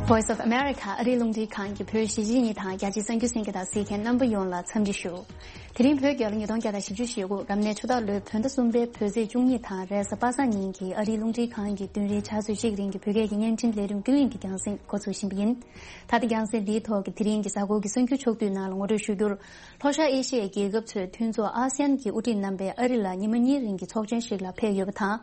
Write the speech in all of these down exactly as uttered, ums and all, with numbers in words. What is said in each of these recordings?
Voice of America ཨ་རིའི་རླུང་འཕྲིན་ཁང་གི་བོད་གཞིས་བྱེས་གཉིས་དང་རྒྱ་ཆེའི་གསར་འགྱུར་གསན་མཁན་དང་གཟིགས་མཁན་རྣམ་པ་ཡོངས་ལ་འཚམས་འདྲི་ཞུ། དེ་རིང་བོད་རྒྱལ་ལོ་ཉིས་སྟོང་བརྒྱ་དང་བཞི་བཅུ་ཞེ་དགུ་རབ་གནས་ཆུ་སྟག་ལོའི་བོད་ཟླ་གསུམ་པའི་བོད་ཚེས་བཅུ་གཉིས་དང་རེས་གཟའ་པ་སངས་ཉིན་གྱི་ཨ་རིའི་རླུང་འཕྲིན་ཁང་གི་བདུན་རེའི་ཆུ་ཚོད་གཅིག་རིང་གི་བོད་སྐད་ཀྱི་བརྙན་འཕྲིན་ལས་རིམ་ཀུན་གླེང་གི་རྒྱང་སྲིང་འགོ་འཛུགས་བཞིན་པ་ཡིན། ད་ལྟ་རྒྱང་སྲིང་འདིའི་ཐོག་གི་དེ་རིང་གི་གཟའ་འཁོར་གྱི་གསར་འགྱུར་ཕྱོགས་བསྡུས་ནང་ལ་ངོ་སྤྲོད་ཞུ་རྒྱུར། ལྷོ་ཤར་ཨེ་ཤི་ཡའི་རྒྱལ་ཁབ་ཚོའི་མཐུན་ཚོགས་ཨ་སི་ཡན་གྱི་དབུ་ཁྲིད་རྣམ་པས་ཨ་རི་ལ་ཉི་མ་གཉིས་རིང་གི་ཚོགས་ཆེན་ཞིག་ལ་ཕེབས་ཡོད་པ་དང་།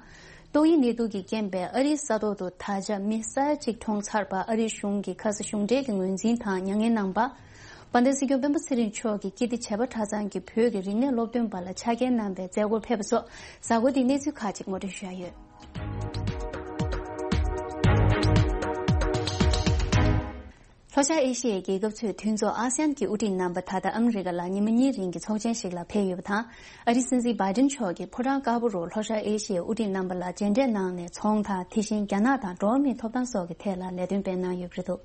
ཏོག་དབྱིབས་ནད་དུག་གི་རྐྱེན་པས་ཨ་རིའི་ས་ཐོག་ཏུ་ད་ཆ་མི་ས་ཡ་གཅིག་གྲོངས་ཚར་བར་ཨ་རིའི་གཞུང་གིས་ཁ་ས་གཞུང་འབྲེལ་གྱི་ངོས་འཛིན་དང་མྱ་ངན་གནང་པ། དཔལ་ལྡན་སྲིད་སྐྱོང་སྤེན་པ་ཚེ་རིང་མཆོག་གིས་ཀིརྟི་བྱེས་པ་གྲྭ་ཚང་གི་བོད་ཀྱི་རིག་གནས་སློབ་སྟོན་པ་ལ་ཕྱག་འཁྱེར་གནང་བའི་མཛད་སྒོར་ཕེབས་པ་སོགས་གཟའ་འཁོར་འདིའི་གནས་ཚུལ་ཁག་ཅིག་ངོ་སྤྲོད་ཞུ་ཡ་ཡོད། ལྷོ་ཤར་ཨེ་ཤི་ཡའི་རྒྱལ་ཁབ་ཚོའི་མཐུན་ཚོགས་ཨ་སི་ཡན་གྱི་དབུ་ཁྲིད་རྣམ་པ་ད་ལྟ་ཨ་མི་རི་ཀ་ལ་ཉི་མ་གཉིས་རིང་གི་ཚོགས་ཆེན་ཞིག་ལ་ཕེབས་ཡོད་པ་དང་། ཨ་རིའི་སྲིད་འཛིན་བྷའི་ཏིན་མཆོག་གིས་ཕོ་བྲང་དཀར་པོ་རུ་ལྷོ་ཤར་ཨེ་ཤི་ཡའི་དབུ་ཁྲིད་རྣམ་པ་ལ་མཇལ་འཕྲད་གནང་ནས་ཚོང་དང་དེ་བཞིན་རྒྱ་ནག་དང་འགྲོ་བ་མིའི་ཐོབ་ཐང་སོགས་ཀྱི་ཐད་ལ་ལས་དོན་སྤེལ་གནང་ཡོད་པ་རེད་འདུག་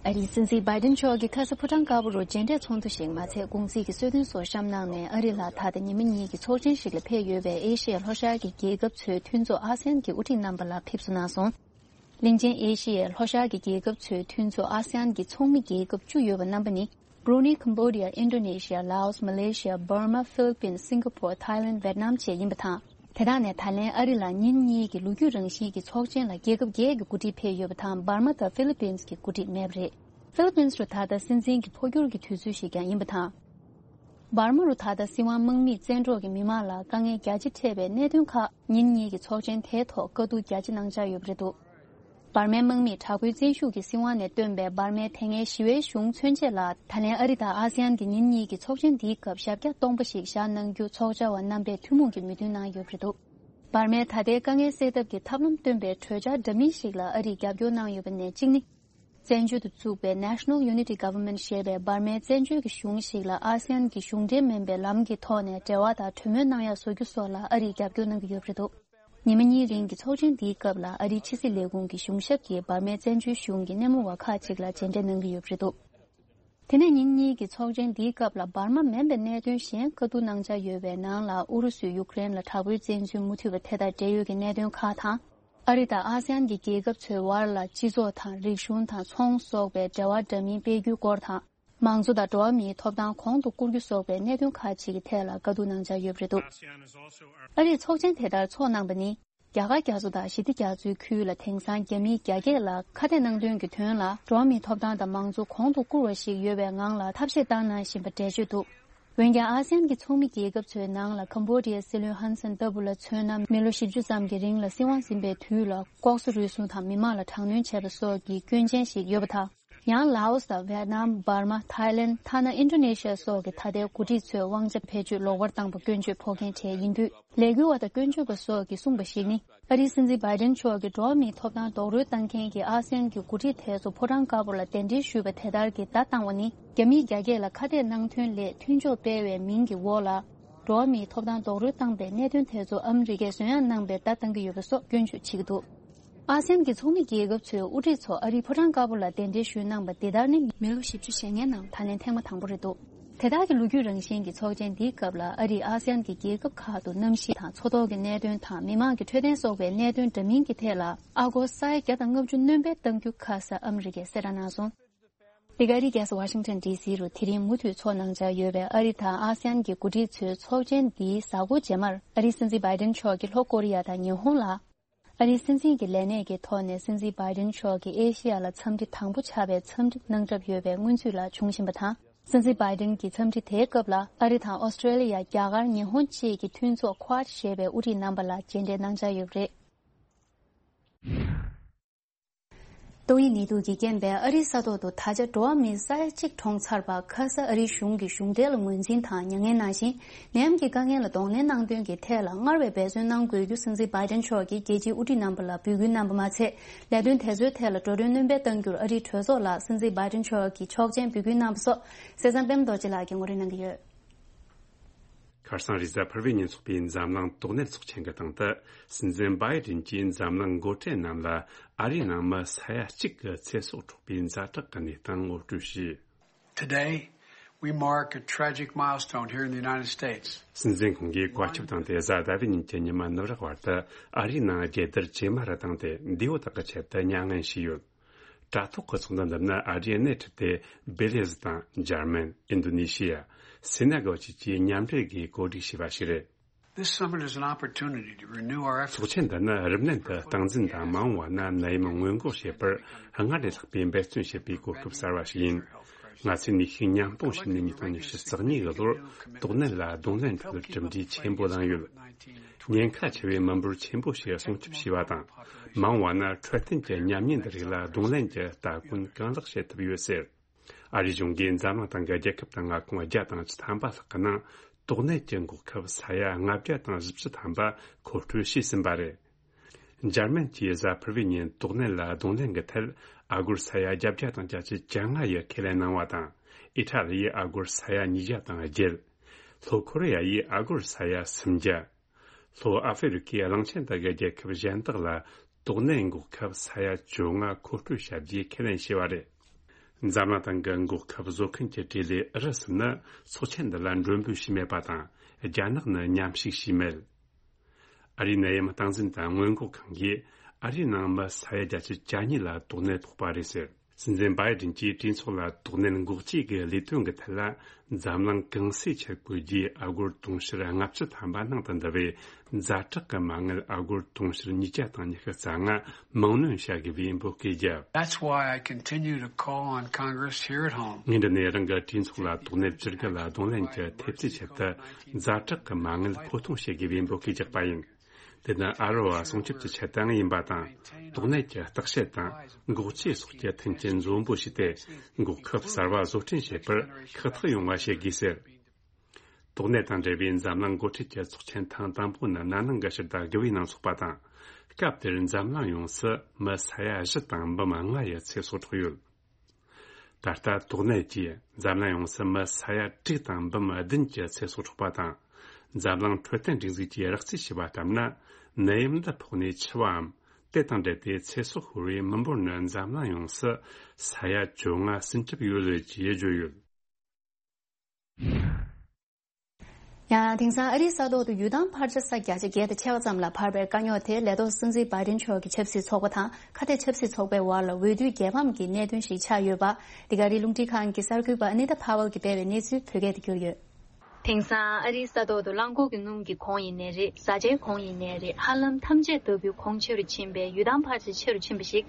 ཨ་རིའི་སྲིད་འཛིན་བྷའི་ཏིན་མཆོག་གིས་ཁ་ས་ཕོ་བྲང་དཀར་པོ་རུ་མཇལ་འཕྲད་ཚོགས་འདུ་ཞིག་མ་ཚད་གུང་ཚིགས་ཀྱི་གསོལ་སྟོན་སོགས་བཤམས་གནང་ནས་ཨ་རི་ལ་ད་ལྟ་ཉི་མ་གཉིས་ཀྱི་ཚོགས་ཆེན་ཞིག་ལ་ཕེབས་ཡོད་པའི་ཨེ་ཤི་ཡ་ལྷོ་ཤར་གྱི་རྒྱལ་ཁབ་ཚོའི་མཐུན་ཚོགས་ཨ་སི་ཡན་གྱི་དབུ་ཁྲིད་རྣམ་པ་ལ་ཕེབས་བསུ་གནང་སོང་། གླིང་ཆེན་ཨེ་ཤི་ཡའི་ལྷོ་ཤར་གྱི་རྒྱལ་ཁབ་ཚོའི་མཐུན་ཚོགས་ཨ་སི་ཡན་གྱི་ཚོགས་མི་རྒྱལ་ཁབ་བཅུ་ཡོད་པ་རྣམ་པ་ནི། བྷུ་རུ་ནེ། ཀམ་བོ་ཌི་ཡ། ཨིན་ཌོ་ནེ་ཤི་ཡ། ལའོ་སི། མ་ལེ་ཤི་ཡ། འབར་མ། ཧྥི་ལི་པིན། སིང་ག་པོར། ཐའི་ལེན། ཝེད་ནམ་བཅས་ཡིན་པ་དང་། དེ་དག་ནས་ད་ལན་ཨ་རི་ལ་ཉིན་གཉིས་ཀྱི་ལོ་རྒྱུས་རང་བཞིན་གྱི་ཚོགས་ཆེན་ལ་རྒྱལ་ཁབ་བརྒྱད་ཀྱི་འགོ་ཁྲིད་ཕེབས་ཡོད་པ་དང་འབར་མ་དང་ཧྥི་ལི་པིན་གྱི་འགོ་ཁྲིད་མེད་པ་རེད། ཧྥི་ལི་པིན་རུ་ད་ལྟ་སྲིད་འཛིན་གྱི་འཕོ་འགྱུར་གྱི་དུས་ཚོད་ཞིག་ཀྱང་ཡིན་པ་དང་། འབར་མ་རུ་ད་ལྟ་སྲིད་དབང་དམག་མིས་བཙན་འཕྲོག་གིས་མི་མང་ལ་དཀའ་ངལ་རྒྱ་ཆེ་འཕྲད་པའི་གནད་དོན་ཁག་ཉིན་གཉིས་ཀྱི་ཚོགས་ཆེན་དེའི་ཐོག་བཀའ་བསྡུར་རྒྱ་ཆེ་གནང་འཆར་ཡོད་པ་རེད་འདུག་འབར་མའི་དམག་མིས་དྲག་པོའི་བཙན་ཤུགས་ཀྱིས་སྲིད་དབང་ནས་བཏོན་པའི་འབར་མའི་དེ་སྔའི་ཞི་བའི་གཞུང་མཚོན་ཆེད་ལ་ད་ལན་ཨ་རི་དང་ཨ་སི་ཡན་གྱི་ཉིན་གཉིས་ཀྱི་ཚོགས་ཆེན་འདིའི་སྐབས་ཞབས་བཀྱག་སྟོང་པ་ཞིག་བཞག་གནང་རྒྱུ་ཚོགས་བཅར་བ་རྣམ་པས་ཐུན་མོང་གི་མོས་མཐུན་གནང་ཡོད་པ་རེད་འདུག་འབར་མའི་ད་ལྟའི་དཀའ་ངལ་སེལ་ཐབས་ཀྱི་ཐབས་ལམ་བཏོན་པའི་གྲོས་འཆར་འདྲ་མིན་ཞིག་ལ་ཨ་རིས་རྒྱབ་སྐྱོར་གནང་ཡོད་པ་ནས་གཅིག་ནི། བཙན་བྱོལ་དུ་བཙུགས་པའི་National Unity Government ཞེས་པའི་འབར་མའི་བཙན་བྱོལ་གྱི་གཞུང་ཞིག་ལ་ཨ་སི་ཡན་གྱི་གཞུང་འབྲེལ་མིན་པའི་ལམ་གྱི་ཐོག་ནས་འབྲེལ་བ་དང་གྲོས་མོལ་གནང་ཡག་བཟོ་རྒྱུ་སོགས་ལ་ཨ་རིས་རྒྱབ་སྐྱོར་གནང་གི་ཡོད་པ་རེད་འདུག་ཉི་མ་གཉིས་རིང་གི་ཚོགས་ཆེན་འདིའི་སྐབས་ལ་ཨ་རིའི་ཕྱི་སྲིད་ལས་ཁུངས་ཀྱི་གཞུང་ཞབས་ཀྱིས་འབར་མའི་བཙན་བྱོལ་གཞུང་གི་སྣེ་མོ་བ་ཁག་ཅིག་ལ་མཇལ་འཕྲད་གནང་གི་ཡོད་པ་རེད་འདུག་དེ་ནས་ཉིན་གཉིས་ཀྱི་ཚོགས་ཆེན་འདིའི་སྐབས་ལ་འབར་མ་མིན་པའི་གནད་དོན་གཞན་བཀའ་བསྡུར་གནང་འཆར་ཡོད་པའི་ནང་ལ་ཨུ་རུ་སུས་ཡུཀ་རེན་ལ་དྲག་པོའི་བཙན་འཛུལ་མུ་མཐུད་པ་དེ་དང་འབྲེལ་ཡོད་ཀྱི་གནད་དོན་ཁག་དང་། ཨ་རི་དང་ཨ་སི་ཡན་གྱི་རྒྱལ་ཁབ་ཚོའི་དབར་ལ་སྤྱི་ཚོགས་དང་རིག་གཞུང་དང་ཚོང་སོགས་པའི་འབྲེལ་བ་འདྲ་མིན་སྤེལ་རྒྱུའི་སྐོར་དང་། མང་གཙོ་དང་འགྲོ་བ་མིའི་ཐོབ་ཐང་གོང་དུ་བཀུར་རྒྱུ་སོགས་པའི་གནད་དོན་ཁག་ཅིག་གི་ཐད་ལ་བཀའ་བསྡུར་གནང་འཆར་ཡོད་པ་རེད་འདུག་ཨ་རིས་ཚོགས་ཆེན་དེ་ལྟར་འཚོགས་གནང་པ་ནི། རྒྱ་གར་རྒྱ་མཚོ་དང་ཞི་བདེ་རྒྱ་མཚོའི་ཁུལ་ལ་དེང་སང་རྒྱ་མི་བརྒྱ་སྐད་ལ་ཁ་གཏད་གནང་དོན་གྱི་དོན་ལ་འགྲོ་བ་མིའི་ཐོབ་ཐང་དང་མང་གཙོ་གོང་དུ་བཀུར་བ་ཞིག་ཡོད་པའི་ངང་ལ་ཐབས་ཤེས་བཏང་གནང་བཞིན་པ་འགྲེལ་བརྗོད་འདུག་འོན་ཀྱང་ཨ་སི་ཡན་གྱི་ཚོགས་མི་རྒྱལ་ཁབ་ཚོའི་ནང་ལ་ཀམ་བོ་ཌི་ཡའི་སྲིད་བློན་ཧན་སན་ལྟ་བུ་ལ་མཚོན་ན་མི་ལོ་བཞི་བཅུ་ཙམ་གྱི་རིང་ལ་སྲིད་དབང་ཟིན་པའི་དུས་ལ་ལྐོག་ཟ་རུལ་སུངས་དང་མི་མང་ལ་དྲག་གནོན་བྱས་པ་སོགས་ཀྱི་སྐྱོན་ཅན་ཞིག་ཡོད་པ་དང་། ཡང་ལའོ་སི་དང་ཝེད་ནམ། འབར་མ། ཐའི་ལེན། ཐ་ན་ཨིན་ཌོ་ནེ་ཤི་ཡ་སོགས་ཀྱི་ད་ལྟའི་འགོ་ཁྲིད་ཚོས་དབང་ཆ་བེད་སྤྱོད་ལོག་པར་བཏང་པ་སྐྱོན་བརྗོད་ཕོག་མཁན་གྲས་ཡིན་དུས། ལས་འགུལ་བ་དང་སྐྱོན་བརྗོད་པ་སོགས་ཀྱིས་གསུངས་པ་ཞིག་ནི། ཨ་རིའི་སྲིད་འཛིན་བྷའི་ཏིན་མཆོག་གིས་འགྲོ་བ་མིའི་ཐོབ་ཐང་རྡོག་རོལ་བཏང་མཁན་གྱི་ཨ་སི་ཡན་གྱི་འགོ་ཁྲིད་དེ་ཚོ་ཕོ་བྲང་དཀར་པོ་ལ་གདན་འདྲེན་ཞུས་པ་དེ་ལྟར་གྱི་བརྡ་བཏང་བ་ནི། རྒྱ་མིས་རྒྱ་སྐད་ལ་ཁ་གཏད་གནང་དོན་ལས་མཐུན་ཕྱོགས་སྤེལ་བའི་མིང་གི་འོག་ལ། འགྲོ་བ་མིའི་ཐོབ་ཐང་རྡོག་རོལ་བཏང་པའི་གནད་དོན་དེ་ཚོ་ཨ་མི་རི་ཀས་བཟོད་ཡངས་གནང་པའི་བརྡ་བཏང་གི་ཡོད་པ་སོགས་སྐྱོན་བརྗོད་བྱེད་ཀྱི་འདུག་ཨ་སི་ཡན་གྱི་ཚོགས་མི་རྒྱལ་ཁབ་ཚོའི་དབུ་ཁྲིད་ཚོ་ཨ་རིའི་ཕོ་བྲང་དཀར་པོ་ལ་གདན་འདྲེན་ཞུས་གནང་པ་འདི་ལྟར་ནི་མི་ལོ་བཞི་བཅུ་ཞེ་ལྔའི་ནང་ད་ལན་ཐེངས་མ་དང་པོ་རེད་འདུག་དེ་དག་གི་ལོ་རྒྱུས་རང་བཞིན་གྱི་ཚོགས་ཆེན་འདིའི་སྐབས་ལ་ཨ་རིས་ཨ་སི་ཡན་གྱི་རྒྱལ་ཁབ་ཁག་ཏུ་གནམ་གཤིས་དང་མཚོ་ཐོག་གི་གནད་དོན་དང་མི་མང་གི་འཕྲོད་བསྟེན་སོགས་པའི་གནད་དོན་འདྲ་མིན་གྱི་ཐད་ལ་ཨ་སྒོར་ས་ཡ་བརྒྱ་དང་ལྔ་བཅུ་སྣོན་པ་གཏང་རྒྱུ་ཁ་ས་ཨ་མི་རི་ཀས་གསལ་བསྒྲགས་གནང་སོང་། འདི་ག་ཨ་རིའི་རྒྱལ་ས་ཝ་ཤིང་ཊོན་ཌི་སི་རུ་དེ་རིང་མུ་མཐུད་འཚོགས་གནང་འཆར་ཡོད་པའི་ཨ་རི་དང་ཨ་སི་ཡན་གྱི་འགོ་ཁྲིད་ཚོའི་ཚོགས་ཆེན་འདིའི་གཟའ་འཁོར་རྗེས་མར་ཨ་རིའི་སྲིད་འཛིན་བྷའི་ཏིན་མཆོག་གིས་ལྷོ་ཀོ་རི་ཡ་དང་ཉི་ཧོང་ལ། ཨ་རིའི་སྲིད་འཛིན་གྱི་ལས་གནས་ཀྱི་ཐོག་ནས་སྲིད་འཛིན་བྷའི་ཏིན་མཆོག་གི་ཨེ་ཤི་ཡ་ལ་འཚམས་འདྲི་དང་པོ་ཆགས་པའི་འཚམས་འདྲི་གནང་གྲབས་ཡོད་པའི་སྔོན་ཚུད་ལ་བྱུང་བཞིན་པ་དང་། སྲིད་འཛིན་བྷའི་ཏིན་གྱི་འཚམས་འདྲི་དེའི་སྐབས་ལ་ཨ་རི་དང་ཨོ་སི་ཀྲེ་ལི་ཡ། རྒྱ་གར། ཉི་ཧོང་བཅས་ཀྱི་མཐུན་ཚོགས་Quad ཞེས་པའི་དབུ་ཁྲིད་རྣམ་པ་ལ་མཇལ་འཕྲད་གནང་འཆར་ཡོད་པ་རེད། ཏོག་དབྱིབས་ནད་དུག་གི་རྐྱེན་པས་ཨ་རིའི་ས་ཐོག་ཏུ་ད་ཆ་འགྲོ་བ་མི་ས་ཡ་གཅིག་གྲོངས་ཚར་བ་ཁ་ས་ཨ་རིའི་གཞུང་གིས་གཞུང་འབྲེལ་ལ་ངོས་འཛིན་དང་མྱ་ངན་གནང་ཞིང་། ནད་ཡམས་ཀྱི་དཀའ་ངལ་ལ་གདོང་ལེན་གནང་དོན་གྱི་ཐད་ལ་སྔར་བས་འབད་བརྩོན་གནང་དགོས་རྒྱུ་སྲིད་འཛིན་བྷའི་ཏིན་མཆོག་གིས་རྒྱལ་སྤྱིའི་དབུ་ཁྲིད་རྣམ་པ་ལ་འབོད་སྐུལ་གནང་པ་མ་ཚད། ལས་དོན་དེ་ཚོའི་ཐད་ལ་འགྲོ་གྲོན་སྣོན་པ་གཏང་རྒྱུར་ཨ་རིའི་གྲོས་ཚོགས་ལ་སྲིད་འཛིན་བྷའི་ཏིན་མཆོག་གིས་ཆོག་མཆན་འབོད་སྐུལ་གནང་པ་སོགས་གསན་བསམ་པད་མ་རྡོ་རྗེ་ལགས་ཀྱིས་ངོ་སྤྲོད་གནང་གི་ཡོད། ཁ་སང་རེས་གཟའ་ཕུར་བུའི་ཉིན་འཚོགས་པའི་འཛམ་གླིང་ཏོག་དབྱིབས་ཚོགས་ཆེན་གྱི་སྟེང་དུ། སྲིད་འཛིན་བྷའི་ཏིན་གྱིས་འཛམ་གླིང་འགོ་ཁྲིད་རྣམས་ལ་ཨ་རིའི་ནང་མི་ས་ཡ་གཅིག་གི་ཚེ་སྲོག་འཕྲོག་པའི་ཛ་དྲག་གི་གནས་སྟངས་ངོ་སྤྲོད་བྱས། Today, we mark a tragic milestone here in the United States. སྲིད་འཛིན་ཁོང་གིས་བཀའ་ཁྱབ་བཏང་སྟེ་གཟའ་ཟླ་བའི་ཉིན་གྱི་ཉི་མ་ནུབ་རག་བར་དུ་ཨ་རིའི་ནང་རྒྱལ་དར་ཇེ་དམའ་རུ་བཏང་སྟེ་འདས་པོ་དག་གི་ཆེད་དུ་མྱ་ངན་བྱས་ཡོད། དྲ་ཐོག་གི་ཚོགས་འདུ་འདི་ནི་ཨ་རིའི་སྣེ་ཁྲིད་དེ་བེ་ལི་ཟི་དང་འཇར་མན། ཨིན་ཌོ་ནེ་ཤི་ཡ། སེ་ནེ་གལ་བཅས་ཀྱིས་མཉམ་འབྲེལ་སྒོས་གོ་སྒྲིག་བྱས་པ་ཞིག་རེད། This summit is an opportunity to renew our efforts. ཚོགས་ཆེན་འདི་ནི་རིམས་ནད་འདི་སྟངས་འཛིན་དང་མ་འོངས་པ་ན་ནད་ཡམས་སྔོན་འགོག་བྱེད་པར་སྔར་ལས་ལྷག་པའི་འབད་བརྩོན་བྱེད་པའི་གོ་སྐབས་གསར་བ་ཞིག་ཡིན། ང་ཚོས་ནུས་ཤུགས་མཉམ་སྤུངས་བྱས་ནས་ཉིས་སྟོང་ཉི་ཤུ་རྩ་གཉིས་ཀྱི་ལོར་དོགས་ནད་ལ་གདོང་ལེན་ཁྲོད་གྲུབ་འབྲས་ཆེན་པོ་བླངས་ཡོད། ཉེན་ཁ་ཆེ་བའི་མི་འབོར་ཆེན་པོ་ཞིག་སྲུང་སྐྱོབ་བྱས་པ་དང་། མ་འོངས་པ་ན་འཕྲོད་བསྟེན་གྱི་ཉམས་ཉེན་འདི་རིགས་ལ་གདོང་ལེན་གྱི་ལྟ་གོན་གང་ལེགས་བྱེད་ཐུབ་ཡོད་ཟེར། ཨ་རིའི་གཞུང་གིས་འཛམ་གླིང་སྟེང་གི་རྒྱལ་ཁབ་དང་མངའ་ཁོངས་བརྒྱ་དང་བཅུ་ཐམ་པ་ལྷག་གི་ནང་དོགས་ནད་ཀྱི་འགོག་ཁབ་ས་ཡ་ལྔ་བརྒྱ་དང་བཞི་བཅུ་ཐམ་པ་མཁོ་སྤྲོད་བྱས་ཟིན་པ་རེད། འཇར་མན་གྱིས་གཟའ་ཕུར་བུའི་ཉིན་དོགས་ནད་ལ་གདོང་ལེན་གྱི་ཐད་ཨ་སྒོར་ས་ཡ་བརྒྱད་བརྒྱ་དང་བརྒྱད་ཅུ་གྱ་ལྔ་ཡི་ཁས་ལེན་གནང་བ་དང་། ཨི་ཊ་ལི་ཡིས་ཨ་སྒོར་ས་ཡ་ཉིས་བརྒྱ་དང་བརྒྱད། ལྷོ་ཁོ་རེ་ཡ་ཡིས་ཨ་སྒོར་ས་ཡ་སུམ་བརྒྱ། ལྷོ་ཨ་ཧྥེ་རི་ཁའི་གླིང་ཆེན་དག་གི་རྒྱལ་ཁབ་གཞན་དག་ལ་དོགས་ནད་འགོག་ཁབ་ས་ཡ་བཅོ་ལྔ་མཁོ་སྤྲོད་བྱ་རྒྱུའི་ཁས་ལེན་བྱས་པ་རེད། འཛམ་གླིང་སྟེང་གི་འགོག་ཁབ་བཟོ་མཁན་གྱི་གྲས་ལས་ཨུ་རུ་སུ་ནི་ཚོགས་ཆེན་འདི་ལ་མགྲོན་འབོད་བྱས་མེད་པ་དང་། རྒྱ་ནག་ནི་མཉམ་ཞུགས་བྱས་མེད། ཨ་རིའི་ནད་ཡམས་སྟངས་འཛིན་དང་སྔོན་འགོག་ཁང་གིས་ཨ་རིའི་ནང་མི་ས་ཡ་བརྒྱད་ཅུ་གྱ་གཉིས་ལ་དོགས་ནད་ཕོག་པ་རེད་ཟེར། སྲིད་འཛིན་བྷའི་ཌེན་གྱིས་གྲོས་ཚོགས་ལ་དོགས་ནད་འགོག་བཅོས་ཀྱི་ལས་དོན་གྱི་ཐད་ལ་འཛམ་གླིང་གང་སའི་ཆེད་བསྐོས་རྒྱུའི་ཨ་སྒོར་དུང་ཕྱུར་ལྔ་བཅུ་ཐམ་པ་ནང་དུ་འདུ་བའི་ཛ་དྲག་གི་མ་དངུལ་ཨ་སྒོར་དུང་ཕྱུར་ཉིས་བརྒྱ་དང་ཉི་ཤུ་རྩ་ལྔ་མིང་གནོན་བྱ་དགོས་པའི་འབོད་སྐུལ་བརྒྱབ། That's why I continue to call on Congress here at home. ངས་འདི་ནས་རང་གི་གྲོས་ཚོགས་ལ་དོགས་ནད་བཅོས་སྒྱུར་ལ་གདོང་ལེན་གྱི་ཐེབས་རྩའི་ཆེད་དུ་ཛ་དྲག་གི་མ་དངུལ་མཁོ་གཏོང་བྱེད་དགོས་པའི་འབོད་སྐུལ་བརྒྱབ་པ་ཡིན། དེ་ནི་ཨ་རི་བ་སྲུང་སྐྱོབ་ཀྱི་ཆེད་དུའང་ཡིན་པ་དང་། དོགས་ནད་ཀྱི་བརྟག་དཔྱད་དང་འགོག་བཅོས་སོགས་ཀྱི་མཐུན་རྐྱེན་འཛོམས་པོ་བྱས་ཏེ། འགོག་ཁབ་གསར་བ་བཟོ་སྐྲུན་བྱེད་པར་ཁག་ཐེག་ཡོང་བ་བྱེད་དགོས་ཟེར། དོགས་ནད་དང་འབྲེལ་བའི་འཛམ་གླིང་འགོ་ཁྲིད་ཀྱི་ཚོགས་ཆེན་ཐེངས་དང་པོ་ནི་ན་ནིང་གི་ཕྱི་ཟླ་དགུ་པའི་ནང་འཚོགས་པ་དང་། སྐབས་དེར་འཛམ་གླིང་ཡོངས་སུ་མི་ས་ཡ་བཞི་དང་འབུམ་ལྔ་ཡི་ཚེ་སྲོག་འཕྲོག་ཡོད། ད་ལྟ་དོགས་ནད་ཀྱིས་འཛམ་གླིང་ཡོངས་སུ་མི་ས་ཡ་དྲུག་དང་འབུམ་བདུན་གྱི་ཚེ་སྲོག་འཕྲོག་པ་དང་། འཛམ་གླིང་འཕྲོད་བསྟེན་སྒྲིག་འཛུགས་ཀྱིས་རགས་རྩིས་བྱས་པ་ལྟར་ན། ནད་ཡམས་འདི་ཕོག་ནས་འཆི་བའམ། དེ་དང་འབྲེལ་ཏེ་ཚེ་སྲོག་ཤོར་བའི་མི་འབོར་ནི་འཛམ་གླིང་ཡོངས་སུ་ས་ཡ་བཅོ་ལྔ་ཟིན་གྲུབ་ཡོད་ལུགས་ཀྱིས་བརྗོད་ཡོད། ཡང་དེང་སང་ཨ་རིའི་ས་ཐོག་ཏུ་ཡུལ་ཐང་ཕར་ཆེར་ས་བརྒྱ་ཆ་བརྒྱད་དང་ཕྱེད་ཀ་ཙམ་ལ་འཕར་བའི་དཀའ་རྙོག་དེ་ལས་ཐོག་སྲིད་འཛིན་བྷའི་ཌེན་མཆོག་གི་ཆབ་སྲིད་ཚོགས་པ་དང་ཁ་གཏད་ཆབ་སྲིད་ཚོགས་པའི་དབར་ལ་འོས་བསྡུའི་རྒྱལ་ཕམ་གྱི་གནད་དོན་ཞིག་ཆགས་ཡོད་པ། འདི་ག་རིང་རླུང་འཕྲིན་ཁང་གི་གསར་འགོད་པ་ཨ་ནི་ཏཱ་ཕ་ཝལ་གྱིས་སྤེལ་བའི་གནས་ཚུལ་བོད་སྐད་དུ་བསྒྱུར་ཡོད། དེང་སང་ཨ་རིའི་ས་ཐོག་ཏུ་རླངས་འཁོར་གྱི་སྣུམ་གྱི་གོང་ཡིན་ནའི་རེད། བཟའ་བཅའི་གོང་ཡིན་ནའི་རེད། ཧ་ལམ་ཐམས་ཅད་ལྟ་བུའི་གོང་ཆེ་རུ་ཕྱིན་པས་ཡུལ་ཐང་ཕལ་ཆེར་ཆེ་རུ་ཕྱིན་པ་ཞིག་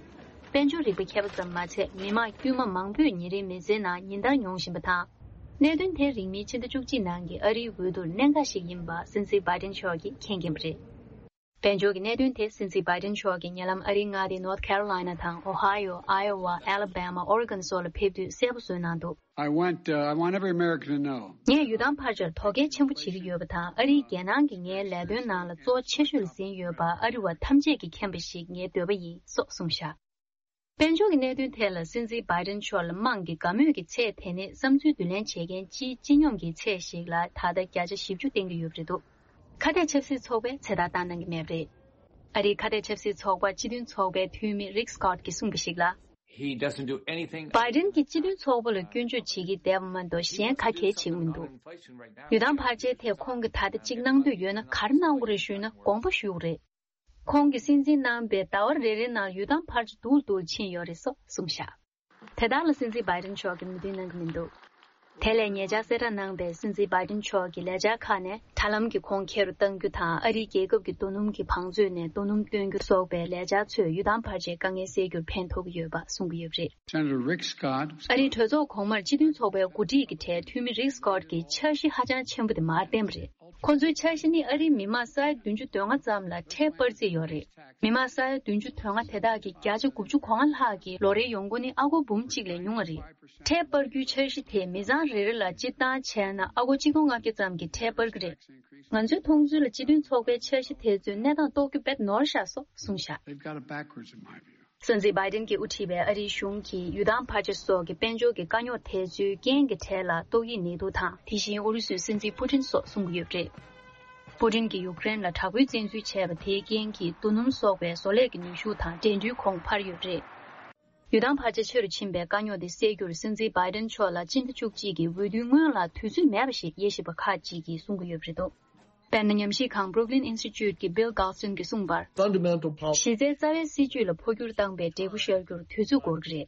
དཔལ་འབྱོར་རིག་པ་མཁས་པ་ཙམ་མ་ཚད་མི་མང་དཀྱུས་མ་མང་པོས་ཉིན་རེའི་མི་ཚེའི་ནང་ཉིན་ལྟར་མྱོང་བཞིན་པ་དང་། གནད་དོན་དེ་རིང་མིན་ཕྱི་ཟླ་བཅུ་གཅིག་ནང་གི་ཨ་རིའི་འོས་བསྡུར་གནད་འགག་ཞིག་ཡིན་པ་སྲིད་འཛིན་བྷའི་ཌེན་མཆོག་གིས་མཁྱེན་གྱིན་པ་རེད། དཔལ་འབྱོར་གྱི་གནད་དོན་དེ་སྲིད་འཛིན་བྷའི་ཌེན་མཆོག་གིས་ཉེ་ལམ་ཨ་རིའི་མངའ་སྡེ་North Carolina དང་Ohio། Iowa། Alabama། Oregon སོགས་ལ་ཕེབས་དུས་གསལ་པོ་བཟོས་གནང་འདུག I want, uh, I want every American to know. ངས་ཡུལ་ཐང་ཕལ་ཆེར་དོ་གལ་ཆེན་པོ་བྱེད་ཀྱི་ཡོད་པ་དང་། ཨ་རིའི་རྒྱལ་ནང་གི་ངའི་ལས་དོན་ནང་ལ་གཙོ་ཆེ་ཤོས་ལ་ཟིན་ཡོད་པ་ཨ་རི་བ་ཐམས་ཅད་ཀྱིས་མཁྱེན་པ་ཞིག་ངའི་འདོད་པ་ཡིན་སོགས་གསུངས་བཞག་དཔལ་འབྱོར་གྱི་གནད་དོན་ཐད་ལ་སྲིད་འཛིན་བྷའི་ཌེན་མཆོག་ལ་དམངས་ཀྱི་དགའ་མོས་ཀྱི་ཚད་དེ་ནི་བསམ་ཚུལ་བསྡུ་ལེན་བྱེད་མཁན་སྤྱིའི་སྤྱི་སྙོམས་ཀྱི་ཚད་ཞིག་ལ་ད་ལྟ་བརྒྱ་ཆ་བཞི་བཅུ་བསྟན་གྱི་ཡོད་པ་རེད་འདུག་ཁ་གཏད་ཆབ་སྲིད་ཚོགས་པས་ཚེ་ཐར་བཏང་གནང་གི་མེད་པ་རེད། ཨ་རིའི་ཁ་གཏད་ཆབ་སྲིད་ཚོགས་པ་སྤྱི་མཐུན་ཚོགས་པའི་འཐུས་མི་Rick Scott གིས་གསུངས་པ་ཞིག་ལ། He doesn't do anything. བྷའི་ཌེན་གྱིས་སྤྱི་མཐུན་ཚོགས་པ་ལ་སྐྱོན་བརྗོད་བྱེད་ཀྱི་བསྡད་པ་མ་གཏོགས་གཞན་ག་གལ་ཆེ་གི་མི་འདུག་ཡུལ་ཐང་ཕལ་ཆེར་ཐད་ཁོང་གིས་ད་ལྟ་གཅིག་གནང་འདོད་ཡོད་ན་ག་རེ་གནང་དགོས་རེད་ཞུས་ན་དགོངས་པ་ཞུ་དགོས་རེད། ཁོང་གིས་སྲིད་འཛིན་གནང་པའི་ཟླ་བ་རེ་རེའི་ནང་ཡུལ་ཐང་ཕལ་ཆེར་སྡུག་ལ་སྡུག་ལ་ཕྱིན་ཡོད་རེད་སོགས་གསུངས་བཞག་དེ་དག་ལ་སྲིད་འཛིན་བྷའི་ཌེན་མཆོག་གིས་མོས་མཐུན་གནང་གི་མི་འདུག་དེ་ལས་ཉེ་ཆར་གསལ་བསྒྲགས་གནང་པའི་སྲིད་འཛིན་བྷའི་ཌེན་མཆོག་གི་ལས་འཆར་ཁག་ནས་དྲ་ལམ་གྱི་གོང་ཁེ་རུ་གཏང་རྒྱུ་དང་ཨ་རིའི་རྒྱལ་ཁབ་ཀྱི་རྡོ་སྣུམ་གྱི་བང་མཛོད་ནས་རྡོ་སྣུམ་བཏོན་རྒྱུ་སོགས་པའི་ལས་འཆར་ཚོས་ཡུལ་ཐང་ཕལ་ཆེར་དཀའ་ངལ་སེལ་རྒྱུར་ཕན་ཐོགས་ཀྱི་ཡོད་པ་གསུང་གི་ཡོད་པ་རེད། Senator Rick Scott. ཨ་རིའི་གྲོས་ཚོགས་གོང་མར་སྤྱི་མཐུན་ཚོགས་པའི་འགོ་ཁྲིད་ཀྱི་གྲས་འཐུས་མི་Rick Scott གྱིས་འཆར་གཞི་ཧ་ཅང་ཆེན་པོ་དེ་མར་བསྟན་པ་རེད། ཁོ་ཚོའི་འཆར་གཞི་ནི་ཨ་རིའི་མི་མང་ས་ཡ་བདུན་ཅུ་དོན་ལྔ་ཙམ་ལ་ཁྲལ་སྤར་རྩིས་ཡོད་རེད། མི་མང་ས་ཡ་བདུན་ཅུ་དོན་ལྔ་དེ་དག་གི་བརྒྱ་ཆ་དགུ་བཅུ་གོ་ལྔ་ལྷག་གི་ལོ་རེའི་ཡོང་སྒོ་ནི་ཨ་སྒོར་འབུམ་གཅིག་ལས་ཉུང་བ་རེད། ཁྲལ་སྤར་རྒྱུའི་འཆར་གཞི་དེས་མི་ཚང་རེ་རེ་ལ་སྤྱིར་བཏང་བྱས་ན་ཨ་སྒོར་གཅིག་སྟོང་ལྔ་བརྒྱ་ཙམ་གྱི་ཁྲལ་སྤར་གྱི་རེད། ང་ཚོའི་མཐོང་ཚུལ་ལ་སྤྱི་མཐུན་ཚོགས་པའི་འཆར་གཞི་དེ་ཚོས་གནས་སྟངས་རྟོགས་རྒྱུ་དཔེ་ནོར་བཞག་སོགས་གསུངས་བཞག They've got it backwards in my view. སྲིད་འཛིན་བྷའི་ཌེན་གྱིས་དབུ་ཁྲིད་པའི་ཨ་རིའི་གཞུང་གིས་ཡུལ་ཐང་ཕལ་ཆེར་སོགས་ཀྱི་དཔལ་འབྱོར་གྱི་དཀའ་རྙོག་དེ་ཚོའི་རྐྱེན་གྱི་གྲས་ལ་ཏོག་དབྱིབས་ནད་དུག་དང་དེ་བཞིན་ཨུ་རུ་སུའི་སྲིད་འཛིན་པུ་ཏིན་སོགས་གསུང་གི་ཡོད་པ་རེད། པུ་ཏིན་གྱིས་ཡུཀ་རེན་ལ་དྲག་པོའི་བཙན་འཛུལ་བྱས་པ་དེའི་རྐྱེན་གྱིས་རྡོ་སྣུམ་སོགས་པའི་བཟོ་ལས་ཀྱི་ནུས་ཤུགས་དང་འགྲན་བསྡུར་གོང་འཕར་ཡོད་པ་རེད། ཡུལ་ཐང་ཕལ་ཆེར་ཆེ་རུ་ཕྱིན་པའི་དཀའ་རྙོག་དེ་སེལ་རྒྱུར་སྲིད་འཛིན་བྷའི་ཏིན་མཆོག་ལ་སྤྱི་ཟླ་བཅུ་གཅིག་གི་འོས་བསྡུའི་སྔོན་ལ་དུས་ཚོད་མེད་པ་ཞིག་དབྱེ་ཞིབ་པ་ཁག་ཅིག་གིས་གསུང་གི་ཡོད་པ་རེད་འདུག་དཔེར་ན། ཉམས་ཞིབ་ཁང་Brooklyn Institute གི་Bill Galston གྱིས་གསུངས་པར། Fundamental policy གཞི་རྩའི་རྩ་བའི་སྲིད་ཇུས་ལ་འཕོ་འགྱུར་བཏང་པའི་འབྲས་བུ་ཤར་རྒྱུར་དུས་ཚོད་འགོར་གྱི་རེད།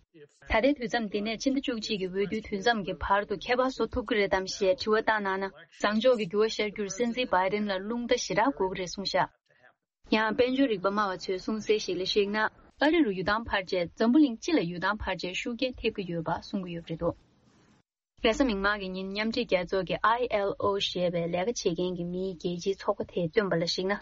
ད་ལྟའི་དུས་མཚམས་འདི་ནས་ཕྱི་ཟླ་བཅུ་གཅིག་གི་འོས་བསྡུའི་དུས་མཚམས་ཀྱི་བར་དུ་ཁྱད་པར་བཟོ་ཐུབ་ཀྱི་རེད་དམ་ཞེས་དྲི་བ་བཏང་གནང་ན། བཟང་ཕྱོགས་ཀྱི་འགྱུར་བ་ཤར་རྒྱུར་སྲིད་འཛིན་Biden ལ་རླུང་རྟ་ཞེ་དྲག་འགོར་གྱི་རེད་གསུངས་བཞག་ཡང་། དཔལ་འབྱོར་རིག་པ་སྨྲ་བ་ཚོས་གསུངས་གསལ་ཞིག་ལ་གཞིགས་ན། ཨ་རི་རུ་ཡུལ་ཐང་འཕར་རྗེས་འཛམ་བུ་གླིང་སྤྱི་ལ་ཡུལ་ཐང་འཕར་རྗེས་ཤུགས་རྐྱེན་ཐེབས་ཀྱི་ཡོད་པ་གསུང་གི་ཡོད་པ་རེད་འདུག་རེས་གཟའ་མིག་དམར་གྱི་ཉིན་མཉམ་འབྲེལ་རྒྱལ་ཚོགས་ཀྱི་I L O ཞེས་པའི་ལས་ཀ་བྱེད་མཁན་གྱི་མིའི་རྒྱལ་སྤྱིའི་ཚོགས་པ་དེས་བཏོན་པ་ལ་གཞིགས་ན།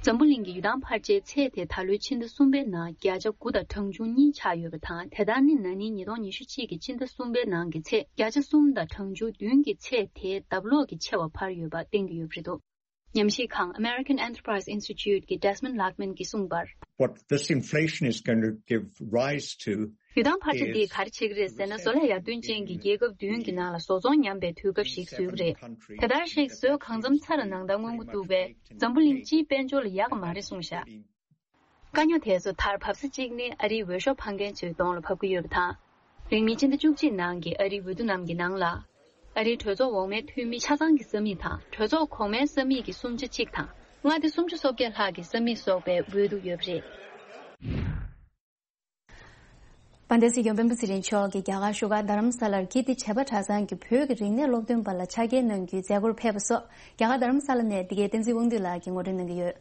འཛམ་བུ་གླིང་གི་ཡུལ་ཐང་འཕར་ཆའི་ཚད་དེ་ད་ལོའི་ཕྱི་ཟླ་གསུམ་པའི་ནང་བརྒྱ་ཆ་དགུ་དང་གྲངས་ཆུང་གཉིས་ཆགས་ཡོད་པ་དང་། དེ་ལྟར་ནི་ན་ནིང་ཉིས་སྟོང་ཉི་ཤུ་གཅིག་གི་ཕྱི་ཟླ་གསུམ་པའི་ནང་གི་ཚད་བརྒྱ་ཆ་གསུམ་དང་གྲངས་ཆུང་བདུན་གྱི་ཚད་དེ་ལྡབ་ལོག་གིས་ཆེ་བ་འཕར་ཡོད་པ་བསྟན་གྱི་ཡོད་པ་རེད་འདུག་ཉམས་ཞིབ་ཁང་American Enterprise Institute གི་Desmond Lachman གྱིས་གསུངས་པར། What this inflation is going to give rise to ཡུལ་ཐང་འཕར་ཆ་འདིས་ག་རེ་བྱེད་ཀྱི་རེད་ཟེར་ན། བཟོ་ལས་ཡར་ཐོན་ཅན་གྱི་རྒྱལ་ཁབ་བདུན་གྱི་ནང་ལ་བཟོ་ཚོང་ཉམས་པའི་དུས་སྐབས་ཤིག་བཟོ་གི་རེད། དེ་ལྟར་གཤེགས་བཟོས་གང་འཚམ་ཚར་ནང་ལྟར་སྔོན་འགོག་འདུག་པས། འཛམ་བུ་གླིང་སྤྱིའི་དཔལ་འབྱོར་ལ་ཡག་གི་མ་རེད་གསུངས་བཞག་དཀའ་རྙོག་དེ་ཚོ་མཐར་བབས་ས་གཅིག་ནི་ཨ་རིའི་འོས་ཤོག་འཕང་མཁན་ཚོའི་གདོང་ལ་བབས་ཀྱི་ཡོད་པ་དང་། རིང་མིན་ཕྱི་ཟླ་བཅུ་གཅིག་ནང་གི་ཨ་རིའི་འོས་བསྡུ་རྣམས་ཀྱི་ནང་ལ། ཨ་རིའི་གྲོས་ཚོགས་འོག་མའི་འཐུས་མི་ཆ་ཚང་གི་ས་མིག་དང་། གྲོས་ཚོགས་གོང་མའི་ས་མིག་གི་སུམ་ཆ་གཅིག་དང་། མངའ་སྡེ་སུམ་ཅུ་སོ་བརྒྱད་ལྷག་གི་ས་མིག་སོགས་པའི་འོས་བསྡུ་ཡོད་པ་རེད། དཔལ་ལྡན་སྲིད་སྐྱོང་སྤེན་པ་ཚེ་རིང་མཆོག་གིས་རྒྱ་གར་བཞུགས་སྒར་རྡ་རམ་ས་ལར་ཀིརྟི་བྱེས་པ་གྲྭ་ཚང་གི་བོད་ཀྱི་རིག་གནས་སློབ་སྟོན་པ་ལ་ཕྱག་འཁྱེར་གནང་རྒྱུའི་མཛད་སྒོར་ཕེབས་པ་སོགས། རྒྱ་གར་རྡ་རམ་ས་ལ་ནས་འདི་གའི་བསྟན་འཛིན་དབང་འདུས་ལགས་ཀྱིས་ངོ་སྤྲོད་གནང་གི་ཡོད།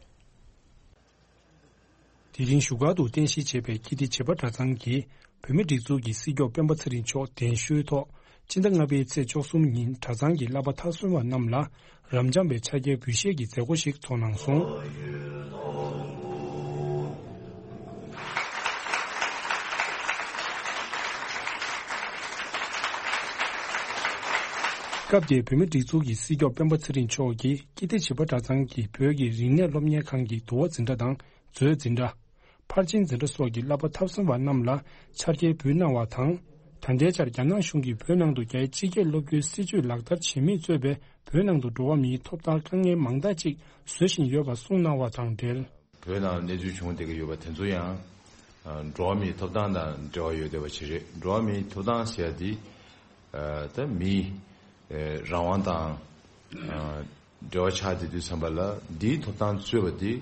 དེ་རིང་བཞུགས་སྒར་དུ་རྟེན་གཞི་བྱས་པའི་ཀིརྟི་བྱེས་པ་གྲྭ་ཚང་གིས་བོད་མིའི་སྒྲིག་འཛུགས་ཀྱི་སྲིད་སྐྱོང་སྤེན་པ་ཚེ་རིང་མཆོག་གདན་ཞུའི་ཐོག་སྤྱི་ཟླ་ལྔ་པའི་ཚེས་བཅུ་གསུམ་ཉིན་གྲྭ་ཚང་གི་བསླབ་པ་མཐར་སོན་པ་རྣམས་ལ་རབ་འབྱམས་པའི་ཕྱག་འཁྱེར་འབུལ་བཞེས་ཀྱི་མཛད་སྒོ་ཞིག་ཚོགས་གནང་སོང་། སྐབས་དེར་བོད་མིའི་སྒྲིག་འཛུགས་ཀྱི་སྲིད་སྐྱོང་སྤེན་པ་ཚེ་རིང་མཆོག་གིས་ཀིརྟི་བྱེས་པ་གྲྭ་ཚང་གི་བོད་ཀྱི་རིག་གནས་སློབ་གཉེར་ཁང་གི་འདུལ་བ་འཛིན་གྲྭ་དང་མཛོད་འཛིན་གྲྭ། ཕར་ཕྱིན་འཛིན་གྲྭ་སོགས་ཀྱི་བསླབ་པ་མཐར་སོན་པ་རྣམས་ལ་ཕྱག་འཁྱེར་འབུལ་གནང་བ་དང་། ད་ལྟའི་ཆར་རྒྱ་ནག་གཞུང་གིས་བོད་ནང་དུ་རྒྱའི་སྤྱི་སྐད་སློབ་རྒྱུའི་སྲིད་བྱུས་ལག་བསྟར་བྱེད་མུས་གཙོས་པའི་བོད་ནང་དུ་འགྲོ་བ་མིའི་ཐོབ་ཐང་དཀའ་ངལ་མང་དག་ཅིག་བཟོ་བཞིན་ཡོད་པ་གསུངས་གནང་བ་དང་འབྲེལ། བོད་ནང་གནས་ཚུལ་བྱུང་བསྡད་ཀྱི་ཡོད་པ་དེ་ཚོ་ཡང་འགྲོ་བ་མིའི་ཐོབ་ཐང་དང་འབྲེལ་བ་ཡོད་བསྡད་པ་ཞིག་རེད། འགྲོ་བ་མིའི་ཐོབ་ཐང་ཟེར་ཡ་དེ་ད་མིའི་རང་དབང་དང་འབྲེལ་བ་ཆགས་བསྡད་དུས་ཙམ་པ་ལ་འདིའི་ཐོབ་ཐང་རྩོད་པ་འདི་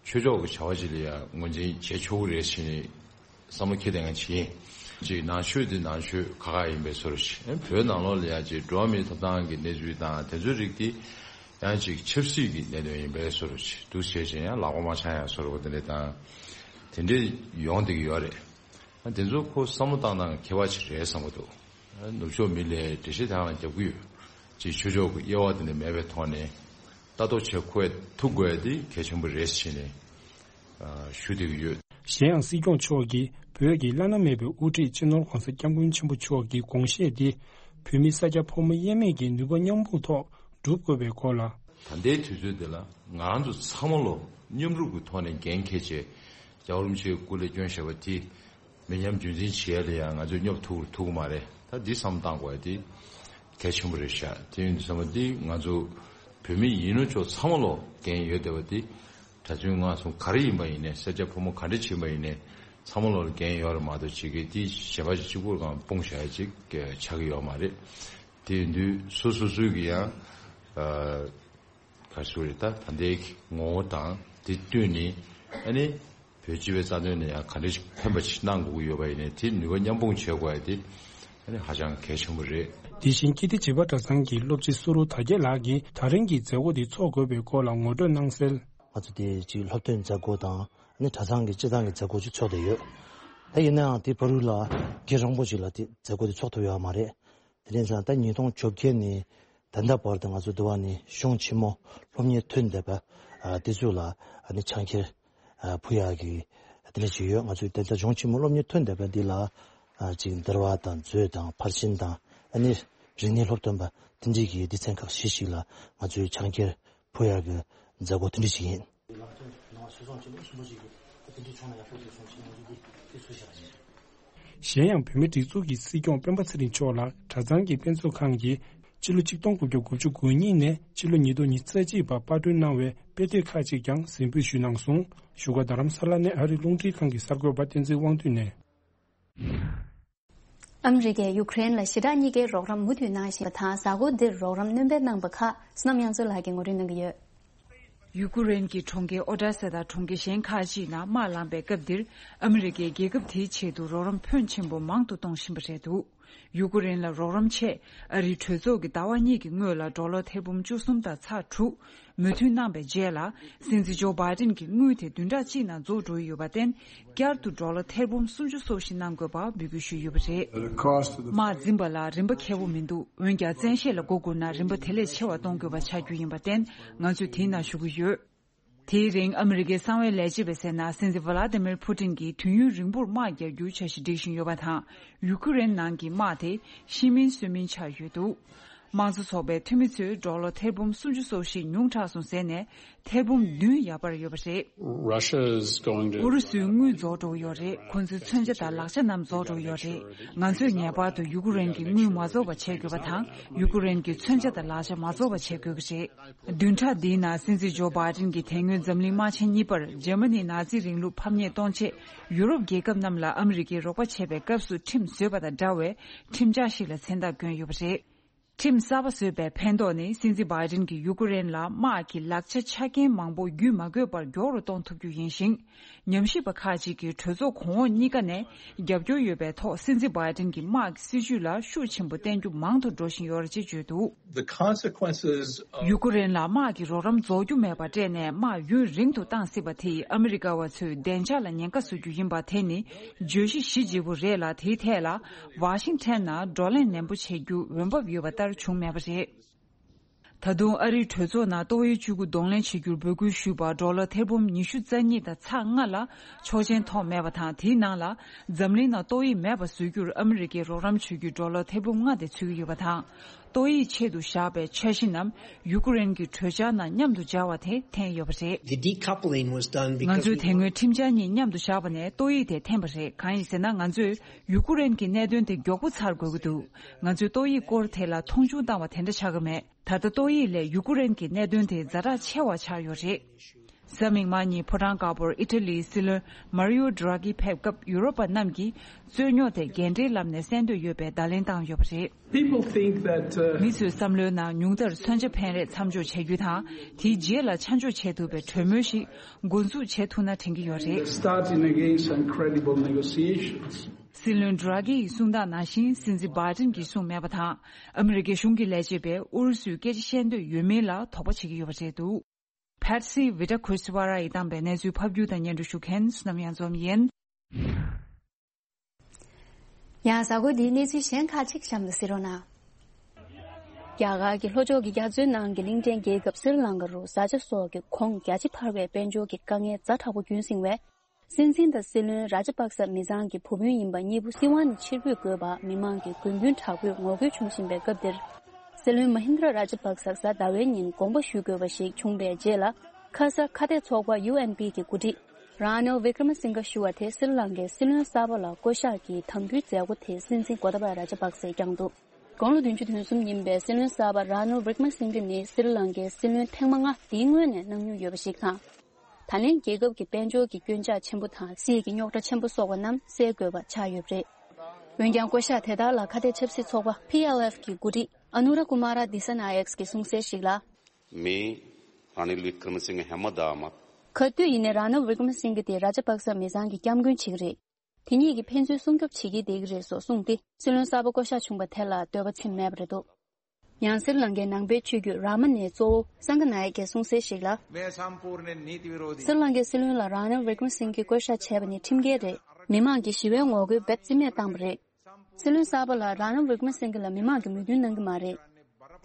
ཆོས་ཕྱོགས་ཀྱི་བྱ་བ་ཞིག་ལ་ཡང་ངོས་འཛིན་བྱེད་ཆོག་གི་རེད་ཟེར་ནས་བསམ་བློ་འཁྱེར་བསྡད་མཁན་ཞིག་ཡིན། གཅིག་ནང་ཆོས་འདི་ནང་ཆོས་ཁག་ཁག་ཡིན་པའི་བཟོ་འདྲ་ཞིག་བོད་ནང་ལོགས་ལ་ཡང་གཅིག་འགྲོ་བ་མིའི་ཐོབ་ཐང་གི་གནས་ཚུལ་དང་དེ་ཚོའི་རིགས་འདི་ཡང་གཅིག་ཆབ་སྲིད་ཀྱི་གནད་དོན་ཡིན་པའི་བཟོ་འདྲ་ཞིག་འདུག་བྱས་ཙང་ཡང་ལག་པ་མ་འཆང་ཡ་བཟོ་འདྲ་པོ་དེ་འདྲ་དང་དེ་འདྲ་ཡོང་བསྡད་ཀྱི་ཡོད་རེད། དེ་ཚོ་ཁོ་བསམ་བློ་བཏང་སྟངས་ཁྱད་པར་ཅིག་རེད་བསམ་གྱི་འདུག་ནུབ་ཕྱོགས་མི་ལ་འགྲེལ་བཤད་དེ་རང་རྒྱབ་ཀྱི་ཡོད། ཅིག་ཆོས་ཕྱོགས་ཀྱི་དབྱེ་བ་དེ་འདྲ་མེད་པའི་ཐོག་ནས་ལྟ་རྟོག་བྱེད་ཁོ་ཐུབ་དགོས་ཡ་དེ་གལ་ཆེན་པོ་རེད་ཟེར་ནས་ཞུ་བསྡད་ཀྱི་ཡོད། གཞན་ཡང་སྲིད་སྐྱོང་མཆོག་གིས་བོད་ཀྱི་བླ་ན་མེད་པའི་དབུ་ཁྲིད་སྤྱི་ནོར་༧གོང་ས་༧སྐྱབས་མགོན་ཆེན་པོ་མཆོག་གི་དགོངས་བཞེད་དེ་བོད་མི་ས་སྐྱ་ཕོ་མོ་དབྱེར་མེད་ཀྱི་ནུས་པ་མཉམ་སྤུངས་ཐོག་སྒྲུབ་དགོས་པའི་སྐོར་ལ། ད་ལྟའི་དུས་ཚོད་འདི་ལ་ང་རང་ཚོ་ཚང་མ་ལོ་མཉམ་རུབ་ཀྱི་ཐོག་ནས་འགན་འཁྱེར་བྱས་རྒྱལ་བ་རིན་པོ་ཆེའི་སྐུ་ལས་བསྐྱོན་བཞག་པ་དེ། མི་ཉམས་རྒྱུན་འཛིན་བྱེད་ཡ་ལ་ཡང་ང་ཚོས་སྙོབ་ཐུབ་ཐུབ་ཀྱི་མ་རེད། ད་འདི་བསམ་བཏང་དགོས་ཡ་དེ་གལ་ཆེན་པོ་རེད་ཤག་དེ་ཡིན་དུས་ཙམ་པ་འདི་ང་ཚོ་བོད་མི་ཡིན་ནོ་ཅོག་ཚང་མ་ལོ་འགན་ཡོད་བསྡད་པ་འདི་གྲྭ་བཙུན་སྔགས་སྲུང་ག་རེ་ཡིན་པ་ཡིན་ནའི་ས་སྐྱ་ཕོ་མོ་ག་འདྲ་ཕྱིན་པ་ཡིན་ནའི་ཚང་མ་ལོ་ལ་འགན་ཡོད་རེད་མ་གཏོགས་ཅིག་གིས་འདི་གཞན་པ་ཅིག་གཅིག་པུར་གང་སྤུངས་བཞག་ཡ་ཅིག་ཆགས་ཀྱི་ཡོད་མ་རེད། དེ་ཡིན་དུས་སོ་སོ་སོའི་གི་ཡང་། ག་རེ་ཟེར་རེད། ད་ད་ལྟའི་ངོ་བོ་དང་དེ་བསྟུན་ནས་ཨ་ནི་བོད་སྤྱི་པའི་རྩ་དོན་ནས་ཡང་ག་འདྲ་ཞིག་ཕན་པ་ཞིག་གནང་དགོས་ཀྱི་ཡོད་པ་ཡིན་ནའི་དེ་ནུས་པ་མཉམ་སྤུངས་བྱེད་དགོས་ཡ་དེ་ཨ་ནི་ཧ་ཅང་གལ་ཆེན་པོ་རེད། དེ་བཞིན་ཀིརྟི་བྱེས་པ་གྲྭ་ཚང་གི་སློབ་སྤྱི་བསུ་རུ་དར་རྒྱས་ལགས་ཀྱིས་ད་རིང་གི་མཛད་སྒོ་འདི་འཚོགས་དགོས་པའི་སྐོར་ལ་ངོ་སྤྲོད་གནང་གསལ། ང་ཚོ་དེ་གཅིག་སློབ་སྟོན་མཛད་སྒོ་དང་ཨ་ནི་གྲྭ་ཚང་གི་སྤྱི་བཏང་གི་མཛད་སྒོ་ཅིག་ཚོགས་བསྡད་ཡོད། ད་ཡིན་ནའང་དེ་བར་དུ་ལ་རྒྱུན་རིང་པོ་ཅིག་ལ་དེ་མཛད་སྒོ་དེ་ཚོགས་ཐུབ་ཡོད་མ་རེད། དེ་རིང་ཙང་ད་ཉིས་སྟོང་བཅོ་བརྒྱད་ནས་ད་ལྟ་བར་དུ་ང་ཚོ་འདི་བ་ནས་གཞུང་ཆེན་མོ་སློབ་གཉེར་ཐོན་བསྡད་པ་ཨ་དེ་ཚོ་ལ་ཨ་ནི་ཕྱག་འཁྱེར་ཨ་ཕུལ་ཡག་གི་དེ་འདྲ་ཞིག་ཡོད། ང་ཚོས་ད་ལྟ་གཞུང་ཆེན་མོ་སློབ་གཉེར་ཐོན་བསྡད་པ་འདི་ལ་ཨ་ཅིག་འདུལ་བ་དང་མཛོད་དང་ཕར་ཕྱིན་དང་ཨ་ནི་རིག་གནས་སློབ་སྟོན་པ་དེ་འདྲའི་གི་སྡེ་ཚན་ཁག་བཞི་ཞིག་ལ་ང་ཚོས་ཕྱག་འཁྱེར་ཕུལ་ཡག་གི་མཛད་སྒོ་དེ་འདྲ་ཞིག་ཡིན། གཞན་ཡང་བོད་མིའི་སྒྲིག་འཛུགས་ཀྱི་སྲིད་སྐྱོང་སྤེན་པ་ཚེ་རིང་མཆོག་ལ་གྲྭ་ཚང་གི་དཔེ་མཛོད་ཁང་གིས་སྤྱི་ལོ་ཆིག་སྟོང་དགུ་བརྒྱ་དགུ་བཅུ་གོ་གཉིས་ནས་སྤྱི་ལོ་ཉིས་སྟོང་ཉི་ཤུ་རྩ་གཅིག་བར་པར་སྐྲུན་གནང་བའི་དཔེ་དེབ་ཁག་ཅིག་ཀྱང་གཟིགས་འབུལ་ཞུས་གནང་སོང་། བཞུགས་སྒར་རྡ་རམ་ས་ལ་ནས་ཨ་རིའི་རླུང་འཕྲིན་ཁང་གི་གསར་འགོད་པ་བསྟན་འཛིན་དབང་འདུས་ནས། ཨ་མི་རི་ཀས་ཡུ་ཀེ་རེན་ལ་ཞི་དྲག་གཉིས་ཀའི་རོགས་རམ་མུ་མཐུད་གནང་བཞིན་པ་དང་། གཟའ་འཁོར་འདིར་རོགས་རམ་སྣོན་སྤེལ་གནང་པ་ཁག་བསོད་ནམས་དབྱངས་མཚོ་ལགས་ཀྱིས་ངོ་སྤྲོད་གནང་གི་ཡོད། ཡུ་ཀུ་རེན་གྱི་གྲོང་ཁྱེར་ཨོ་ཌེ་ས་དང་གྲོང་ཁྱེར་གཞན་ཁག་ཅིག་ནང་དམག་ལངས་པའི་སྐབས་འདིར། ཨ་མི་རི་ཀས་རྒྱལ་ཁབ་དེའི་ཆེད་དུ་རོགས་རམ་ཕོན་ཆེན་པོ་མང་དུ་གཏོང་བཞིན་པ་རེད་འདུག་ཡུ་ཀུ་རེན་ལ་རོགས་རམ་ཆེད་ཨ་རིའི་གྲོས་ཚོགས་ཀྱི་ཟླ་བ་གཉིས་ཀྱི་སྔོན་ལ་ཌོ་ལར་ཐེར་འབུམ་བཅུ་གསུམ་དང་ཚེག་དྲུག་མོས་མཐུན་གནང་པའི་རྗེས་ལ། སྲིད་འཛིན་ཇོ་བྷའི་ཏིན་གྱི་དངུལ་དེ་བདུན་ཕྲག་གཅིག་ནང་རྫོགས་འགྲོ་ཡི་ཡོད་པར་བརྟེན། བསྐྱར་དུ་ཌོ་ལར་ཐེར་འབུམ་སུམ་ཅུ་སོགས་ཤིག་གནང་དགོས་པ་འབོད་སྐུལ་ཞུས་ཡོད་པ་རེད། དམག་འཛིན་པ་ལ་རིན་པ་ཁེ་པོ་མི་འདུག་འོན་ཀྱང་བཙན་ཤེད་ལ་མགོ་སྒུར་ན་རིན་པ་དེ་ལས་ཆེ་བ་གཏོང་དགོས་པ་ཆགས་རྒྱུ་ཡིན་པར་བརྟེན། ང་ཚོས་དེའི་ནང་ཞུགས་ཀྱི་ཡོད། དེའི་རིང་ཨ་མི་རི་ཀའི་གསང་བའི་ལས་བྱེད་པས་ཟེར་ན། སྲིད་འཛིན་ཝ་ལ་ཏི་མིར་ཕུ་ཏིན་གྱིས་དུས་ཡུན་རིང་པོར་དམག་རྒྱག་རྒྱུའི་འཆར་གཞི་སྒྲིག་བཞིན་ཡོད་པ་དང་། ཡུ་ཀུ་རེན་ནང་གི་དམག་དེ་ཤི་མིན་གསོན་མིན་ཆགས་ཡོད་འདུག་དམངས་གཙོ་ཚོགས་པའི་འཐུས་མི་ཚོས་ཌོ་ལར་ཐེར་འབུམ་སུམ་ཅུ་སོགས་ཤིག་ཉུང་དྲགས་སོང་ཟེར་ནས། ཐེར་འབུམ་བདུན་ཡར་འཕར་ཡོད་པ་རེད། Russia is going to ཨུ་རུ་སུའི་དངུལ་རྫོགས་འགྲོ་གི་ཡོད་རེད། ཁོ་ཚོའི་མཚོན་ཆ་དང་ལག་ཆ་རྣམས་རྫོགས་འགྲོ་གི་ཡོད་རེད། ང་ཚོས་ངེས་པར་དུ་ཡུ་ཀུ་རེན་གྱི་དངུལ་མ་རྫོགས་པ་བྱེད་དགོས་པ་དང་། ཡུ་ཀུ་རེན་གྱི་མཚོན་ཆ་དང་ལག་ཆ་མ་རྫོགས་པ་བྱེད་དགོས་ཀྱི་རེད། བདུན་ཕྲག་འདིའི་ནང་སྲིད་འཛིན་ཇོ་བྷའི་ཏིན་གྱིས་དེ་སྔོན་འཛམ་གླིང་དམག་ཆེན་གཉིས་པར་འཇར་མ་ནིའི་ནཱ་ཛི་རིང་ལུགས་ཕམ་ཉེས་གཏོང་ཆེད་ཡུ་རོབ་རྒྱལ་ཁབ་རྣམས་ལ་ཨ་མི་རི་ཀའི་རོགས་པ་བྱེད་པའི་སྐབས་སུ་ཁྲིམས་བཟོས་པ་དང་འདྲ་བའི་ཁྲིམས་འཆར་ཞིག་ལ་མཚན་རྟགས་བསྐྱོན་ཡོད་པ་རེད། ཁྲིམས་གསར་པ་བཟོས་པའི་ཕན་ཐོགས་ནི། སྲིད་འཛིན་བྷའི་ཏིན་གྱིས་ཡུ་ཀེ་རེན་ལ་དམག་གི་ལག་ཆ་ཆ་རྐྱེན་མང་པོ་བརྒྱུད་མ་དགོས་པར་མགྱོགས་རུ་གཏོང་ཐུབ་རྒྱུ་ཡིན་ཞིང་། ཉམས་ཞིབ་པ་ཁག་ཅིག་གིས་གྲོས་ཚོགས་གོང་འོག་གཉིས་ཀ་ནས་རྒྱབ་སྐྱོར་ཡོད་པའི་ཐོག་སྲིད་འཛིན་བྷའི་ཏིན་གྱི་དམག་གི་སྲིད་ཇུས་ལ་ཤུགས་ཆེན་པོ་བསྟན་རྒྱུ་མང་དུ་འགྲོ་བཞིན་ཡོད་རེད་ཅེས་བརྗོད་འདུག The consequences of ཡུ་ཀེ་རེན་ལ་དམག་གི་རོགས་རམ་རྫོགས་རྒྱུ་མེད་པར་སྤྲད་ནས་དམག་ཡུན་རིང་དུ་བཏང་སྲིད་པ་དེས་ཨ་མི་རི་ཀ་བ་ཚོའི་བདེ་འཇགས་ལ་ཉེན་ཁ་བཟོ་རྒྱུ་ཡིན་པ་དེ་ནི་བརྗོད་གཞི་གཞི་བརྗིད་པོ་རེད་ལ། དེའི་ཐད་ལ་ཝ་ཤིང་ཊོན་ནང་བགྲོ་གླེང་ནན་པོ་བྱེད་རྒྱུ་འོས་བབ་ཡོད་པ་ལྟར་བྱུང་མེད་པ་རེད། ད་དུང་ཨ་རིའི་གྲོས་ཚོགས་ནང་ཏོག་དབྱིབས་བཅུ་དགུ་གདོང་ལེན་བྱེད་རྒྱུར་འབོད་སྐུལ་ཞུས་པར་ཌོ་ལར་ཐེར་འབུམ་ཉི་ཤུ་རྩ་གཉིས་དང་ཚེག་ལྔ་ལ་ཆོག་མཆན་ཐོབ་མེད་པ་དང་། དེའི་ནང་ལ་འཛམ་གླིང་ནང་ཏོག་དབྱིབས་མེད་པ་བཟོ་རྒྱུར་ཨ་མི་རི་ཀས་རོགས་རམ་བྱེད་རྒྱུའི་ཌོ་ལར་ཐེར་འབུམ་ལྔ་དེ་ཚུད་ཀྱི་ཡོད་པ་དང་། ཏོག་དབྱིབས་ཆེད་དུ་བཞག་པའི་འཆར་གཞི་རྣམས་ཡུ་ཀེ་རེན་གྱི་གྲོས་འཆར་ནང་མཉམ་དུ་སྦྱར་བ་དེ་འཐེན་ཡོད་པ་རེད། The decoupling was done ང because ཚོས་we དེ་སྔོན་ཁྲིམས་འཆར་གཉིས་མཉམ་དུ་བཞག་པ་ནས་ཏོག་དབྱིབས་དེ་འཐེན་པ་རེད། གང་ཡིན་ཟེར་ན། ང་ཚོས་ཡུ་ཀེ་རེན་གྱི་གནད་དོན་དེ་མགྱོགས་པོ་ཚར་དགོས་ཀྱི་འདུག་ང་ཚོས་ཏོག་དབྱིབས་སྐོར་དེ་ལ་མཐོང་ཆུང་བཏང་བ་དེ་འདྲ་ཆགས་ཀྱི་མེད། ད་ལྟ་ཏོག་དབྱིབས་ལས་ཡུ་ཀེ་རེན་གྱི་གནད་དོན་དེ་ཛ་དྲག་ཆེ་བ་ཆགས་ཡོད་རེད། གཟའ་མིག་དམར་ཉིན་ཕོ་བྲང་དཀར་པོར་ཨི་ཊ་ལིའི་སྲིད་བློན་མཱ་རི་ཡོ་ཌི་ར་ཀི་ཕེབས་སྐབས་ཡུ་རོབ་པ་རྣམས་ཀྱིས་རྩོད་རྙོག་དེ་འགན་འཁྲིའི་ལམ་ནས་སེལ་འདོད་ཡོད་པའི་བརྡ་ལན་བཏང་ཡོད་པ་རེད། People think that, uh, མི་ཚོའི་བསམ་བློའི་ནང་ཉུང་མཐར་མཚོན་ཆ་འཕེན་རེས་མཚམས་འཇོག་བྱ་རྒྱུ་དང་། དེའི་རྗེས་ལ་ཆ་འཇོག་བྱེད་ཐུབ་པའི་གྲོས་མོལ་ཞིག་འགོ་འཛུགས་བྱེད་ཐུབ་ན་དྲན་གྱི་ཡོད་རེད། Starting again some credible negotiations. སྲིད་བློན་ཌི་ར་ཀི་ཡིས་གསུངས་སྟངས་ནང་བཞིན་སྲིད་འཛིན་བྷའི་ཏིན་གྱིས་གསུངས་མེད་པ་དང་། ཨ་མི་རི་ཀའི་གཞུང་གི་ལས་བྱེད་པས་ཨུ་རུ་སུས་སྐད་ཆ་བཤད་འདོད་ཡོད་མིན་ལ་དོགས་པ་བྱེད་ཀྱི་ཡོད་པ་རེད་འདུག Patsy Widakuswara ཡིས་བཏང་པའི་གནས་ཚུལ་ཕབ་སྒྱུར་དང་སྙན་སྒྲོན་ཞུ་མཁན་བསོད་ནམས་གཡང་འཛོམས་ཡིན། ཡང་གཟའ་འཁོར་འདིའི་གནས་ཚུལ་གཞན་ཁག་ཅིག་གཤམ་དུ་གཟིགས་རོགས་གནང་། རྒྱ་གར་གྱི་ལྷོ་ཕྱོགས་ཀྱི་རྒྱ་མཚོའི་ནང་གི་གླིང་ཕྲན་རྒྱལ་ཁབ་སི་རི་ལང་ཀ་རུ་བཟའ་བཅའ་སོགས་ཀྱི་གོང་རྒྱ་ཆེ་འཕར་བའི་དཔལ་འབྱོར་གྱི་དཀའ་ངལ་ཛ་དྲག་པོ་རྒྱུན་བསྲིངས་བས། སྲིད་འཛིན་དང་སྲིད་བློན་ར་ཇ་པག་ས་མི་ཚང་གི་བུ་སྤུན་ཡིན་པ་གཉིས་པོ་སྲིད་དབང་ནས་ཕྱིར་འབུད་དགོས་པར་མི་མང་གིས་དགོས་འདུན་དྲག་པོས་ངོ་རྒོལ་བྱུང་བཞིན་པའི་སྐབས་འདིར། སྲིད་བློན་མ་ཧིན་དྲ་ར་ཇ་པག་ས་གཟའ་ཟླ་བའི་ཉིན་དགོངས་པ་ཞུ་དགོས་པ་ཞིག་བྱུང་བའི་རྗེས་ལ། ཁ་ས་ཁ་གཏད་ཚོགས་པ་ཡུ་ཨེན་པི་གི་འགོ་ཁྲིད་ར་ནིལ་ཝི་ཀྲ་མ་སིང་ག་ཞུ་བ་དེ་སི་རི་ལང་ཀའི་སྲིད་བློན་གསར་པ་ལ་བསྐོ་གཞག་གི་དམ་འབུལ་མཛད་སྒོ་དེ་སྲིད་འཛིན་གོ་ཏཱ་པ་ར་ཇ་པག་སས་བསྐྱངས་འདུག་དགུང་ལོ་བདུན་ཅུ་དོན་གསུམ་ཡིན་པའི་སྲིད་བློན་གསར་པ་ར་ནིལ་ཝི་ཀྲ་མ་སིང་ག་ནི་སི་རི་ལང་ཀའི་སྲིད་བློན་ཐེངས་མ་ལྔ་དེའི་སྔོན་ནས་གནང་མྱོང་ཡོད་པ་ཞིག་དང་། ད་ལན་རྒྱལ་ཁབ་ཀྱི་དཔལ་འབྱོར་གྱི་སྐྱོན་ཆག་ཆེན་པོ་དང་སྲིད་ཀྱི་རྙོག་དྲ་ཆེན་པོ་སོགས་པ་རྣམས་སེལ་དགོས་པ་ཆགས་ཡོད་པ་རེད། འོན་ཀྱང་བསྐོ་གཞག་དེ་དག་ལ་ཁ་གཏད་ཆབ་སྲིད་ཚོགས་པ་པི་ཨེལ་ཨེཕ་གི་འགོ་ཁྲིད་ཨ་ནུ་ར་ཀུ་མ་ར་དི་ས་ན་ཡེག་གིས་གསུངས་གསལ་ཞིག་ལ། मैं रानिल विक्रमसिंह हेमदामत ག་དུས་ཡིན་ནའི་ར་ནིལ་ཝི་ཀྲ་མ་སིང་ག་དེ་ར་ཇ་པག་ས་མི་ཚང་གི་སྐྱབས་མགོན་ཞིག་རེད། དེ་ཉིད་ཀྱིས་ཕན་ཚུན་སྲུང་སྐྱོབ་བྱེད་ཀྱི་བསྡད་ཀྱི་རེད་སོགས་གསུངས་ཏེ། སྲིད་བློན་གསར་པ་བསྐོ་གཞག་བྱུང་པ་དེ་ལ་འདོད་པ་ཚིམ་མེད་པ་རེད་འདུག་ཡང་སི་རི་ལང་ཀའི་ནང་པའི་ཆོས་བརྒྱུད་རཱ་མ་ནའི་གཙོ་བོ་སངྒ་ནཱ་ཡ་གིས་གསུངས་གསལ་ཞིག་ལ། मैं संपूर्ण नीति विरोधी སི་རི་ལང་ཀའི་སྲིད་བློན་ལ་ར་ནིལ་ཝི་ཀྲ་མ་སིང་གིས་བསྐོ་གཞག་བྱས་པ་ནི་ཁྲིམས་འགལ་རེད། མི་མང་གིས་ཞི་བའི་ངོ་རྒོལ་འབེབས་རྩིས་མེད་བཏང་པ་རེད། སྲིད་བློན་གསར་པ་ལ་ར་ནིལ་ཝི་ཀྲ་མ་སིང་གི་ལ་མི་མང་གིས་མོས་མཐུན་གནང་གི་མ་རེད།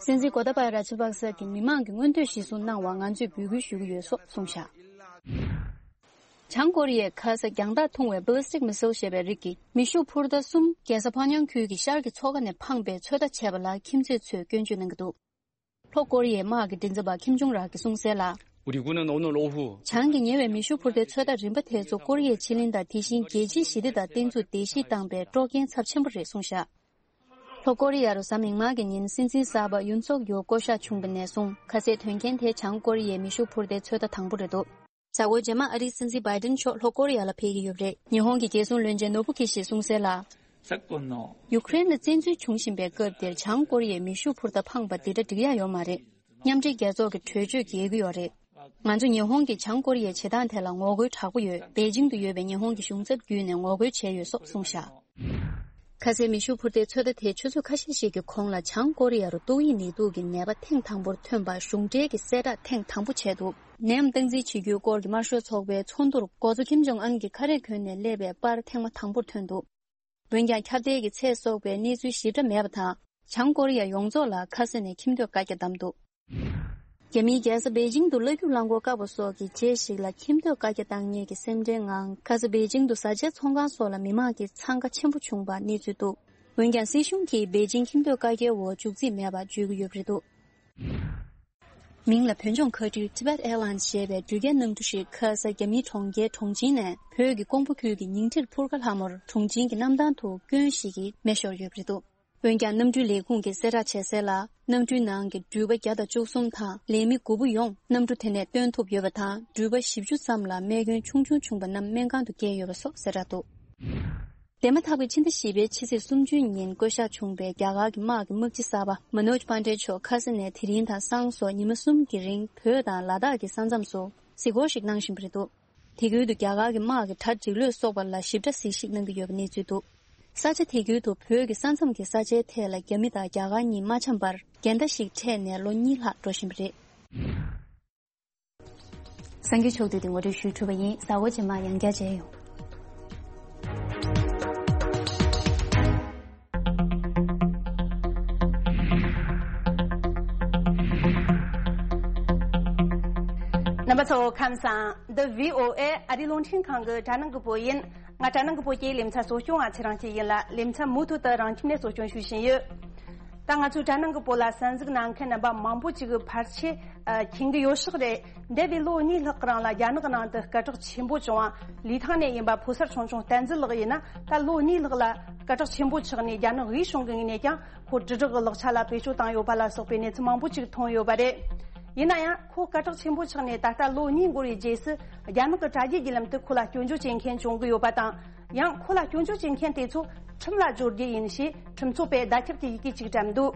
སྲིད་འཛིན་གོ་ཏཱ་པ་ར་ཇ་པག་ས་གིས་མི་མང་གི་མངོན་འདོད་གཞིར་བཟུང་གནང་བར་ང་ཚོས་འབོད་སྐུལ་ཞུ་གི་ཡོད་སོགས་གསུངས་བཞག་བྱང་ཀོ་རི་ཡས་ཁ་ས་རྒྱང་ཐག་ཐུང་བའི་ballistic missile ཞེས་པའི་རིགས་ཀྱི་མེ་ཤུགས་འཕུར་མདའ་གསུམ་རྒྱལ་ས་ཕ་ཉང་ཁུལ་གྱི་ཤར་གྱི་མཚོ་ཁ་ནས་འཕངས་པའི་ཚོད་ལྟ་བྱས་པ་ལ་ཁྱིམ་མཚེས་ཚོས་སྐྱོན་བརྗོད་གནང་གི་འདུག་ལྷོ་ཀོ་རི་ཡའི་དམག་གི་མགྲིན་ཚབ་པ་ཁིམ་ཇུང་རག་གིས་གསུངས་གསལ་ལ། 우리 군은 오늘 오후 བྱང་གི་ཉེ་བའི་མེ་ཤུགས་འཕུར་མདའི་ཚོད་ལྟ་རིམ་པ་དེ་ཚོ་ཀོ་རི་ཡའི་ཕྱེད་གླིང་དང་དེ་བཞིན་རྒྱལ་སྤྱིའི་ཞི་བདེ་དང་བརྟན་ཚུགས་བརྡལ་བཤིག་བཏང་པའི་དཀྲོག་རྐྱེན་ཚབས་ཆེན་པོ་རེད་གསུངས་བཞག་ལྷོ་ཀོ་རི་ཡ་རུ་གཟའ་མིག་དམར་གྱི་ཉིན་སྲིད་འཛིན་གསར་པ་ཡུན་སོག་ཡོལ་བསྐོ་གཞག་བྱུང་བ་ནས་བཟུང་ཁ་གསལ་དོན་རྐྱེན་དེ་བྱང་ཀོ་རི་ཡའི་མེ་ཤུགས་འཕུར་མདའི་ཚོད་ལྟ་དང་པོ་རེད་འདུག་གཟའ་འཁོར་རྗེས་མ་ཨ་རིའི་སྲིད་འཛིན་བྷའི་ཏིན་མཆོག་ལྷོ་ཀོ་རི་ཡ་ལ་ཕེབས་ཀྱི་ཡོད་པ་རེད། ཉི་ཧོང་གི་རྒྱལ་སྲུང་བློན་ཆེན་ནོ་བུ་ཁི་ཤིས་གསུངས་གསལ་ལ། ཡུ་ཀེ་རེན་ལ་བཙན་འཛུལ་བྱུང་བཞིན་པའི་སྐབས་འདིར་བྱང་ཀོ་རི་ཡས་མེ་ཤུགས་འཕུར་མདའ་འཕངས་པ་འདི་འདྲ་འགྲིག་ཡ་ཡོད་མ་རེད། མཉམ་འབྲེལ་རྒྱལ་ཚོགས་ཀྱི་གྲོས་ཆོད་འགལ་གྱི་ཡོད་རེད། ང་ཚོས་ཉི་ཧོང་གིས་བྱང་ཀོ་རི་ཡའི་བྱེད་སྟངས་དེ་ལ་ངོ་རྒོལ་དྲག་པོ་ཡོད། པེ་ཅིང་དུ་ཡོད་པའི་ཉི་ཧོང་གི་གཞུང་ཚབ་བརྒྱུད་ནས་ངོ་རྒོལ་བྱས་ཡོད་སོགས་གསུངས་བཞག་ཁ་སའི་མེ་ཤུགས་འཕུར་མདེལ་ཚོད་ལྟ་དེས་ཆུ་ཚོད་ཁ་ཤས་ཤིག་གི་གོང་ལ་བྱང་ཀོ་རི་ཡ་རུ་ཏོག་དབྱིབས་ནད་དུག་གི་ནད་པ་ཐེངས་དང་པོར་ཐོན་པ་གཞུང་འབྲེལ་གྱི་གསལ་བསྒྲགས་ཐེངས་དང་པོ་བྱས་འདུག་ནད་ཡམས་སྟངས་འཛིན་བྱེད་རྒྱུའི་སྐོར་གྱི་དམར་ཤོག་ཚོགས་པའི་ཚོགས་འདུར་འགོ་གཙོ་ཁིམ་ཇོང་ཨན་གྱིས་ཁ་རས་གོན་ནས་སླེབས་པའི་པར་ཐེངས་མ་དང་པོར་ཐོན་འདུག་འོན་ཀྱང་ཁྱབ་གདལ་གྱི་ཚད་སོགས་པའི་གནས་ཚུལ་ཞིབ་ཕྲ་མེད་པ་དང་། བྱང་ཀོ་རི་ཡ་ཡོངས་རྫོགས་ལ་ཁ་ས་ནས་ཁྱིམ་སྡོད་བཀའ་རྒྱ་བསྡམས་འདུག་རྒྱ་མིའི་རྒྱལ་ས་པེ་ཅིང་དུ་གླ་སྒྱུར་རླངས་འཁོར་བཀག་པ་སོགས་ཀྱི་རྗེས་ཤིག་ལ་ཁྱིམ་སྡོད་བཀའ་རྒྱ་བཏང་མཁན་གྱི་སེམས་ཁྲལ་ངང་ཁ་ས་པེ་ཅིང་དུ་བཟའ་བཅའི་ཚོང་ཁང་སོགས་ལ་མི་མང་གི་འཚང་ཁ་ཆེན་པོ་བྱུང་བར་གནས་ཚུལ་འདུག་འོན་ཀྱང་སྲིད་གཞུང་གིས་པེ་ཅིང་ཁྱིམ་སྡོད་བཀའ་རྒྱའི་འོག་འཇུག་རྩིས་མེད་པར་བརྗོད་ཀྱི་ཡོད་པ་རེད་འདུག་མིང་ལ་བོད་ལྗོངས་མཁའ་འགྲུལ་Tibet Airlines ཞེས་པའི་འགྲུལ་སྐྱེལ་གནམ་གྲུ་ཞིག་ཁ་ས་རྒྱ་མིའི་གྲོང་ཁྱེར་གྲོང་ཆིན་ནས་བོད་ཀྱི་ཀོང་པོ་ཁུལ་གྱི་ཉིང་ཁྲིར་འཕུར་ཁ་ལྷག་མོར་གྲོང་ཆིན་གྱི་གནམ་ཐང་དུ་སྐྱོན་ཞིག་གིས་མེ་ཤོར་ཡོད་པ་རེད་འདུག་འོན་ཀྱང་གནམ་གྲུའི་ལས་ཁུངས་ཀྱིས་གསལ་བསྒྲགས་བྱས་གསལ་ལ། གནམ་གྲུའི་ནང་གི་འགྲུལ་པ་བརྒྱ་དང་བཅུ་གསུམ་དང་ལས་མི་དགུ་པོ་ཡོངས་གནམ་གྲུ་དེ་ནས་བཏོན་ཐུབ་ཡོད་པ་དང་། འགྲུལ་པ་བཞི་བཅུ་ཙམ་ལ་རྨས་སྐྱོན་ཆུང་ཆུང་བྱུང་བ་རྣམས་སྨན་ཁང་དུ་བསྐྱལ་ཡོད་པ་སོགས་གསལ་བསྒྲགས་འདུག་འདས་མ་ཐག་པའི་ཕྱི་ཟླ་བཞི་པའི་ཕྱི་ཚེས་སུམ་ཅུ་ཉིན་བསྐོ་བཞག་བྱུང་བའི་རྒྱ་གར་གྱི་དམག་གི་དམག་སྤྱི་གསར་པ་མ་ནོཇ་པན་ཌེ་མཆོག་ཁ་ས་ནས་དེ་རིང་དང་སང་སོགས་ཉི་མ་གསུམ་གྱི་རིང་བོད་དང་ལ་དྭགས་ཀྱི་ས་མཚམས་སུ་གཟིགས་སྐོར་ཞིག་གནང་བཞིན་པ་རེད་འདུག་དེ་ཁུལ་དུ་རྒྱ་གར་གྱི་དམག་གི་གྲ་སྒྲིག་ལོས་སོགས་པ་ལ་ཞིབ་ཕྲ་གཟིགས་ཞིབ་གནང་གི་ཡོད་པའི་གནས་ཚུལ་འདུག་ས་ཆ་དེ་ཁུལ་དུ་བོད་ཀྱི་ས་མཚམས་ཀྱི་ས་ཆའི་ཐད་ལ་རྒྱ་མི་དང་རྒྱ་གར་གཉིས་མ་འཆམ་པར་འགལ་ཟླ་ཞིག་འཕྲད་ནས་ལོ་གཉིས་ལྷག་འགྲོ་བཞིན་པ་རེད། གསར་འགྱུར་ཕྱོགས་བསྡུས་དེ་ངོ་སྤྲོད་ཞུས་གྲུབ་པ་ཡིན། གཟའ་འཁོར་རྗེས་མ་ཡང་བསྐྱར་མཇལ་ཡོང་། རྣམ་པ་ཚོ་ཁམས་བཟང་། འདི་བྷི་ཨོ་ཨེ་ཨ་རིའི་རླུང་འཕྲིན་ཁང་གི་དྲ་ནང་གི་བོད་ཡིན། ང་དྲ་ནང་གི་བོད་ཀྱི་ལེ་ཚན་གཙོ་སྐྱོང་བ་ཚེ་རིང་སྐྱིད་ཡིན་ལ། ལེ་ཚན་མུ་མཐུད་དུ་རང་ཁྱིམ་ནས་གཙོ་སྐྱོང་ཞུ་བཞིན་ཡོད། ད་ང་ཚོའི་དྲ་ནང་གི་བོད་ལ་གསན་གཟིགས་གནང་མཁན་རྣམ་པ་མང་པོ་ཅིག་གིས་ཕལ་ཆེར་ཨ་མཁྱེན་གྱི་ཡོད་ཤག་རེད། འདས་པའི་ལོ་གཉིས་ལྷག་གི་རིང་ལ་རྒྱ་ནག་ནང་དུ་སྐད་གྲགས་ཆེན་པོ་བྱུང་བ། ལི་ཐང་ནས་ཡིན་པ་ཕོ་གསར་ཆུང་ཆུང་བསྟན་འཛིན་ལགས་ཡིན་ན། ད་ལོ་གཉིས་ལྷག་ལ་སྐད་གྲགས་ཆེན་པོ་ཆགས་ནས། རྒྱ་ནག་དབུས་གཞུང་གི་ངོས་ནས་ཀྱང་ཁོ་དྲིལ་བསྒྲགས་ཀྱི་ལག་ཆ་ལ་བེད་སྤྱོད་བཏང་ཡོད་པ་ལ་སོགས་པའི་གནས་ཚུལ་མང་པོ་ཅིག་མཐོང་ཡོད་པ་རེད། ཡིན་ན་ཡང་ཁོ་སྐད་གྲགས་ཆེན་པོ་ཆགས་ནས་ད་ལྟ་ལོ་གཉིས་འགོར་བའི་རྗེས་སུ། རྒྱ་ནག་གི་དྲ་རྒྱའི་བརྒྱུད་ལམ་དུ་ཁོ་ལ་སྐྱོན་བརྗོད་བྱེད་མཁན་བྱུང་གི་ཡོད་པ་དང་། ཡང་ཁོ་ལ་སྐྱོན་བརྗོད་བྱེད་མཁན་དེ་ཚོ་ཁྲིམས་ལ་སྦྱོར་རྒྱུ་ཡིན་ཞེས་ཁྲིམས་རྩོད་པས་བརྡ་ཁྱབ་ཀྱི་ཡི་གེ་ཅིག་བཀྲམ་འདུག་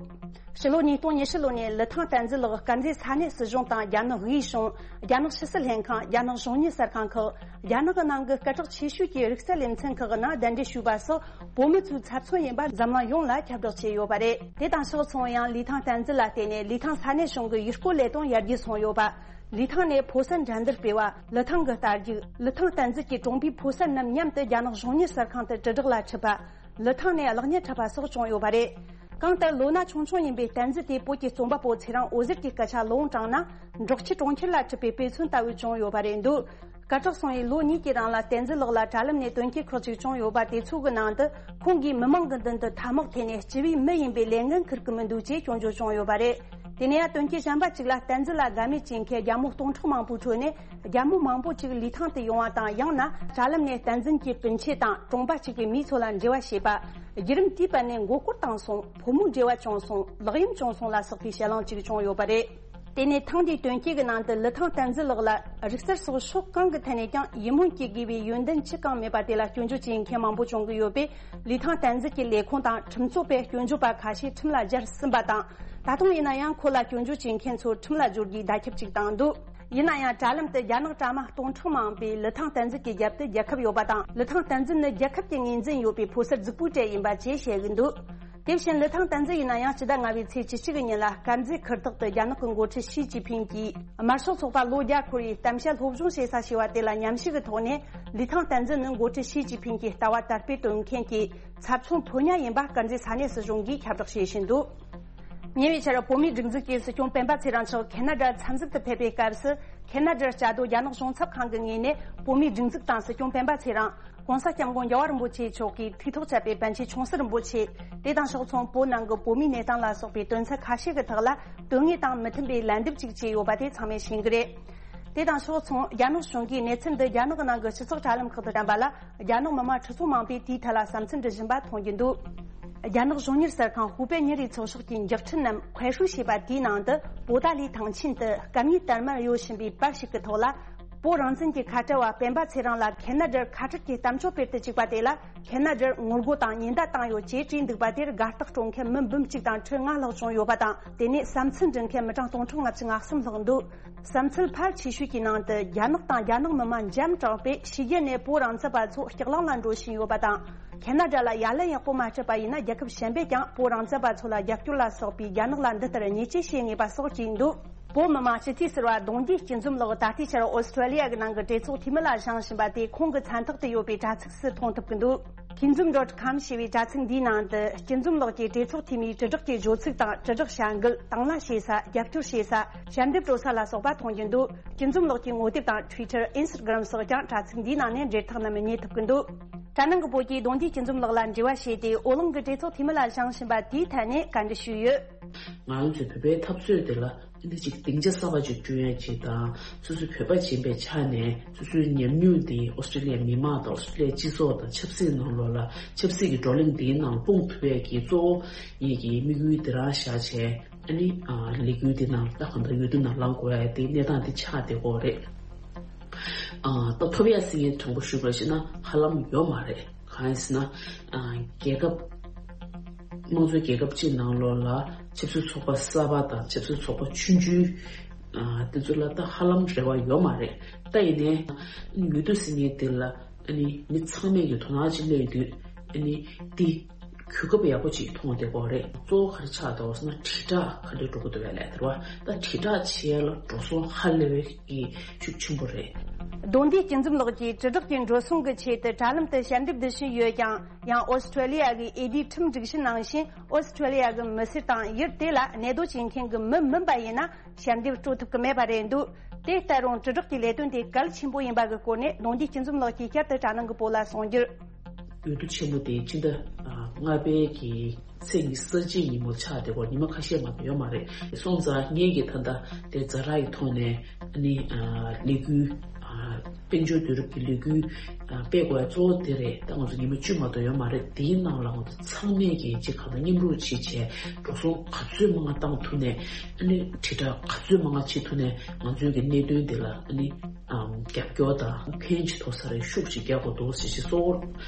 ཕྱི་ལོ་ཉིས་སྟོང་ཉི་ཤུ་ལོ་ནས་ལི་ཐང་བསྟན་འཛིན་ལགས་དཀར་མཛེས་ས་གནས་སྲིད་གཞུང་དང་རྒྱ་ནག་དབུས་གཞུང་། རྒྱ་ནག་ཕྱི་སྲིད་ལྷན་ཁང་། རྒྱ་ནག་གཞུང་གཉེར་གསར་ཁང་ཁག་རྒྱ་ནག་གི་ནང་གི་སྐད་གྲགས་ཆེ་ཤོས་ཀྱི་རིག་རྩལ་ལེ་ཚན་ཁག་གི་ནང་གདན་འདྲེན་ཞུས་པ་སོགས་བོད་མི་ཚོའི་ཚབ་མཚོན་ཡིན་པ་འཛམ་གླིང་ཡོངས་ལ་ཁྱབ་བསྒྲགས་བྱས་ཡོད་པ་རེད། དེ་དང་ཕྱོགས་མཚུངས་ཡང་ལི་ཐང་བསྟན་འཛིན་ལ་བརྟེན་ནས་ལི་ཐང་ས་གནས་གཞུང་གི་ཡུལ་སྐོར་ལས་དོན་ཡར་རྒྱས་སོང་ཡོད་པ། ལི་ཐང་ནས་ཕོ་གསར་འགྲན་བསྡུར་སྤེལ་བ། ལི་ཐང་གི་རྟ་རྒྱུག་ལི་ཐང་བསྟན་འཛིན་གྱི་གྲོང་པའི་ཕོ་གསར་རྣམས་མཉམ་དུ་རྒྱ་ནག་གཞུང་གཉེར་གསར་ཁང་དུ་དྲིལ་བསྒྲགས་ལ་ཁྲིད་པ། ལི་ཐང་ནས་གློག་བརྙན་འཁྲབ་པ་སོགས་བྱུང་ཡོད་པ་རེད། གང་ལྟར་ལོ་ན་ཆུང་ཆུང་ཡིན་པའི་བསྟན་འཛིན་དེ་བོད་ཀྱི་རྩོམ་པ་པོ་ཚེ་རིང་འོད་ཟེར་གྱི་སྐད་ཆ་ལོ་དྲངས་ན། འབྲོག་ཁྱི་གྲོང་ཁྱེར་ལ་ཁྲིད་པའི་དཔེ་མཚོན་ལྟ་བུ་བྱུང་ཡོད་པ་རེད་འདུག་སྐད་གྲགས་སོང་བའི་ལོ་གཉིས་ཀྱི་རིང་ལ་བསྟན་འཛིན་ལགས་ལ་དྲ་ལམ་ནས་དོན་རྐྱེན་ཁག་ཅིག་བྱུང་ཡོད་པ་དེ་ཚོ་གི་ནང་དུ། ཁོང་གིས་མི་མང་གི་མདུན་དུ་ཐ་མག་འཐེན་ནས་སྤྱི་པའི་མི་ཡིན་པའི་ལས་འགན་འཁུར་གི་མི་འདུག་ཅེས་སྐྱོན་བརྗོད་བྱུང་ཡོད་པ་རེད། དེ་ནས་ཡང་དོན་རྐྱེན་གཞན་པ་ཅིག་ལ་བསྟན་འཛིན་ལ་དགའ་མོས་བྱེད་མཁན་རྒྱ་མོ་སྟོང་ཕྲག་མང་པོའི་ཁྲོད་ནས། རྒྱ་མོ་མང་པོ་ཅིག་ལི་ཐང་དུ་ཡོང་བ་དང་། ཡང་ན་དྲ་ལམ་ནས་བསྟན་འཛིན་གྱི་སྤུན་མཆེད་དང་གྲོང་པ་གཅིག་པའི་མི་ཚོ་ལ་འབྲེལ་བ་བྱས་པ། བརྒྱུད་རིམ་དེའི་བར་ནས་མགོ་སྐོར་བཏང་སོང་། ཕོ་མོའི་འབྲེལ་བ་བྱུང་སོང་། ལག་གཡེམ་བྱུང་སོང་ལ་སོགས་པའི་བཤད་ལན་ཅིག་བྱུང་ཡོད་པ་རེད། དེ་ནས་ཐེངས་འདིའི་དོན་རྐྱེན་གྱི་ནང་དུ་ལི་ཐང་བསྟན་འཛིན་ལགས་ལ་རིག་རྩལ་སོགས་ཕྱོགས་གང་གི་ཐད་ནས་ཀྱང་ཡིད་སྨོན་སྐྱེ་དགོས་པའི་ཡོན་ཏན་ཅི་གང་མེད་པ་དེ་ལ་སྐྱོན་བརྗོད་བྱེད་མཁན་མང་པོ་བྱུང་གི་ཡོད་པས། ལི་ཐང་བསྟན་འཛིན་གྱི་ལས་ཁུངས་དང་ཁྲིམས་རྩོད་པས་སྐྱོན་བརྗོད་པ་ཁ་ཤས་ཁྲིམས་ལ་སྦྱར་ཟིན་པ་དང་། ད་དུང་ཡིན་ན་ཡང་ཁོ་ལ་སྐྱོན་བརྗོད་བྱེད་མཁན་ཚོ་ཁྲིམས་ལ་སྦྱོར་རྒྱུའི་བརྡ་ཁྱབ་ཅིག་བཏང་འདུག་ཡིན་ན་ཡང་དྲ་ལམ་དུ་རྒྱ་ནག་དྲ་མ་སྟོང་ཕྲག་མང་པོས་ལི་ཐང་བསྟན་འཛིན་གྱི་རྒྱབ་ཏུ་རྒྱལ་ཁབ་ཡོད་པ་དང་། ལི་ཐང་བསྟན་འཛིན་ནི་རྒྱལ་ཁབ་ཀྱི་ངོས་འཛིན་ཡོད་པའི་ཕོ་གསར་རྫིག་པོའི་གྲས་ཡིན་པ་བཅས་བཤད་ཀྱི་འདུག་དེ་བཞིན་ལི་ཐང་བསྟན་འཛིན་ཡིན་ན་ཡང་སྤྱི་ཟླ་ལྔ་པའི་ཚེས་བཅུ་གཅིག་གི་ཉིན་ལ་དཀར་མཛེས་ཁུལ་དག་ཏུ་རྒྱ་ནག་གི་འགོ་ཁྲིད་ཞི་ཅིན་ཕིང་གིས་དམར་ཤོག་ཚོགས་པ་ལོ་བརྒྱ་འཁོར་བའི་གཏམ་བཤད་སློབ་སྦྱོང་བྱེད་ས་ཞེས་པ་དེ་ལ་མཉམ་ཞུགས་ཀྱི་ཐོག་ནས། ལི་ཐང་བསྟན་འཛིན་ནི་འགོ་ཁྲིད་ཞི་ཅིན་ཕིང་གི་ལྟ་བ་དར་སྤེལ་གཏོང་མཁན་གྱི་ཚབ་མཚོན་ཕོ་ཉ་ཡིན་པ་དཀར་མཛེས་ས་གནས་སྲིད་གཞུང་གིས་ཁྱབ་བསྒྲགས་བྱེད་བཞིན་འདུག་ཉེ་བའི་ཆར་བོད་མིའི་སྒྲིག་འཛུགས་ཀྱི་སྲིད་སྐྱོང་སྤེན་པ་ཚེ་རིང་མཆོག་ཁེ་ན་ཌར་འཚམས་གཟིགས་དུ་ཕེབས་པའི་སྐབས་སུ། ཁེ་ན་ཌར་བཅའ་སྡོད་རྒྱ་ནག་གཞུང་ཚབ་ཁང་གི་ངོས་ནས་བོད་མིའི་སྒྲིག་འཛུགས་དང་སྲིད་སྐྱོང་སྤེན་པ་ཚེ་རིང་། ྋགོང་ས་ྋསྐྱབས་མགོན་རྒྱལ་བ་རིན་པོ་ཆེ་མཆོག་གིས་ཐུགས་ཐག་བཅད་པའི་པཎ་ཆེན་ཆུང་སྲིད་རིན་པོ་ཆེ། དེ་དང་ཕྱོགས་མཚུངས་བོད་ནང་གི་བོད་མིའི་གནས་སྟངས་ལ་སོགས་པའི་དོན་ཚན་ཁ་ཤས་ཀྱི་ཐོག་ལ་དོན་དངོས་དང་མི་མཐུན་པའི་ལན་འདེབས་ཅིག་བྱས་ཡོད་པ་དེ་ཚང་མས་ཤེས་ཀྱི་རེད། དེ་དང་ཕྱོགས་མཚུངས་རྒྱ་ནག་གཞུང་གིས་གནས་ཚུལ་འདི་རྒྱ་ནག་ནང་གི་སྤྱི་ཚོགས་དྲ་ལམ་ཁག་ཏུ་བཀྲམ་པ་ལ། རྒྱ་ནག་མི་དམངས་ཁྲི་ཚོ་མང་པོས་དེའི་ཐད་ལ་བསམ་ཚུལ་འདྲི་བཞིན་པ་མཐོང་རྒྱུ་འདུག་རྒྱ་ནག་གཞུང་གཉེར་གསར་ཁང་ཧུའུ་པེ་ཉིན་རེའི་ཚགས་ཤོག་གི་མགྱོགས་འཕྲིན་ནམ་快手ཞེས་པ་དེའི་ནང་དུ། པོ་ཏཱ་ལའི་ཐང་ཆེན་དུ་སྐད་གཉིས་དར་དམར་གཡོ་བཞིན་པའི་པར་ཞིག་གི་ཐོག་ལ། བོད་རང་བཙན་གྱི་ཁ་བྲལ་བ་སྤེན་པ་ཚེ་རིང་ལ་ཁེ་ན་ཌར་ཁ་བྲལ་གྱི་གཏམ་བརྗོད་སྤེལ་དུ་བཅུག་པ་དེ་ལ་ཁེ་ན་ཌར་ངོ་རྒོལ་དང་ཉེན་བརྡ་བཏང་ཡོད་ཅེས་བྲིས་འདུག་པ་དེར་དགའ་རྟགས་སྤྲོད་མཁན་མི་འབུམ་གཅིག་དང་ཁྲི་ལྔ་ལྷག་བྱུང་ཡོད་པ་དང་། དེ་ནས་བསམ་ཚུལ་འབྲི་མཁན་མི་གྲངས་སྟོང་ཕྲག་ལྔ་བཅུ་ང་གསུམ་ལྷག་འདུག་བསམ་ཚུལ་ཕལ་ཆེ་ཤོས་ཀྱི་ནང་དུ་རྒྱ་ནག་དང་རྒྱ་ནག་མི་དམངས་འཇམ་དྲགས་པས་ཕྱི་རྒྱལ་ནས་བོད་རང་བཙན་པ་ཚོ་སྐྱག་ལང་ལ་འགྲོ་བཞིན་ཡོད་པ་དང་། ཁེ་ན་ཌ་ལ་ཡ་ལན་ཡག་པོ་མ་སྤྲད་པ་ཡིན་ན་རྒྱལ་ཁབ་གཞན་པས་ཀྱང་བོད་རང་བཙན་པ་ཚོ་ལ་རྒྱབ་སྐྱོར་ལ་སོགས་པའི་རྒྱ་ནག་ལ་འདི་ལྟར་ཉེས་ཆད་བྱེད་ངེས་པ་སོགས་བྲིས་འདུག་བོད་མི་མང་སྤྱི་འཐུས་ཟུར་པ་གདུང་རྒྱུད་སྐྱིད་འཛོམས་ལགས་ད་ལྟའི་ཆར་ཨོ་སི་ཀྲོ་ལི་ཡ་གི་ནང་གི་གྲོས་ཚོགས་འཐུས་མི་ལ་བཞེངས་བཞིན་པ་དེ་ཁོང་གི་མཚན་རྟགས་དུ་ཡོད་པའི་དྲ་ཚིགས་སུ་མཐོང་ཐུབ་ཀྱི་འདུག Kinzum dot com ཞེས་པའི་དྲ་ཚིགས་འདིའི་ནང་དུ་སྐྱིད་འཛོམས་ལགས་ཀྱིས་གྲོས་ཚོགས་འཐུས་མིའི་དྲིལ་བསྒྲགས་ཀྱི་བརྗོད་ཚིག་དང་དྲིལ་བསྒྲགས་བྱ་འགུལ། དང་བླངས་བྱེད་ས། རྒྱབ་སྐྱོར་བྱེད་ས། ཞལ་འདེབས་སྤྲོད་ས་ལ་སོགས་པ་མཐོང་རྒྱུ་འདུག་སྐྱིད་འཛོམས་ལགས་ཀྱི་ངོ་དེབ་དང་Twitter། Instagram སོགས་ཀྱང་དྲ་ཚིགས་འདིའི་ནང་ནས་འབྲེལ་ཐག་རྣམས་རྙེད་ཐུབ་ཀྱི་འདུག་གྲྭ་ནང་གི་བོད་ཀྱི་གདུང་རྒྱུད་སྐྱིད་འཛོམས་ལགས་ལ་འབྲེལ་བ་བྱས་ཏེ་ཨོ་གླིང་གི་གྲོས་ཚོགས་འཐུས་མི་ལ་བཞེངས་བཞིན་པ་དེའི་ཐད་ནས་བཀའ་འདྲི་ཞུས་ཡོད། ང་རང་ཚོའི་བོད་པའི་འཐབ་རྩོད་དེ་ལ་འདི་ཅིག་སྡིངས་ཆ་གསར་པ་ཅིག་བསྐྲུན་ཡ་ཅིག་དང་། སོ་སོའི་བོད་པ་ཡིན་པའི་ཆ་ནས་སོ་སོའི་ཉམས་མྱོང་དེ་ཨོ་སི་ཀྲི་ལི་ཡའི་མི་མང་དང་ཨོ་སི་ཀྲི་ལི་ཡའི་སྤྱི་ཚོགས་དང་ཆབ་སྲིད་ནང་ལོགས་ལ་ཆབ་སྲིད་ཀྱི་བགྲོ་གླེང་འདིའི་ནང་སྤུངས་ཐུབ་པའི་གི་གཙོ་བོ་ངེད་ཀྱི་དམིགས་ཡུལ་དེ་རང་བཞག་བྱས། ཨ་ནི་ཨ་ལས་འགུལ་འདི་ནང་ད་གང་ལྟར་འོས་བསྡུ་ནང་ལངས་དགོས་ཡ་དེ་གནས་སྟངས་དེ་ཆགས་བསྡད་ཀྱི་ཡོད་རེད། ཨ་ད་ཐོབ་ཡ་ཟེར་མཁན་དྲང་པོ་ཞུས་པ་ཞིག་ན་ཧ་ལམ་ཡོད་མ་རེད། གང་ཡིན་ཟེར་ན། ཨ་རྒྱལ་ཁབ་དམངས་གཙོའི་རྒྱལ་ཁབ་ཅིག་ནང་ལོགས་ལ་ཆབ་སྲིད་ཚོགས་པ་གསར་པ་དང་ཆབ་སྲིད་ཚོགས་པ་ཆུང་ཆུང་ཨ་དེ་ཚོ་ལ་ད་ཧ་ལམ་རེ་བ་ཡོད་མ་རེད། ད་ཡིན་ནའི་འོས་བསྡུ་ཟེར་མཁན་དེ་ལ་ཨ་ནི་མི་ཚང་མས་ཀྱི་དོ་སྣང་ཅིག་སླེབས་དུས་ཨ་ནི་དེ་གོ་སྐབས་ཡག་པོ་ཅིག་མཐོང་བསྡད་ཀྱི་ཡོད་རེད། གཙོ་བོ་ག་རེ་ཆགས་འདུག་ཟེར་ན་དྲིལ་བསྒྲགས་ག་འདྲས་འགྲོ་གི་འདུག་པས་ལབ་དེ་རེད་བ། ད་དྲིལ་བསྒྲགས་བྱེད་ཡ་ལ་འགྲོ་སོང་ཧ་ལས་པའི་གི་ཤུགས་ཆེན་པོ་རེད། གདུང་རྒྱུད་སྐྱིད་འཛོམས་ལགས་ཀྱིས་དྲིལ་བསྒྲགས་ཀྱི་འགྲོ་སོང་གི་ཆེད་དུ་དྲ་ལམ་དུ་ཞལ་འདེབས་འབུལ་བཞིན་ཡོད་ཀྱང་། ཡང་ཨོ་སི་ཀྲོ་ལི་ཡ་གི་ཨེ་ཌི་ཁྲིམས་སྒྲིག་གཞི་ནང་བཞིན་ཨོ་སི་ཀྲོ་ལི་ཡ་གི་མི་སེར་དང་ཡུལ་དེ་ལ་གནས་སྡོད་བྱེད་མཁན་གྱི་མི་མིན་པ་ཡིན་ན་ཞལ་འདེབས་སྤྲོད་ཐུབ་ཀྱི་མེད་པ་རེད་འདུག་དེ་ལྟ་རུང་དྲིལ་བསྒྲགས་ཀྱི་ལས་དོན་དེ་གལ་ཆེན་པོ་ཡིན་པ་གི་སྐོར་ནས་གདུང་རྒྱུད་སྐྱིད་འཛོམས་ལགས་ཀྱིས་བསྐྱར་དུ་དྲ་ནང་གི་བོད་ལ་གསུངས་རྒྱུར། འོས་བསྡུ་ཆེན་མོ་དེ་ཕྱི་ཟླ་ལྔ་པའི་གི་ཚེས་ཉི་ཤུ་རྩ་གཅིག་ཉིན་མོ་ཆགས་བསྡད་ཀྱི་ཡོད་རེད། ཉི་མ་ཁ་ཤས་མ་གཏོགས་ཡོད་མ་རེད། སོང་ཙང་ངེད་ཀྱིས་ད་ལྟ་དེ་ཛ་དྲག་གི་ཐོག་ནས་ཨ་ནི་ཨ་ལས་འགུལ་ཨ་དཔལ་འབྱོར་དུས་རབས་ཀྱི་ལས་འགུལ་ཨ་སྤེལ་དགོས་ཡ་གཙོ་བོ་དེ་རེད། ད་ང་ཚོ་ཉི་མ་བཅུ་མ་གཏོགས་ཡོད་མ་རེད། དེའི་ནང་ལ་ང་ཚོ་ཚང་མས་ཀྱིས་གཅིག་གང་ལ་མཉམ་རུབ་བྱེད་བྱས་འགྲོ་སོང་ག་ཚོད་མང་བཏང་ཐུབ་ནས་ཨ་ནི་དྲིལ་བསྒྲགས་ག་ཚོད་མང་བྱེད་ཐུབ་ནས་ང་ཚོའི་གི་གནད་དོན་དེ་ལ་ཨ་ནི་ཨམ་རྒྱབ་སྐྱོར་དང་ཕན་ཅིག་ཐོགས་ས་རེད། ཤུགས་ཅིག་རྒྱག་དགོས་འདུག་ཟེར་ཞིག་གཙོ་བོར་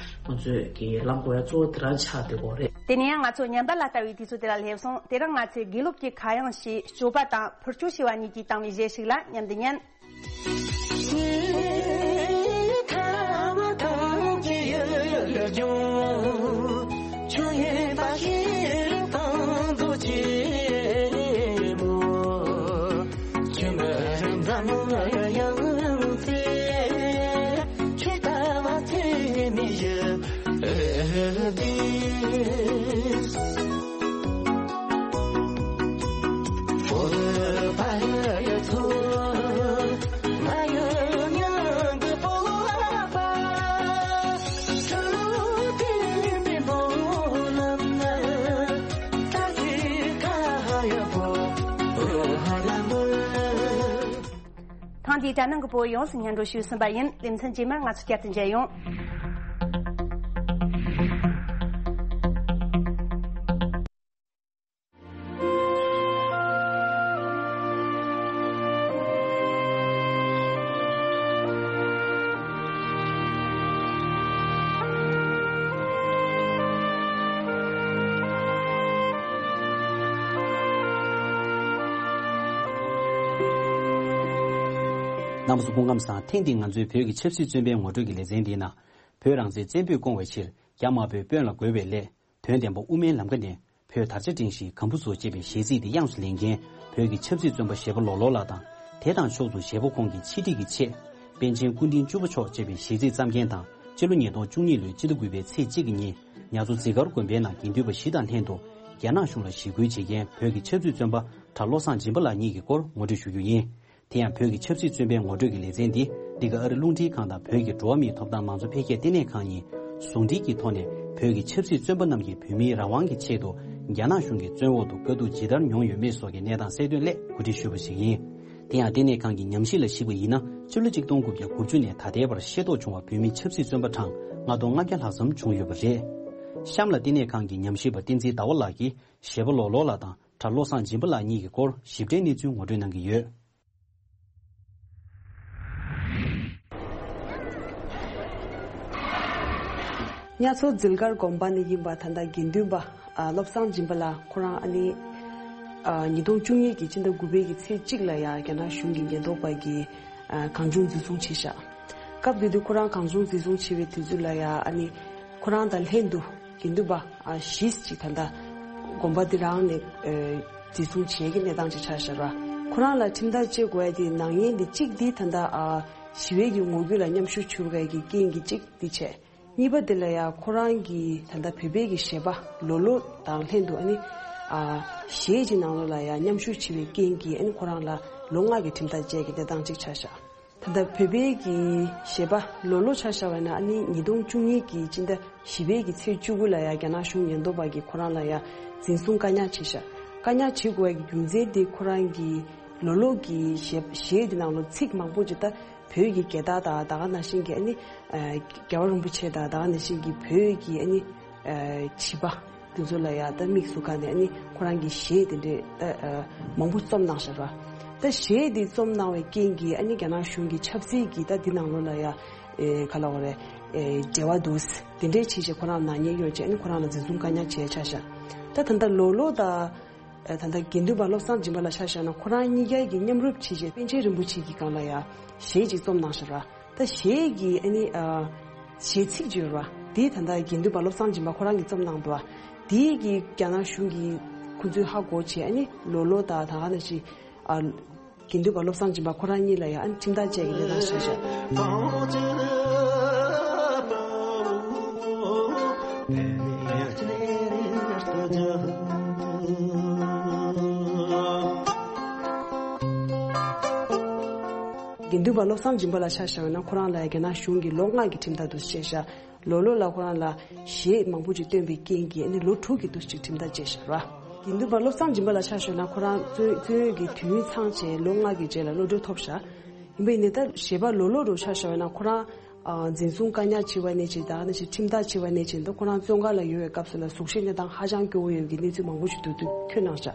ང་ཚོས་ཀྱི་ལངས་དགོས་ཡ་གཙོ་བོ་དེ་རང་ཆགས་བསྡད་ཀྱི་ཡོད་རེད། དེ་ནས་ཡང་ང་ཚོ་ཉམས་པ་ལ་ལྟ་བའི་དུས་ཚོད་དེ་ལ་སླེབས་སོང་། དེ་རིང་ང་ཚོས་དགེ་ལུགས་ཀྱི་ཁ་གཡང་ཞེས་སྤྱོད་པ་དང་འཕུར་སྐྱོད་ཞེས་པ་གཉིས་ཀྱིས་བཏང་བའི་གཞས་ཤིག་ལ་མཉམ་དུ་ཉན། ཐེངས་འདིའི་དྲ་ནང་གི་བོད་ཡོངས་སུ་སྙན་སྒྲོན་ཞུས་ཟིན་པ་ཡིན། ལེ་ཚན་རྗེས་མར་ང་ཚོ་བསྐྱར་དུ་མཇལ་ཡོང་། རྣམ་པ་ཚོ་སྐུ་ཁམས་བཟང་། ཐེངས་འདིའི་ང་ཚོའི་བོད་ཀྱི་ཆབ་སྲིད་བཙོན་པའི་ངོ་སྤྲོད་ཀྱི་ལེ་ཚན་འདིའི་ནང་། བོད་རང་བཙན་བཙན་པོས་སྐོང་བའི་ཕྱིར། རྒྱ་དམར་པོས་དཔོན་ལ་རྒོལ་བའི་སླད། དོན་བདེན་པ་དབུ་མའི་ལམ་ཁ་ནས། བོད་དར་ཆ་བསྒྲེངས་ཤིག་གམ་བུ་བཟོ་ཅེས་པའི་གཞས་ཚིག་དེ་དབྱངས་སུ་ལེན་མཁན། བོད་ཀྱི་ཆབ་སྲིད་བཙོན་པ་བཞད་པོ་ལོ་ལོ་ལགས་དང་། དེ་དང་ཕྱོགས་སུ་བཞད་པོ་ཁོང་གི་ཆེད་སྒྲིག་གི་ཆེད། པཎ་ཆེན་སྐུ་ཕྲེང་བཅུ་པ་མཆོག་ཅེས་པའི་གཞས་ཚིག་བརྩམས་མཁན་དང་། སྤྱི་ལོ་ཉིས་སྟོང་བཅུ་གཉིས་ལོའི་སྤྱི་ཟླ་དགུ་པའི་ཚེས་གཅིག་གི་ཉིན། ཉ་མཚོ་ཛི་གར་དགོན་པའི་ནང་དགེ་འདུན་པ་བཞི་དང་ལྷན་དུ། རྒྱ་ནག་གཞུང་ལ་ཞི་རྒོལ་བྱེད་མཁན་བོད་ཀྱི་ཆབ་སྲིད་བཙོན་པ་གྲྭ་བློ་བཟང་སྦྱིན་པ་ལགས་གཉིས་ཀྱི་སྐོར་ངོ་སྤྲོད་ཞུ་རྒྱུ་ཡིན། དེ་ཡང་བོད་ཀྱི་ཆབ་སྲིད་བཙོན་པའི་ངོ་སྤྲོད་ཀྱི་ལེ་ཚན་འདི་འདི་ག་ཨ་རི་རླུང་འཕྲིན་ཁང་དང་བོད་ཀྱི་འགྲོ་བ་མིའི་ཐོབ་ཐང་མང་གཙོ་འཕེལ་རྒྱས་ལྟེ་གནས་ཁང་གཉིས་ཟུང་འབྲེལ་གྱི་ཐོག་ནས། བོད་ཀྱི་ཆབ་སྲིད་བཙོན་པ་རྣམས་ཀྱིས་བོད་མིའི་རང་དབང་གི་ཆེད་དུ་རྒྱ་ནག་གཞུང་གི་བཙོན་འོག་ཏུ་དཀའ་སྡུག་ཇི་ལྟར་མྱོང་ཡོད་མེད་སོགས་ཀྱི་གནས་སྟངས་གསལ་སྟོན་སླད་གོ་སྒྲིག་ཞུས་པ་ཞིག་ཡིན། དེ་ཡང་ལྟེ་གནས་ཁང་གི་ཉམས་ཞིབ་ལ་གཞིགས་པ་ཡིན་ན། སྤྱི་ལོ་གཅིག་སྟོང་དགུ་བརྒྱ་དགུ་བཅུ་ནས་ད་ལྟའི་བར་ཤེས་རྟོགས་བྱུང་བ་བོད་མི་ཆབ་སྲིད་བཙོན་པ་གྲངས་ལྔ་སྟོང་ལྔ་བརྒྱ་ལྷག་ཙམ་བྱུང་ཡོད་པ་རེད། གཤམ་ལ་ལྟེ་གནས་ཁང་གི་ཉམས་ཞིབ་པ་བསྟན་འཛིན་ཟླ་བ་ལགས་ཀྱིས་བཞད་པོ་ལོ་ལོ་ལགས་དང་གྲྭ་བློ་བཟང་སྦྱིན་པ་ལགས་གཉིས་ཀྱི་སྐོར་ཞིབ་ཕྲའི་གནས་ཚུལ་ངོ་སྤྲོད་གནང་གི་ཡོད། གཉའ་མཚོ་ཟིལ་དཀར་དགོན་པ་ནས་ཡིན་པ་ད་ལྟ་དགེ་འདུན་པ་ཨ་བློ་བཟང་སྦྱིན་པ་ལགས་ཁོ་རང་ཨ་ནི་ཨ་ཉིས་སྟོང་བཅུ་གཉིས་ཀྱི་ཕྱི་ཟླ་དགུ་པའི་གི་ཚེས་གཅིག་ལ་ཡང་རྒྱ་ནག་གཞུང་གི་ཉེན་རྟོག་པ་གིས་ཨ་གང་བྱུང་འཛིན་བཟུང་བྱས་ཤག་སྐབས་དེ་དུས་ཁོ་རང་གང་བྱུང་འཛིན་བཟུང་བྱས་པའི་དུས་ཚོད་ལ་ཡང་ཨ་ནི་ཁོ་རང་དང་ལྷན་དུ་དགེ་འདུན་པ་ཨ་བཞི་ཅིག་ད་ལྟ་དགོན་པ་འདི་རང་ནས་ཨ་འཛིན་བཟུང་བྱས་ཀྱི་གནས་སྟངས་ཅིག་ཆགས་ཤག་ར། ཁོ་རང་ལ་ཁྲིམས་ཐག་བཅད་དགོས་ཡ་དེ་ནག་ཉེས་འདི་གཅིག་འདི་ད་ལྟ་ཨ་ཞི་བའི་གི་ངོ་རྒོལ་ལ་མཉམ་ཞུགས་བྱེད་དགོས་ཡ་གི་རྐྱེན་གྱིས་གཅིག་འདི་བྱས། གཉིས་པ་དེ་ལ་ཡང་ཁོ་རང་གི་ད་ལྟ་བོད་པའི་གི་གཞས་པ་ལོ་ལོ་དང་ལྷན་དུ་ཨ་ནི་ཨ་གཞས་ཀྱི་ནང་ལོགས་ལ་ཡང་མཉམ་ཞུགས་བྱེད་པའི་རྐྱེན་གྱིས་ཨ་ནི་ཁོ་རང་ལ་ལོ་ལྔ་གི་ཁྲིམས་ཐག་བཅད་ཀྱི་གནས་སྟངས་ཅིག་ཆགས་ཤག་ད་ལྟ་བོད་པའི་གི་གཞས་པ་ལོ་ལོ་ཆ་བཞག་པ་ན་ཨ་ནི་ཉིས་སྟོང་བཅུ་གཉིས་ཀྱི་སྤྱི་ཟླ་བཞི་པའི་གི་ཚེས་བཅུ་དགུ་ལ་ཡང་རྒྱ་ནག་གཞུང་ཉེན་རྟོག་པ་གིས་ཁོ་རང་ལ་ཡང་འཛིན་བཟུང་བཀག་ཉར་བྱས་ཤག་བཀག་ཉར་བྱེད་དགོས་པའི་གི་རྒྱུ་མཚན་དེ་ཁོ་རང་གི་ལོ་ལོ་གི་གཞས་གཞས་དེ་ནང་ལོ་ཚིག་མང་པོ་ཅིག་ད་བོད་ཀྱི་རྒྱལ་དར་དང་ད་ག་ནང་བཞིན་གྱི་ཨ་ནི་ཨ་རྒྱལ་བ་རིན་པོ་ཆེ་དང་ད་ག་ནང་བཞིན་གྱི་བོད་ཀྱི་ཨ་ནི་ཨ་བྱིས་པ་དེ་ཚོ་ལ་ཡང་ད་དམིགས་སུ་བཀར་ནས་ཨ་ནི་ཁོ་རང་གི་གཞས་དེ་འདྲས་ད་ཨ་མང་པོ་རྩོམ་གནང་ཤག་ར། ད་གཞས་དེ་རྩོམ་གནང་བའི་རྐྱེན་གྱིས་ཨ་ནི་རྒྱ་ནག་གཞུང་གི་ཆབ་སྲིད་ཀྱི་ད་འདི་ནང་ལོགས་ལ་ཡང་ཨེ་ག་ལབ་དགོས་རེད། ཨེ་འབྲེལ་བ་འདུག་དེ་འདྲས་བྱས་བྱས་ཁོ་རང་ནག་ཉེས་གཡོགས་བྱས་ཨ་ནི་ཁོ་རང་ལ་འཛིན་བཟུང་བཀག་ཉར་བྱས་ཆགས་ཤག་ད་ད་ལྟ་ལོ་ལོ་དང་། ད་ལྟ་དགེ་འདུན་པ་བློ་བཟང་སྦྱིན་པ་ལ་ཆ་བཞག་ན་ཁོ་རང་གཉིས་ཀ་གིས་མཉམ་རུབ་བྱས་རྗེས་པཎ་ཆེན་རིན་པོ་ཆེ་གི་སྒང་ལ་ཡང་གཞས་ཅིག་རྩོམ་གནང་ཤག་ར། ད་གཞས་ཀྱི་ཨ་ནི་ཨ་གཞས་ཚིག་ཅིག་ཡོད་ར། དེ་ད་ལྟ་དགེ་འདུན་པ་བློ་བཟང་སྦྱིན་པ་ཁོ་རང་གིས་རྩོམ་གནང་འདུག་བ། དེ་གི་རྒྱ་ནག་གཞུང་གིས་ཁོ་ཚོས་ཧ་གོ་བྱས་ཨ་ནི་ལོ་ལོ་དང་ད་ག་ནང་བཞིན་ཨ་དགེ་འདུན་པ་བློ་བཟང་སྦྱིན་པ་ཁོ་རང་གཉིས་ལ་ཡང་ཨ་ནི་ཁྲིམས་ཐག་བཅད་ཀྱི་གནས་སྟངས་ཤིག་བཞག་དགེ་འདུན་པ་བློ་བཟང་སྦྱིན་པ་ལ་ཆ་བཞག་ན་ཁོ་རང་ལ་རྒྱ་ནག་གཞུང་གིས་ལོ་ལྔ་གི་ཁྲིམས་ཐག་དུ་བཅད་བཞག་ལོ་ལོ་ལ་ཁོ་རང་ལ་གཞས་མང་པོ་ཅིག་བཏོན་པའི་རྐྱེན་གྱིས་ཨ་ནི་ལོ་དྲུག་གི་དུས་ཅིག་ཁྲིམས་ཐག་བཅད་བཞག་ར། དགེ་འདུན་པ་བློ་བཟང་སྦྱིན་པ་ལ་ཆ་བཞག་ན་ཁོ་རང་བཙོན་བཙོན་ཡོད་ཀྱི་དུས་ཡུན་ཚང་བྱས་ལོ་ལྔ་གི་རྗེས་ལ་གློད་གྲོལ་ཐོབ་བཞག་ཡིན་པ་ཡིན་ནའི་ད་གཞས་པ་ལོ་ལོ་རུ་ཆ་བཞག་ན་ཁོ་རང་ཨ་འཛིན་བཟུང་བཀག་ཉར་བྱས་པ་ནས་བྱས་ད་ནས་བྱས་ཁྲིམས་ཐག་བཅད་པ་ནས་བྱས་ད་ཁོ་རང་བཙོན་ཁང་ལ་ཡོད་པའི་སྐབས་སུ་ལ་གཟུགས་གཞི་གནས་སྟངས་ཧ་ཅང་སྐྱོ་བོ་ཡོད་ཀྱི་གནས་ཚུལ་མང་པོ་ཞིག་འདུག་འདུག་ཁྱོན་ནང་བཞག་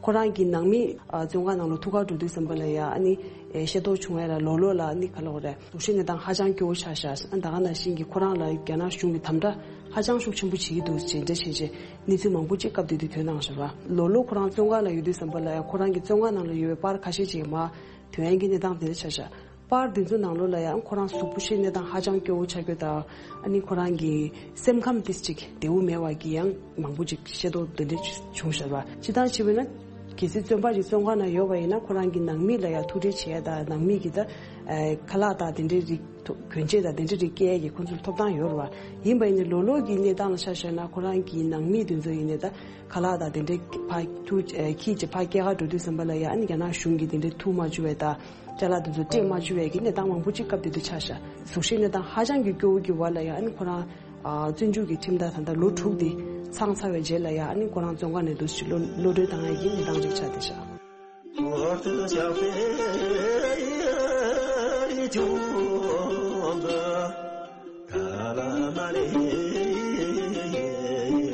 ཁོ་རང་གི་ནང་མི་ཨ་བཙོན་ཁང་ནང་ལ་ཐུག་གར་འགྲོ་དུས་ཙམ་པ་ལ་ཡ་ཨ་ནི་ཨེ་ཤེས་རྟོགས་བྱུང་བ་ལ་ལོ་ལོ་ལ་ཨ་ནི་ག་ལབ་དགོས་རེད། གཟུགས་གཞི་གནས་སྟངས་ཧ་ཅང་སྐྱོ་བོ་ཆགས་ཤག་ཨ་ད་ག་ནང་བཞིན་གྱི་ཁོ་རང་ལ་རྒྱ་ནག་གཞུང་གིས་དམ་དྲག་ཧ་ཅང་ཤུགས་ཆེན་པོ་བྱེད་ཀྱི་འདུག་ཅེས་འདྲ་བྱས་རྗེས་གནས་ཚུལ་མང་པོ་ཅིག་སྐབས་དེ་དུས་ཐོན་གནང་བཞག་པ། ལོ་ལོ་ཁོ་རང་བཙོན་ཁང་ལ་ཡོད་དུས་ཙམ་པ་ལ་ཡང་ཁོ་རང་གི་བཙོན་ཁང་ནང་ལ་ཡོད་པའི་པར་ཁ་ཤས་ཅིག་མར་ཐོན་ཡག་གི་གནས་སྟངས་དེ་འདྲ་ཆགས་ཤག་པར་དེ་ཚོ་ནང་ལོགས་ལ་ཡང་ཁོ་རང་གཟུགས་པོ་གཞི་གནས་སྟངས་ཧ་ཅང་སྐྱོ་བོ་ཆགས་རྒྱུ་དང་ཨ་ནི་ཁོ་རང་གི་སེམས་ཁམས་ཏིས་ཅིག་བདེ་བོ་མེད་པ་གི་ཡང་མང་པོ་ཅིག་ཤེས་རྟོགས་དེ་འདྲ་བྱུང་བཞག་པ། སྤྱིར་བཏང་བྱས་པ་ན་གལ་སྲིད་བཙོན་པ་ཅིག་བཙོན་ཁང་ནང་ཡོད་པ་ཡིན་ན་ཁོ་རང་གི་ནང་མི་ལ་ཡང་ཐུག་འཕྲད་བྱེད་ཡ་དང་ནང་མི་གི་ད་ཨ་ཁ་ལག་དང་དེ་འདྲའི་རིགས། ཐོ་གྱོན་ཆས་དང་དེ་འདྲ་རིགས་སྐྱེལ་ཡས་ཀྱི་ཁོང་ཚོར་ཐོབ་ཐང་ཡོད་རེད་བ། ཡིན་པ་ཡིན་ནའི་ལོ་ལོ་གི་གནས་སྟངས་ལ་ཆ་བཞག་ན་ཁོ་རང་གི་ནང་མི་དེ་ཚོ་ཡིན་ནའི་ད་ཁ་ལག་དང་དེ་འདྲ་ཕར་ཐུག་ཨ་ཁྱི་ཅིག་ཕར་སྐྱེལ་ག་འགྲོ་དུས་ཙམ་པ་ལ་ཡ་ཨ་ནི་རྒྱ་ནག་གཞུང་གིས་དེ་འདྲ་ཐུག་མ་བཅུག་པའི་ད་ཅ་ལག་དེ་ཚོ་སྤྲད་མ་བཅུག་པའི་གི་གནས་སྟངས་མང་པོ་ཅིག་སྐབས་དེ་དུས་ཆགས་ཤག་གཟུགས་གཞི་གནས་སྟངས་ཧ་ཅང་གི་སྐྱོ་བོ་གི་བར་ལ་ཡ་ཨ་ནི་ཁོ་རང་ཨ་བཙོན་འཇུག་གི་ཁྲིམས་ཐག་ད་ལྟ་ལོ་དྲུག་དེ་ཚང་ཚར་བའི་རྗེས་ལ་ཡ་ཨ་ནི་ཁོ་རང་བཙོན་ཁང་ནས་འདུག་སེ་གློད་གློད་གྲོལ་བཏང་ཡས་ཀྱི་གནས་སྟངས་ཅིག་ཆགས་བསྡད་ཤག་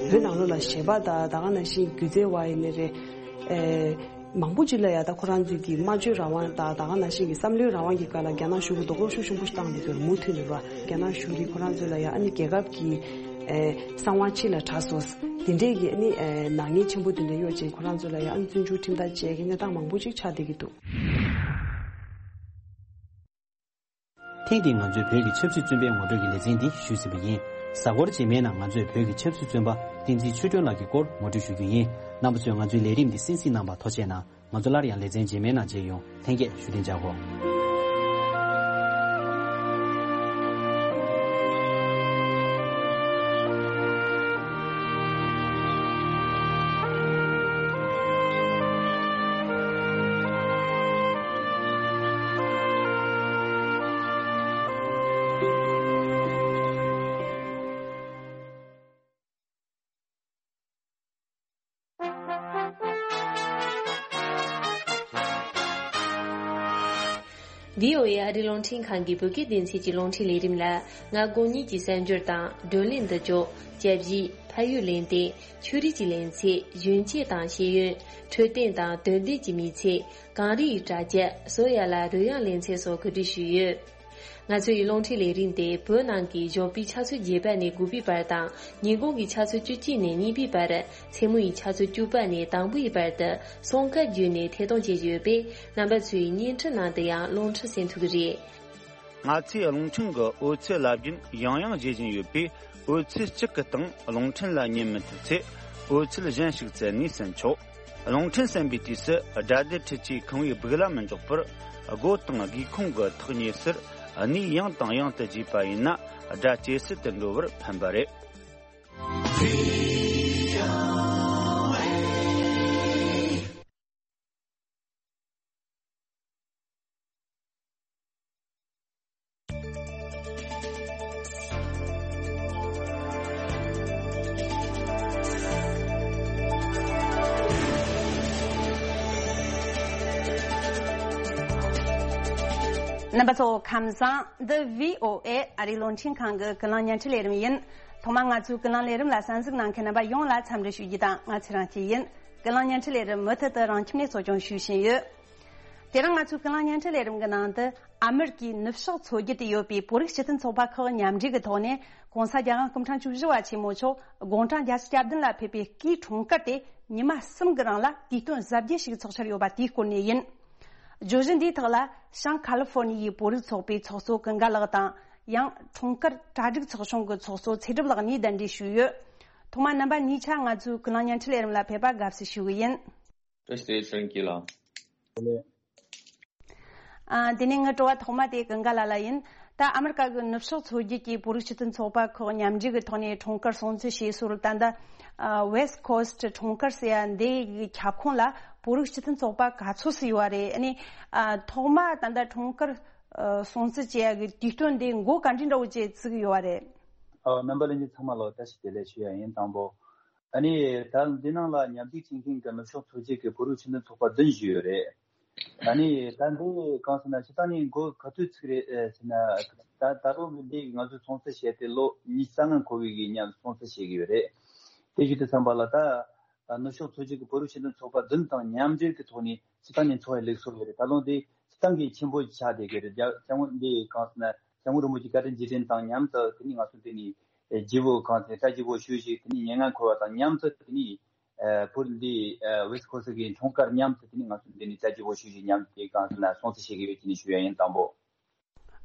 བོད་ནང་ལོགས་ལ་གཞས་པ་དང་ད་ག་ནང་བཞིན་སྒྱུ་རྩལ་བ་ཡིན་ནའི་རེད། ཨེ་མང་པོ་ཅིག་ལ་ཡ་ད་ཁོ་རང་ཚོའི་གི་སྨྲ་བརྗོད་རང་དབང་དང་ད་ག་ནང་བཞིན་གྱི་བསམ་བློའི་རང་དབང་གི་སྒང་ལ་རྒྱ་ནག་གཞུང་གིས་རྡོག་རོལ་ཤུགས་ཆེན་པོ་ཞིག་བཏང་བསྡད་ཡོད་རེད། མུ་མཐུད་ནས་རེད་བ། རྒྱ་ནག་གཞུང་གིས་ཁོ་རང་ཚོ་ལ་ཡ་ཨ་ནི་རྒྱལ་ཁབ་ཀྱི་ཨེ་གསང་བ་ཕྱི་ལ་དྲག་སོང་། དེ་འདྲས་ཀྱི་ཨ་ནི་ཨེ་ནག་ཉེས་ཆེན་པོ་དེ་འདྲ་གཡོག་ཅིང་ཁོ་རང་ཚོ་ལ་ཡང་ཨ་ནི་བཙོན་འཇུག་ཁྲིམས་ཐག་བཅད་ཀྱི་གནས་སྟངས་མང་པོ་ཅིག་ཆགས་བསྡད་ཀྱི་འདུག་ཐེངས་འདིའི་ང་ཚོའི་བོད་ཀྱི་ཆབ་སྲིད་བཙོན་པའི་ངོ་སྤྲོད་ཀྱི་ལེ་ཚན་འདི་ཞུས་ཟིན་པ་ཡིན། གཟའ་འཁོར་རྗེས་མའི་ནང་ང་ཚོས་བོད་ཀྱི་ཆབ་སྲིད་བཙོན་པ་བསྟན་འཛིན་ཆོས་སྒྲོན་ལགས་ཀྱི་སྐོར་ངོ་སྤྲོད་ཞུ་རྒྱུ་ཡིན། རྣམ་པ་ཚོས་ང་ཚོའི་ལས་རིམ་འདི་གསན་གཟིགས་གནང་བར་ཐུགས་རྗེ་གནང་། ང་ཚོ་སླར་ཡང་ལེ་ཚན་རྗེས་མའི་ནང་མཇལ་ཡོང་། ལྷན་རྒྱས་བཞུགས་གདན་འཇགས་སྐོར། བྷི་ཨོ་ཨེ་ཨ་རིའི་རླུང་འཕྲིན་ཁང་གི་བོད་སྐད་སྡེ་ཚན་གྱི་རླུང་འཕྲིན་ལས་རིམ་ལ་ང་དགོང་ཉིན་གྱི་གསར་འགྱུར་དང་། བགྲོ་གླེང་འདི་ཚོ། སྐྱབས་གཞི། ཕ་ཡུལ་གླེང་སྟེགས། ཆོས་རིག་གི་གླེང་ཚིག་གཞོན་སྐྱེས་དང་ཤེས་ཡོན། འཕྲོད་བསྟེན་དང་དོན་ལྡན་གྱི་མི་ཚེ། གངས་རི་ཡི་གྲ་རྒྱས་བཟོ་ཡ་ལ་རོལ་དབྱངས་གླེང་ཚིག་སོགས་གོ་སྒྲིག་ཞུས་ཡོད། ང་ཚོའི་རླུང་འཕྲིན་ལས་རིམ་དེ་བོད་ནང་གི་ཞོགས་པའི་ཆུ་ཚོད་བརྒྱད་པ་ནས་དགུ་པའི་བར་དང་། ཉིན་གུང་གི་ཆུ་ཚོད་བཅུ་གཅིག་ནས་གཉིས་པའི་བར། མཚན་མོའི་ཆུ་ཚོད་བཅུ་པ་ནས་དང་པོའི་བར་དུ་སོང་ཁ་བརྒྱུད་ནས་ཐད་གཏོང་བྱེད་ཀྱི་ཡོད་པས། རྣམ་པ་ཚོས་བརྙན་འཕྲིན་ནང་དུ་ཡང་རླུང་འཕྲིན་གསན་ཐུབ་ཀྱི་རེད། ང་ཚོས་རླུང་འཕྲིན་གྱི་འོད་ཚད་རླབས་རྒྱུན་ཡང་ཡང་བརྗེ་བཞིན་ཡོད་པས། འོད་ཚད་གཅིག་གི་སྟེང་རླུང་འཕྲིན་ལ་ཉན་མི་ཐུབ་ཚེ། འོད་ཚད་གཞན་ཞིག་བཙལ་ནས་གསན་ཆོག་རླུང་འཕྲིན་གསན་པའི་དུས་སུ། སྒྲ་སྡུད་འཕྲུལ་ཆས་ཁང་བའི་སྦུག་ལ་མི་འཇོག་པར། སྒོ་དང་སྒེའུ་ཁུང་གི་ཐག་ཉེ་སར་གནས་ཡང་དང་ཡང་དུ་བརྗེས་པ་ཡིན་ན། སྒྲ་ཇེ་གསལ་དུ་འགྲོ་བར་ཕན་པ་རེད། རྣམ་པ་ཚོ་ཁམས་བཟང་། འདི་བྷི་ཨོ་ཨེ་ཨ་རིའི་རླུང་འཕྲིན་ཁང་གི་ཀུན་གླེང་བརྙན་འཕྲིན་ལས་རིམ་ཡིན། ཐོག་མར་ང་ཚོའི་ཀུན་གླེང་ལས་རིམ་ལ་གསན་གཟིགས་གནང་མཁན་རྣམ་པ་ཡོངས་ལ་འཚམས་འདྲི་ཞུ་རྒྱུ་དང་། ང་ཚེ་རིང་སྐྱིད་ཡིན། ཀུན་གླེང་བརྙན་འཕྲིན་ལས་རིམ་མུ་མཐུད་དུ་རང་ཁྱིམ་ནས་གཙོ་སྐྱོང་ཞུ་བཞིན་ཡོད། དེ་རིང་ང་ཚོའི་ཀུན་གླེང་བརྙན་འཕྲིན་ལས་རིམ་གྱི་ནང་དུ། ཨ་མེ་རི་ཀའི་ནུབ་ཕྱོགས་མཚོ་རྒྱུད་དུ་ཡོད་པའི་བོད་རིགས་སྤྱི་མཐུན་ཚོགས་པ་ཁག་མཉམ་འབྲེལ་གྱི་ཐོག་ནས། ྋགོང་ས་ྋརྒྱལ་དབང་སྐུ་ཕྲེང་བཅུ་བཞི་པ་ཆེན་མོ་མཆོག་དགུང་གྲངས་བརྒྱད་ཅུ་གྱ་བདུན་ལ་ཕེབས་པའི་སྐུའི་འཁྲུངས་སྐར་དེ་ཉི་མ་གསུམ་གྱི་རིང་ལ་དུས་སྟོན་གཟབ་རྒྱས་ཤིག་འཚོགས་འཆར་ཡོད་པ་དེའི་སྐོར་ནས་ཡིན། བརྗོད་གཞི་འདིའི་ཐོག་ལ། བྱང་ཁ་ལི་ཧྥོར་ནི་ཡའི་བོད་རིགས་ཚོགས་པའི་ཚོགས་གཙོ་ཀུན་དགའ་ལགས་དང་། ཡང་འཁྲུངས་སྐར་གྲ་སྒྲིག་ཚོགས་ཆུང་གི་ཚོགས་གཙོ་ཚེ་སྒྲུབ་ལགས་གཉིས་གདན་འདྲེན་ཞུས་ཡོད། ཐོག་མར་རྣམ་པ་གཉིས་ཆ་ང་ཚོའི་ཀུན་གླེང་བརྙན་འཕྲིན་ལས་རིམ་ལ་ཕེབས་པར་དགའ་བསུ་ཞུ་གི་ཡིན། བཀྲ་ཤིས་བདེ་ལེགས། ཚེ་རིང་སྐྱིད་ལགས། ཨ། དེ་ནས་ངའི་དྲི་བ་ཐོག་མ་དེ་ཀུན་དགའ་ལགས་ལ་ཡིན། ད་ཨ་མེ་རི་ཀ་གི་ནུབ་ཕྱོགས་མཚོ་རྒྱུད་ཀྱི་བོད་རིགས་སྤྱི་མཐུན་ཚོགས་པ་ཁག་མཉམ་འབྲེལ་གྱི་ཐོག་ནས་འཁྲུངས་སྐར་སྲུང་བརྩི་བྱེད་སྲོལ། ད་ལྟ་ཨ་West Coast འཁྲུངས་སྐར་ཟེར་ཡ་འདི་ཡི་ཁྱབ་ཁོངས་ལ་བོད་རིགས་སྤྱི་མཐུན་ཚོགས་པ་ག་ཚོད་ཙམ་ཡོད་པ་རེད། ཨ་ནི་ཨ་ཐོག་མ་ད་ལྟ་འཁྲུངས་སྐར་ཨ་སྲུང་བརྩི་བྱེད་ཡ་གི་དུས་སྟོན་འདི་འགོ་ག་འདྲའི་འདྲ་བོ་ཅིག་བཙུགས་ཡོད་པ་རེད། ཨ། རྣམ་པ་ལྷན་རྒྱས་ཚང་མ་ལ་བཀྲ་ཤིས་བདེ་ལེགས་ཞུ་ཡ་ཡིན། དང་པོ། ཨ་ནི་ད་འདི་ནང་ལ་མཉམ་ཞུགས་བྱེད་མཁན་གྱི་ནུབ་ཕྱོགས་མཚོ་རྒྱུད་ཀྱི་བོད་རིགས་སྤྱི་མཐུན་ཚོགས་པ་བདུན་ཞིག་ཡོད་རེད། ཨ་ནི་ད་འདི་གང་ཟེར་ན་སྤྱིར་བཏང་ནས་འགོ་ག་དུས་ཚུགས་རེད་ཟེར་ན། ད་ད་རུང་འདི་ང་ཚོས་སྲུང་བརྩི་བྱས་ཏེ་ལོ་ཉི་ཤུ་རྩ་ལྔ་འཁོར་བའི་གི་ཉམས་སྲུང་བརྩི་བྱེད་ཀྱི་ཡོད་རེད། དེ་བཞིན་དུ་བསམ་པ་ལ་ད་ནུབ་ཕྱོགས་མཚོ་རྒྱུད་ཀྱི་བོད་རིགས་སྤྱི་མཐུན་ཚོགས་པ་བདུན་དང་མཉམ་འབྲེལ་གྱི་ཐོག་ནས་སྤྱིར་བཏང་ནས་འཚོགས་པའི་ལུགས་སྲོལ་ཡོད་རེད། ད་ལོ་འདི་སྤྱིར་བཏང་གི་ཆེན་པོ་ཆགས་བསྡད་ཀྱི་རེད། རྒྱ་རྒྱ་ངོ་འདི་གང་ཟེར་ན་སྐྱབས་མགོན་རིན་པོ་ཆེ་བཀའ་དྲིན་རྗེས་དྲན་དང་མཉམ་དུ་དེ་ནས་ང་ཚོ་འདི་ནས་རྒྱལ་པོ་གང་ཟེར་བཀྲ་རྒྱལ་པོ་ཞུ་ཞིག་དེ་ནས་མྱ་ངན་འཁོར་བ་དང་མཉམ་དུ་དེ་ནས་བོད་འདི་West Coast གི་འཁྲུངས་སྐར་མཉམ་དུ་དེ་ནས་ང་ཚོ་འདི་ནས་བཀྲ་རྒྱལ་པོ་ཞུ་ཞིག་མཉམ་དུ་གང་ཟེར་ན་སྲུང་བརྩི་བྱེད་ཀྱི་ཡོད་ཅེས་ནས་ཞུ་ཡ་ཡིན། དང་པོ།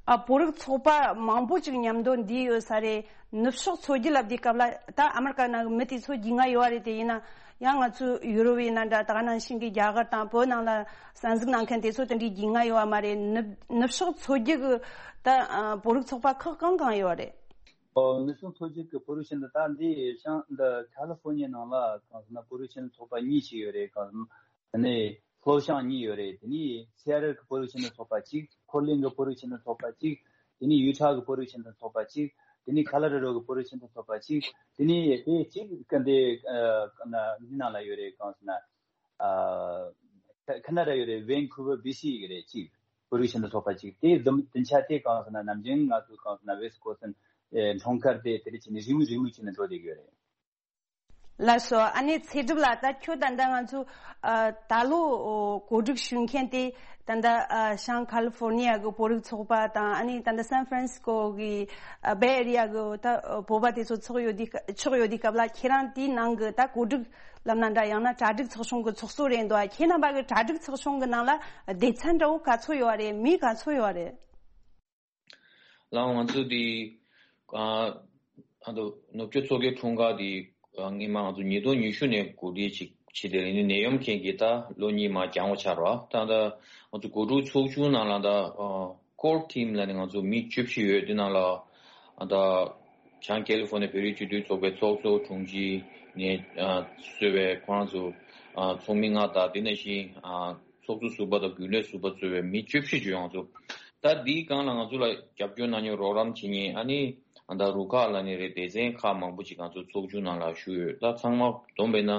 ཨ། བོད་རིགས་ཚོགས་པ་མང་པོ་ཅིག་མཉམ་དུ་འདུས་ཡོད་ས་རེད། ནུབ་ཕྱོགས་མཚོ་རྒྱུད་ལབ་དུས་སྐབས་ལ་ད་ཨ་མེ་རི་ཀ་ནང་གི་མི་དེ་ཚོ་རྒྱུས་མངའ་ཡོད་པ་རེད། དེ་ཡིན་ན་ཡང་ང་ཚོའི་ཡུ་རོབ་ཡིན་ན་འདྲ། ད་ག་ནང་བཞིན་གྱི་རྒྱ་གར་དང་བོད་ནང་ལ་གསན་གཟིགས་གནང་མཁན་དེ་ཚོ་དེ་འདྲའི་རྒྱུས་མངའ་ཡོད་པ་མ་རེད། ནུབ་ནུབ་ཕྱོགས་མཚོ་རྒྱུད་ཀྱི་ད་ཨ་བོད་རིགས་ཚོགས་པ་ཁག་གང་གང་ཡོད་པ་རེད། ཨོ། ནུབ་ཕྱོགས་མཚོ་རྒྱུད་ཀྱི་བོད་རིགས་སྤྱི་མཐུན་ད་འདི་བྱང་འདི་ཁ་ལི་ཧྥོར་ནི་ཡ་ནང་ལ་གང་ཟེར་ན་བོད་རིགས་སྤྱི་མཐུན་ཚོགས་པ་གཉིས་ཤིག་ཡོད་རེད། གང་ཟེར་ན། དེ་ནས་ལྷོ་བྱང་གཉིས་ཡོད་རེད། དེ་ནས་སི་ཨེ་ཊལ་གྱི་བོད་རིགས་སྤྱི་མཐུན་ཚོགས་པ་གཅིག་ཕོར་ལེན་གྱི་བོད་རིགས་སྤྱི་མཐུན་ཚོགས་པ་གཅིག་དེ་ནས་ཡུ་ཊ་གི་བོད་རིགས་སྤྱི་མཐུན་ཚོགས་པ་གཅིག་དེ་ནས་ཁ་ལོ་ར་ཌོ་གི་བོད་རིགས་སྤྱི་མཐུན་ཚོགས་པ་གཅིག་དེ་ནས་དེ་གཅིག་གི་འདི་ཨ་ན་འདི་ནང་ལ་ཡོད་རེད། གང་ཟེར་ན། ཨ་ཁ་ཁ་ན་ཌ་ཡོད་རེད། ཝན་ཁུ་ཝར་བྷི་སི་ཡི་རེད། གཅིག་བོད་རིགས་སྤྱི་མཐུན་ཚོགས་པ་གཅིག་དེ་བདུན་བདུན་ཆ་དེ་གང་ཟེར་ན་ནམ་རྒྱུན་ང་ཚོ་གང་ཟེར་ན་ཝེ་སི་ཁོ་སན་འཁྲུངས་སྐར་དེ་དེ་རིང་བྱས་ནས་རེས་མོས་རེས་མོས་བྱས་ནས་འགྲོ་བསྡད་ཀྱི་ཡོད་རེད། ལགས་སོ། ཨ་ནེ་ཚེ་སྒྲུབ་ལགས། ད་ཁྱོད་ད་ལྟ་ང་ཚོ་ཨ་ད་ལོ་གོ་སྒྲིག་ཞུ་མཁན་དེ་ད་ལྟ་ཨ་བྱང་ཁ་ལི་ཧྥོར་ནི་ཡ་གི་བོད་རིགས་ཚོགས་པ་དང་། ཨ་ནེ་ད་ལྟ་སན་ཧྥ་རན་སི་ཀོ་གི་ཨ་བེ་ཨེ་རི་ཡ་གི་ད་བོད་པ་དེ་ཚོ་ཚོགས་ཡོད་དུས་ཚོགས་ཡོད་དུས་སྐབས་ལ་ཁྱེད་རང་དེའི་ནང་གི་ད་གོ་སྒྲིག་ལབ་ན་འདྲ། ཡང་ན་གྲ་སྒྲིག་ཚོགས་ཆུང་གི་ཚོགས་གཙོ་རེད་འདུག་ཁྱེད་རྣམ་པ་གི་གྲ་སྒྲིག་ཚོགས་ཆུང་གི་ནང་ལ་སྡེ་ཚན་འདྲ་བོ་ག་ཚོད་ཡོད་རེད། མི་ག་ཚོད་ཡོད་རེད། ལགས། ང་ཚོ་འདི་ཨ་ཨ་ནུབ་ཕྱོགས་མཚོ་རྒྱུད་འཁྲུངས་སྐར་འདི་ཨ་སྔོན་མ་ང་ཚོ་ཉིས་སྟོང་ཉི་ཤུ་ནས་གོ་སྒྲིག་ཅིག་བྱས་ཏེ། ཨ་ནི་ནད་ཡམས་རྐྱེན་གྱིས་ད་ལོ་གཉིས་མར་འགྱངས་པ་ཆགས་རེད་པ། ད་ལྟ་ང་ཚོ་གོ་སྒྲིག་ཚོགས་ཆུང་ནང་ལ་ད་ཨ་ཀོར་ཊིམ་ལབ་ནས་ང་ཚོ་མི་བཅུ་བཞི་ཡོད། དེ་ནང་ལ་ཨ་ད་བྱང་ཀེ་ལི་ཧྥོར་ནི་ཡ་བོད་རིགས་སྤྱི་མཐུན་ཚོགས་པའི་ཚོགས་གཙོ་དྲུང་ཆེ་ནས་ཨ་གཙོས་པའི་ཁོ་རང་ཚོ་ཨ་ཚོགས་མི་ལྔ་དང་། དེ་ནང་བཞིན་ཨ་ཚོགས་གཙོ་ཟུར་པ་དང་རྒྱུན་ལས་ཟུར་པ་གཙོས་པའི་མི་བཅུ་བཞི་ཅིག་ཡོད། ང་ཚོ་ད་འདིའི་སྒང་ལ་ང་ཚོ་ལ་རྒྱབ་སྐྱོར་གནང་མཁན་རོགས་རམ་བྱེད་མཁན་ཨ་ནི་ཨ་ད་རུ་ཁག་ལབ་ནི་རེད། སྡེ་ཚན་ཁག་མང་པོ་ཅིག་ང་ཚོ་ཚོགས་ཆུང་ནང་ལ་ཞུགས་ཡོད། ད་ཚང་མ་བསྡོམས་པས་ན་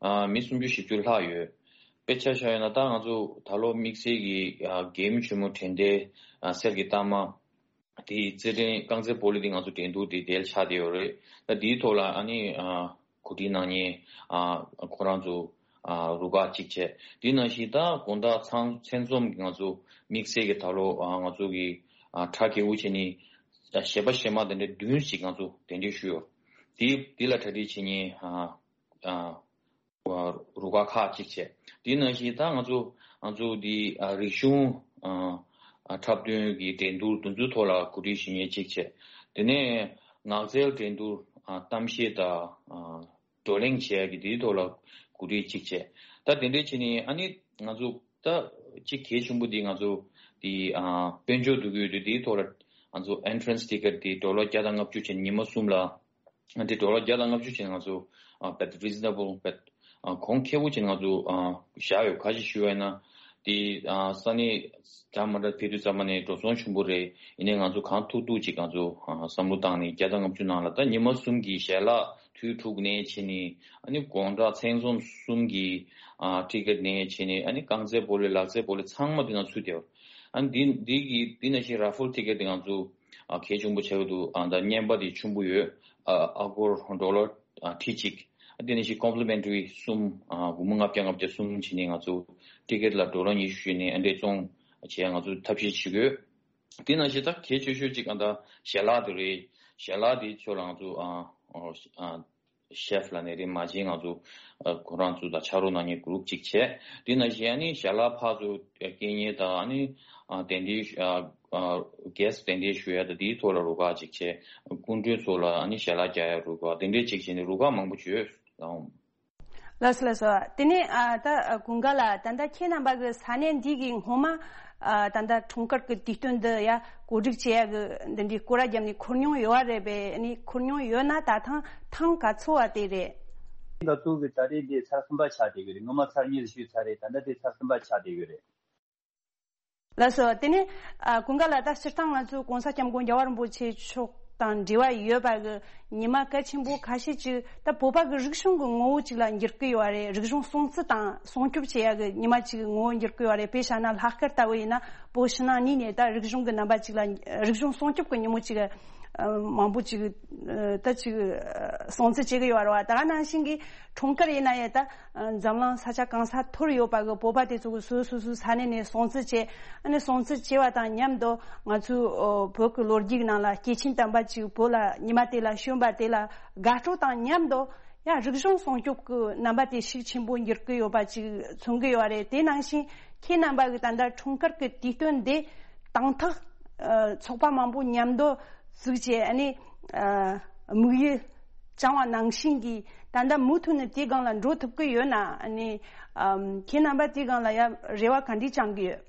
ཨ་མི་སུམ་ཅུ་བཞི་བཅུ་ལྷག་ཡོད། དཔེ་ཆ་བཞག་ཡོད་ན་ད་ང་ཚོ་ད་ལོ་དམིགས་བསལ་གྱི་ཨ་རྒྱལ་ཡུམ་ཆེན་མོ་དྲན་རྟེན་ཨ་གསེར་གྱི་རྟགས་མ་དེའི་རྩེད་འགྲན་རྐང་རྩེད་སྤོ་ལོ་འདི་ང་ཚོ་འགྲན་བསྡུར་འདི་དེ་ལ་ཆགས་བསྡད་ཡོད་རེད། ད་འདིའི་ཐོག་ལ་ཨ་ནི་ཨ་གོ་སྒྲིག་གནང་མཁན་ཨ་ཁོ་རང་ཚོ་ཨ་རུ་ཁག་གཅིག་བྱས། དེ་ནང་བཞིན་ད་དགོང་དག་ཚང་མཚན་འཛོམས་ཀྱི་ང་ཚོ་དམིགས་བསལ་གྱི་ད་ལོ་ཨ་ང་ཚོ་གི་ ཨ་གྲ་རྒྱས་པོ་བྱས་ནས་ཨ་གཞས་པ་གཞས་མ་དེ་འདྲ་བདུན་ཞིག་ང་ཚོ་གདན་འདྲེན་ཞུས་ཡོད། དེ་དེ་ལ་གྲ་སྒྲིག་བྱེད་མཁན་ཨ་ཨ་རུ་ཁག་ཁག་ཅིག་བྱས། དེ་ནང་བཞིན་ད་ང་ཚོ་ང་ཚོ་འདི་ཨ་རིག་གཞུང་ཨ་ཨ་འཁྲབ་སྟོན་གྱི་འགྲན་བསྡུར་དེ་ཚོའི་ཐོག་ལ་གོ་སྒྲིག་ཞུ་མཁན་ཅིག་བྱས། དེ་ནས་ངག་རྩལ་འགྲན་བསྡུར་ཨ་གཏམ་བཤད་དང་ཨ་བགྲོ་གླེང་བྱེད་ཡག་གི་དེའི་ཐོག་ལ་གོ་སྒྲིག་ཅིག་བྱས། ད་དེ་འདྲ་བྱས་ནས་ཨ་ནི་ང་ཚོ་ད་གཅིག་གལ་ཆེན་པོ་འདི་ང་ཚོ་དེ་ཨ་དཔལ་འབྱོར་འདུ་འགོད་དེ་དེའི་ཐོག་ལ་ང་ཚོ་entrance ticket་དེ་ཌོ་ལར་བརྒྱ་དང་ལྔ་བཅུ་བྱས་ནས་ཉི་མ་གསུམ་ལ་ཨ་དེ་ཌོ་ལར་བརྒྱ་དང་ལྔ་བཅུ་བྱས་ནས་ང་ཚོ་ཨ་བེད་རི་ཛི་ན་བལ་བེད་ཨ་གོང་ཁེ་པོ་བྱས་ནས་ང་ཚོ་ཨ་བཞག་ཡོད། ག་ཅི་ཞུ་བ་ཡིན་ན་དེ་ཨ་ས་གནས་འདྲ་མི་འདྲ་ཕེབས་དུས་ཙམ་པ་ནས་འགྲོ་སོང་ཆེན་པོ་རེད། ཡིན་ནའི་ང་ཚོ་གང་ཐུབ་ཐུབ་ཅིག་ང་ཚོ་ཨ་བསམ་བློ་བཏང་ནས་བརྒྱ་དང་ལྔ་བཅུ་ནང་ལ་ད་ཉི་མ་གསུམ་གྱི་ཞལ་ལག་དུས་དྲུག་ནས་བྱས་ནས་ཨ་ནི་དགོང་དག་མཚན་འཛོམས་གསུམ་གྱི་ཨ་ཊི་ཀེ་ཊི་ནས་བྱས་ནས་ཨ་ནི་རྐང་རྩེད་སྤོ་ལོ་ལག་རྩེད་སྤོ་ལོ་ཚང་མ་དེ་ནང་ཚུད་བསྡད་ཡོད། ཨ་ནི་འདི་འདི་གི་འདི་ནང་བཞིན་ར་ཕལ་ཊི་ཀེ་ཊི་དེ་ང་ཚོ་ཨ་གལ་ཆེན་པོ་ཆགས་ཀྱི་འདུག་ཨ་ད་རྔན་པ་དེ་ཆེན་པོ་ཡོད། ཨ་ཨ་སྒོར་ཌོ་ལར་ཨ་ཁྲི་གཅིག་ཨ་དེ་ནང་བཞིན་ཀོམ་པི་ལི་མེན་ཊ་རི་གསུམ་ཨ་སྒོར་མོ་ལྔ་བརྒྱ་ལྔ་བརྒྱ་གསུམ་བྱས་ནས་ང་ཚོ་ཊི་ཀེ་ཊི་ལ་ཌོ་ལར་ཉི་ཤུ་བྱས་ནས་ཨ་འདྲས་བཙོང་བྱས་ང་ཚོ་ཐབས་ཤེས་བྱེད་དགོས། དེ་ནང་བཞིན་ད་གལ་ཆེ་ཤོས་གཅིག་ཨ་ད་ཞལ་ལག་དེ་རེད། ཞལ་ལག་དེ་ཚོ་ལ་ང་ཚོ་ཨ་ཨ་ཨ་ཤེཕ་ལབ་ནས་རེད། མ་གཞི་ང་ཚོ་ཨ་ཁོ་རང་ཚོ་དང་ཕྱག་རོགས་གནང་མཁན་གུ་རུབ་ཅིག་བྱས། དེ་ནང་བཞིན་ཨ་ནི་ཞལ་ལག་ཕར་ཚུར་སྐྱེལ་མཁན་དང་ཨ་ནི་ཨ་དེ་འདྲའི་ཨ་ཨ་གེ་སི་དེ་འདྲའི་ཞུ་ཡ་དང་དེའི་ཐོག་ལ་རུ་ཁག་ཅིག་བྱས། སྐུ་མགྲོན་ཚོ་ལ་ཨ་ནི་ཞལ་ལག་རྒྱག་ཡ་རུ་ཁག་དེ་འདྲའི་ཅིག་བྱས་ནས་རུ་ཁག་མང་པོ་ཅིག་ཡོད་ལགས། ལགས་སོ་ལགས་སོ། དེ་ནས་ཨ་ད་ཨ་ཀུན་དགའ་ལགས། ད་ལྟ་ཁྱེད་རྣམ་པ་གི་ས་གནས་འདི་གི་སྔོན་མ་ཨ་ད་ལྟ་འཁྲུངས་སྐར་གི་དུས་སྟོན་འདི་ཡ་གོ་སྒྲིག་བྱེད་ཡ་གི་འདི་འདྲའི་སྐོར་ར་བརྒྱབ་ནས་འཁོར་མྱོང་ཡོད་བ་རེད་པས། ཨ་ནི་འཁོར་མྱོང་ཡོད་ན་ད་ཐེངས་ཐེངས་ག་ཚོད་བ་དེ་རེད། ད་ལྟ་གི་ད་རེས་འདི་ཚར་གསུམ་པ་ཆགས་བསྡད་ཡོད་རེད། སྔོན་མ་ཚར་གཉིས་ཞུས་ཚར་རེད། ད་ལྟ་དེ་ཚར་གསུམ་པ་ཆགས་བསྡད་ཡོད་རེད། ལགས་སོ། དེ་ནས་ཨ་ཀུན་དགའ་ལགས། ད་སྤྱིར་བཏང་ང་ཚོའི་༸གོང་ས་༸སྐྱབས་མགོན་རྒྱལ་བ་རིན་པོ་ཆེ་མཆོག་དང་འབྲེལ་བ་ཡོད་པ་གི་ཉི་མ་གལ་ཆེན་པོ་ཁ་ཤས་ཅིག་ད་བོད་པ་གི་རིག་གཞུང་གི་ངོ་བོ་ཅིག་ལ་འགྱུར་གི་ཡོད་རེད། རིག་གཞུང་སྲུང་བརྩི་དང་སྲུང་སྐྱོབ་བྱེད་ཡ་གི་ཉི་མ་ཅིག་གི་ངོ་བོ་འགྱུར་གི་ཡོད་རེད། དཔེ་བཞག་ན་ལྷག་དཀར་ལྟ་བུ་ཡིན་ན་བོད་ཕྱི་ནང་གཉིས་ནས་ད་རིག་གཞུང་གི་རྣམ་པ་ཅིག་ལ་རིག་གཞུང་སྲུང་སྐྱོབ་གི་ཉིན་མོ་ཅིག་ཨ་མང་པོ་ཅིག་ཨ་ད་ཅིག་ཨ་སྲུང་བརྩི་བྱེད་ཀྱི་ཡོད་རེད་བ། ད་ག་ནང་བཞིན་གྱི་འཁྲུངས་སྐར་ཡིན་ན་ཡང་ད་ཨ་འཛམ་གླིང་ས་ཆ་གང་ས་ཐོར་ཡོད་པ་གི་བོད་པ་དེ་ཚོ་གི་སོ་སོ་སོའི་ས་གནས་ནས་སྲུང་བརྩི་བྱེད། ཨ་ནི་སྲུང་བརྩི་བྱེད་པ་དང་མཉམ་དུ་ང་ཚོའི་ཨོ་བོད་ཀྱི་ལོ་རྒྱུས་ནང་ལ་སྐྱེས་ཆེན་དམ་པ་ཅིག་བོད་ལ་ཉི་མ་དེ་ལ་བྱོན་པ་དེ་ལ་དགའ་སྤྲོ་དང་མཉམ་དུ་ཡང་རིག་གཞུང་སྲུང་སྐྱོབ་ཀྱི་རྣམ་པ་དེ་ཤུགས་ཆེན་པོ་འགྱུར་གྱི་ཡོད་པ་ཅིག་མཚོན་གྱི་ཡོད་རེད། དེ་ནང་བཞིན་ཁྱེད་རྣམ་པ་གི་ད་ལྟ་འཁྲུངས་སྐར་གྱི་དུས་སྟོན་འདི་དང་ཐོག་ཨ་ཚོགས་པ་མང་པོ་མཉམ་དུ་བཙུགས་བྱས། ཨ་ནི་ཨ་དམིགས་ཡུལ་བཅངས་པ་ནང་བཞིན་གྱི་ད་ལྟ་མུ་མཐུད་ནས་དེའི་སྒང་ལ་འགྲོ་ཐུབ་ཀྱི་ཡོད་ན། ཨ་ནི་ཨམ་ཁྱེད་རྣམ་པ་དེའི་སྒང་ལ་ཡང་རེ་བ་ག་འདྲས་བཅངས་ཀྱི་ཡོད།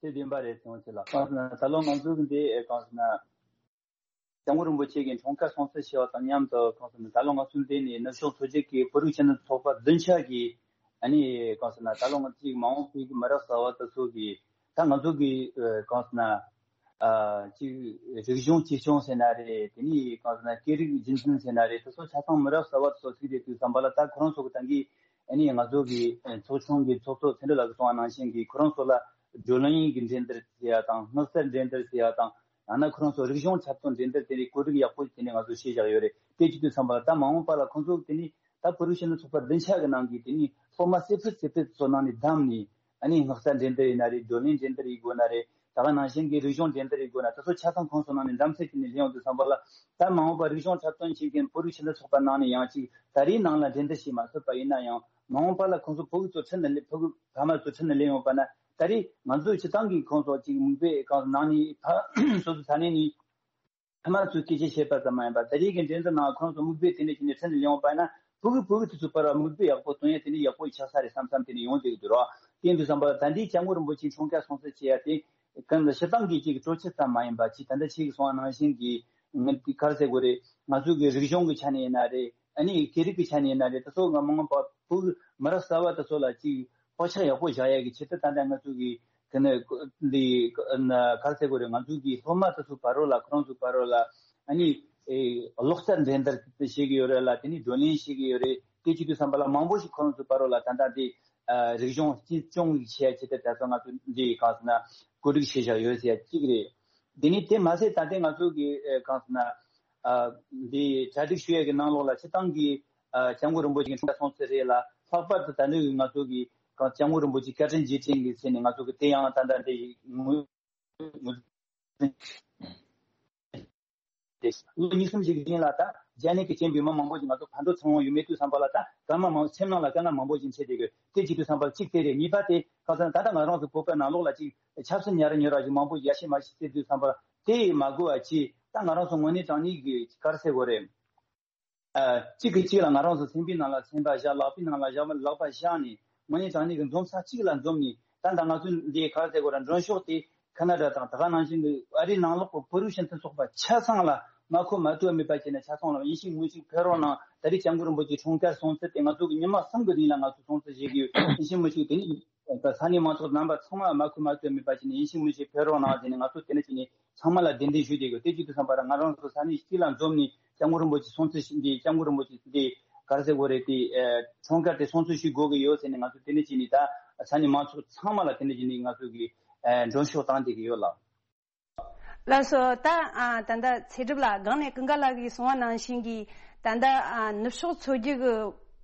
དེ་བདེན་པ་རེད། ཚེ་དབང་ཆེ་ལགས། གང་ཟེར་ན་ད་ལོ་ང་ཚོ་གི་འདི་གང་ཟེར་ན་སྐྱབས་མགོན་རིན་པོ་ཆེ་གི་འཁྲུངས་སྐར་སྲུང་བརྩི་ཞུ་བ་དང་མཉམ་དུ་གང་ཟེར་ན་ད་ལོ་ང་ཚོ་འདི་ནས་ནུབ་ཕྱོགས་མཚོ་རྒྱལ་གྱི་བོད་རིགས་ཆེད་དོན་ཚོགས་པ་བདུན་ཆ་གི་ཨ་ནི་གང་ཟེར་ན་ད་ལོ་ང་ཚོའི་མ་འོངས་པའི་གི་མི་རབས་གསར་བ་དེ་ཚོ་གི་ད་ང་ཚོ་གི་ཨ་གང་ཟེར་ན་ཨ་ཅིག་རིག་གཞུང་གཅེས་སྐྱོང་ཟེར་ན་རེད། དེ་ནས་གང་ཟེར་ན་སྐད་རིགས་རྒྱུན་འཛིན་ཟེར་ན་རེད། དེ་ཚོ་ཆ་ཚང་མི་རབས་གསར་བ་དེ་ཚོ་ཚུད་བསྡད་དུས་ཙམ་པ་ལ་ད་ཁོ་རང་ཚོ་གི་ད་གིན་ཨ་ནི་ང་ཚོ་གི་ཨ་ཚོགས་ཆུང་གི་ཚོགས་གཙོ་ཚེ་རིང་ལགས་ཀྱིས་གསུངས་པ་ནང་བཞིན་གྱི་ཁོ་རང་ཚོ་ལ་བགྲོ་གླེང་གི་འགྲན་བསྡུར་བྱེད་ཡ་དང་། སྔགས་རྩལ་འགྲན་བསྡུར་བྱེད་ཡ་དང་། ཡང་ན་ཁོ་རང་ཚོ་རིག་གཞུང་འཁྲབ་སྟོན་འགྲན་བསྡུར་དེ་ནི་གོ་སྒྲིག་ཡག་པོ་དེ་ནི་ང་ཚོ་བྱས་བཞག་ཡོད་རེད། དེ་བྱེད་དུས་ཙམ་པ་ལ་ད་མ་འོངས་པ་ལ་ཁོང་ཚོ་དེ་ནི་ད་བོད་རིགས་ཆེད་དོན་ཚོགས་པ་བདུན་ཆ་གི་ནང་གི་དེ་ནི་སློབ་མ་སེ་ཕུད་སེ་ཕུད་ཚོ་ནང་ནས་བདམས་ནས། ཨ་ནི་སྔགས་རྩལ་འགྲན་བསྡུར་ཡིན་ན་རེད། བགྲོ་གླེང་འགྲན་བསྡུར་ཡིན་དགོས་ན་རེད། ད་ག་ནང་བཞིན་གྱི་རིག་གཞུང་འགྲན་བསྡུར་ཡིན་དགོས་ན་དེ་ཚོ་ཆ་ཚང་ཁོང་ཚོ་ནང་ནས་བདམས་ཚད་དེ་ནི་སླེབས་ཡོང་དུས་ཙམ་པ་ལ་ད་མ་འོངས་པ་རིག་གཞུང་འཁྲབ་སྟོན་བྱེད་མཁན་བོད་རིགས་ཆེད་དོན་ཚོགས་པ་ནང་ནས་ཡང་ཅིག་ད་རེས་ནང་ལ་འགྲན་བསྡུར་བྱས་མ་ཚར་བ་ཡིན་ན་ཡང་། མ་འོངས་པ་ལ་ཁོང་ཚོ་ཕྲུ་གུ་ཚོ་ཁྲིད་ནས་སླེབས། ཕྲུ་གུ་ཕ་མ་ཚོ་ཁྲིད་ནས་སླེབས་ཡོང་པ་ན། ད་རེས་ང་ཚོས་སྤྱིར་བཏང་གི་ཁོང་ཚོ་ཅིག་མིག་དཔེ་གང་ནང་ནས་ཕ་སོ་སོ་ས་གནས་ནས་ཕ་མ་ཚོས་སྐད་ཆ་བཤད་པ་ཙམ་མ་ཡིན་པར། ད་རེས་ཀྱི་འགྲན་བསྡུར་ནང་ཁོང་ཚོ་མིག་དཔེ་དེ་འདྲ་བྱས་ནས་ཁྲིད་ནས་སླེབས་ཡོང་པ་ན། ཕྲུ་གུ་ཕྲུ་གུ་དེ་ཚོའི་བར་ལ་མིག་དཔེ་ཡག་པོ་སྟོན་ཡ་དེ་འདྲ་ཡག་པོ་ཆགས་ས་རེད་བསམ་བསམ་དེ་འདྲ་ཡོང་བསྡད་ཀྱི་འདུག་རོགས། དེ་ཡིན་དུས་ཙམ་པ་ལ་ད་ལྟའི་སྐྱབས་མགོན་རིན་པོ་ཆེའི་འཁྲུངས་སྐར་སྲུང་བརྩི་བྱེད་ཡ་དེ་གང་ལ་སྤྱིར་བཏང་གི་ཅིག་སྤྲོ་སྐྱིད་ཙམ་མ་ཡིན་པ། ཅིག་ད་ལྟ་ཁྱེད་ཀྱིས་གསུངས་པ་ནང་བཞིན་གྱི་ང་དེ་ག་རེ་ཟེར་དགོས་རེད། ང་ཚོ་གི་རིག་གཞུང་གི་ཆ་ནས་ཡིན་ན་རེད། ཨ་ནི་སྐད་རིགས་ཀྱི་ཆ་ནས་ཡིན་ན་རེད། དེ་ཚོ་ང་མ་འོངས་པ་བོད་མི་རབས་གསར་བ་དེ་ཚོ་ལ་ཅིག་བག་ཆགས་ཡག་པོ་བཞག་ཡ་གི་ཆེད་དུ་ད་ལྟ་ང་ཚོ་གི་དེ་ནས་འདི་ག་རེ་ཟེར་དགོས་རེད། ང་ཚོ་གི་སློབ་མ་དེ་ཚོ་བར་རོ་ལ་ཁོ་རང་ཚོ་བར་རོ་ལ་ཨ་ནི་ཨེ་ཀློག་རྩལ་འགྲན་བསྡུར་བྱེད་ཀྱི་ཡོད་རེད་ལ། དེ་ནས་བགྲོ་གླེང་བྱེད་ཀྱི་ཡོད་རེད། དེ་བྱེད་དུས་ཙམ་པ་ལ་མང་པོ་ཞིག་ཁོ་རང་ཚོ་བར་རོ་ལ་ད་ལྟ་དེ་ཨ་རིག་གཞུང་གཅེས་སྐྱོང་བྱེད་ཡ་ཆེད་དུ་ད་ལྟ་ང་ཚོ་འདི་གང་ཟེར་ན་གོ་སྒྲིག་བྱས་བཞག་ཡོད་ཟེར་ཡ་གཅིག་རེད། དེ་ནས་དེ་མ་ཟད་ད་ལྟ་ང་ཚོ་གི་ཨེ་གང་ཟེར་ན། ཨ་འདི་གྲ་སྒྲིག་ཞུ་ཡས་ཀྱི་ནང་ལོགས་ལ་སྤྱིར་བཏང་གི་ཨ་སྐྱབས་མགོན་རིན་པོ་ཆེ་གི་འཁྲུངས་སྐར་སྲུང་བརྩི་རེད་ལ། ལྷག་པར་དུ་ད་ལྟ་གི་ང་ཚོ་གི་གང་སྐྱབས་མགོན་རིན་པོ་ཆེ་བཀའ་དྲིན་རྗེས་དྲན་གྱི་ཆེད་ནས་ང་ཚོ་གི་དེ་ཡང་ད་ལྟ་འདི་ངོས་ ལོ་གཉིས་གསུམ་ཞིག་རིང་ལ་ད་རྒྱ་ནད་ཀྱི་རྐྱེན་པས་མི་མང་པོ་ཞིག་ང་ཚོ་ཕར་འགྲོ་ཚུར་འོང་ཡོད་མེད་དུས་ཙམ་པ་ལ་ད་སྐར་མ་མང་སེམས་ནང་ལ་དཀའ་ངལ་མང་པོ་ཞིག་འཕྲད་བསྡད་ཡོད། དེ་བྱེད་དུས་ཙམ་པ་གཅིག་དེ་རེད། གཉིས་པ་དེ་ཁ་སང་ད་ལྟ་ང་རང་ཚོ་བོད་པའི་ནང་ལོགས་ལ་གཅིག་ཆབ་སྲིད་ཉར་ཉོ་ར་ཞིག་མང་པོ་ཡ་ཤི་མ་ཤི་བྱེད་དུས་ཙམ་པ་ལ་དེ་མ་དགོས་པ་ཅིག་ད་ང་རང་ཚོ་དངོས་གནས་དྲང་གནས་ཀྱི་ག་རེ་ཟེར་དགོས་རེད། ཨ། གཅིག་གིས་གཅིག་ལ་ང་རང་ཚོ་སེམས་པའི་ནང་ལ་སེམས་པ་བཞག་ལག་པའི་ནང་ལ་བཞག་ལག་པ་བཞག་ནས་དངོས་གནས་དྲང་གནས་ཀྱི་འཛོམས་ས་གཅིག་ལ་འཛོམས་ནས་ད་ལྟ་ང་ཚོ་འདི་ག་རེ་ཟེར་དགོས་རེད། མགྲོན་ཤོག་དེ་ཁ་ན་ཌ་དང་ད་ག་ནང་བཞིན་གྱི་ཨ་རིའི་ནང་ལོགས་ཀྱི་བོད་རིགས་སྤྱི་མཐུན་ཚོགས་པ་ཆ་ཚང་ལ་མ་ཁོ་མ་གཏོགས་མེད་པ་བྱས་ནས་ཆ་ཚང་ལ་ཡིད་བཞིན་མི་ཞིག་ཕེབས་རོགས་གནང་། ད་རེས་སྐྱབས་མགོན་རིན་པོ་ཆེ་འཁྲུངས་སྐར་སྲུང་བརྩི་དེ་ང་ཚོ་གི་ཉི་མ་གསུམ་གྱི་རིང་ལ་ང་ཚོ་སྲུང་བརྩི་བྱེད་ཀྱི་ཡོད། ཡིད་བཞིན་མི་ཞིག་དེ་ནི་ས་གནས་མང་ཚོགས་རྣམ་པ་ཚང་མ་མ་ཁོ་མ་གཏོགས་མེད་པ་བྱས་ནས་ཡིད་བཞིན་མི་ཞིག་ཕེབས་རོགས་གནང་ཟེར་ནས་ང་ཚོ་དེ་ནས་བྱས་ནས་ཚང་མ་ལ་གདན་འདྲེན་ཞུས་བསྡད་ཡོད། དེ་བྱེད་དུས་ཙམ་པ་ལ་ང་རང་ཚོ་ས་གནས་གཅིག་ལ་འཛོམས་ནས་སྐྱབས་མགོན་རིན་པོ་ཆེ་སྲུང་བརྩི་ཞུ་འདི་སྐྱབས་མགོན་རིན་པོ་ཆེ་འདི་ག་རེ་ཟེར་དགོས་རེད། དེ་ཨ་འཁྲུངས་སྐར་དེ་སྲུང་བརྩི་ཞུ་དགོས་ཀྱི་ཡོད་ཟེར་ནས་ང་ཚོ་དེ་ནས་བྱས་ནས་ད་ས་གནས་མང་ཚོགས་ཚང་མ་ལ་དེ་ནས་བྱས་ནས་ང་ཚོ་གི་ཨ་མགྲོན་ཤོག་བཏང་བསྡད་ཀྱི་ཡོད་ལགས། ལགས་སོ། ད་ཨ་ད་ལྟ་ཚེ་སྒྲུབ་ལགས་སྒང་ནས་ཀུན་དགའ་ལགས་ཀྱིས་གསུངས་པ་ནང་བཞིན་གྱི་ད་ལྟ་ཨ་ནུབ་ཕྱོགས་ཚོགས་སྒེར་གྱི་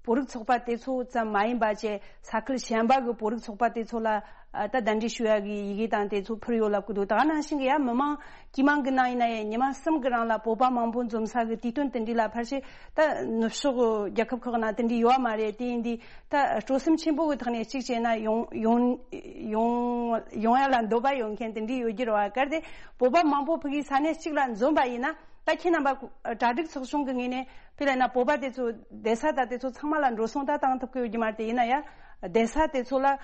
བོད་རིགས་ཚོགས་པ་དེ་ཚོ་ཙམ་མ་ཡིན་པ་བཅས་ས་ཁུལ་གཞན་པ་གི་བོད་རིགས་ཚོགས་པ་དེ་ཚོ་ལ་ཨ་ད་གདན་འདྲེན་ཞུ་ཡ་གི་ཡི་གེ་དང་དེ་ཚོ་ཕུལ་ཡོད་ལབ་ཀྱི་འདུག་ད་ག་ནང་བཞིན་གྱི་ཡ་མི་མང་དཀྱུས་མ་གི་ནང་ཡིན་ན་ཡང་ཉི་མ་གསུམ་གི་རིང་ལ་བོད་པ་མང་པོ་འཛོམས་ས་གི་དུས་སྟོན་དེ་འདྲ་ལ་ཕལ་ཆེར་ད་ནུབ་ཕྱོགས་རྒྱལ་ཁབ་ཁག་ནང་དེ་འདྲ་ཡོད་མ་རེད། དེ་ཡིན་དུས་ད་སྤྲོ་སེམས་ཆེན་པོ་གི་ཐོག་ནས་གཅིག་བྱས་ན་ཡོང་ཡོང་ཡོང་ཡོང་ཡ་ལ་འདོད་པ་ཡོད་མཁན་དེ་འདྲ་ཡོད་ཀྱི་རེད་བ། གལ་ཏེ་བོད་པ་མང་པོ་ཕ་གིའི་ས་གནས་གཅིག་ལ་འཛོམས་པ་ཡིན་ན་ད་ཁྱེད་རྣམ་པ་གྲ་སྒྲིག་ཚོགས་ཆུང་གི་ངོས་ནས་དཔེ་ལབ་ན་བོད་པ་དེ་ཚོ་བསྡད་ས་ད་དེ་ཚོ་ཚང་མ་ལ་འགྲོ་སོང་ད་བཏང་ཐུབ་ཀྱི་ཡོད་ཀྱི་མ་རེད། དེ་ཡིན་ན་ཡ་བསྡད་ས་དེ་ཚོ་ལ་ཨ་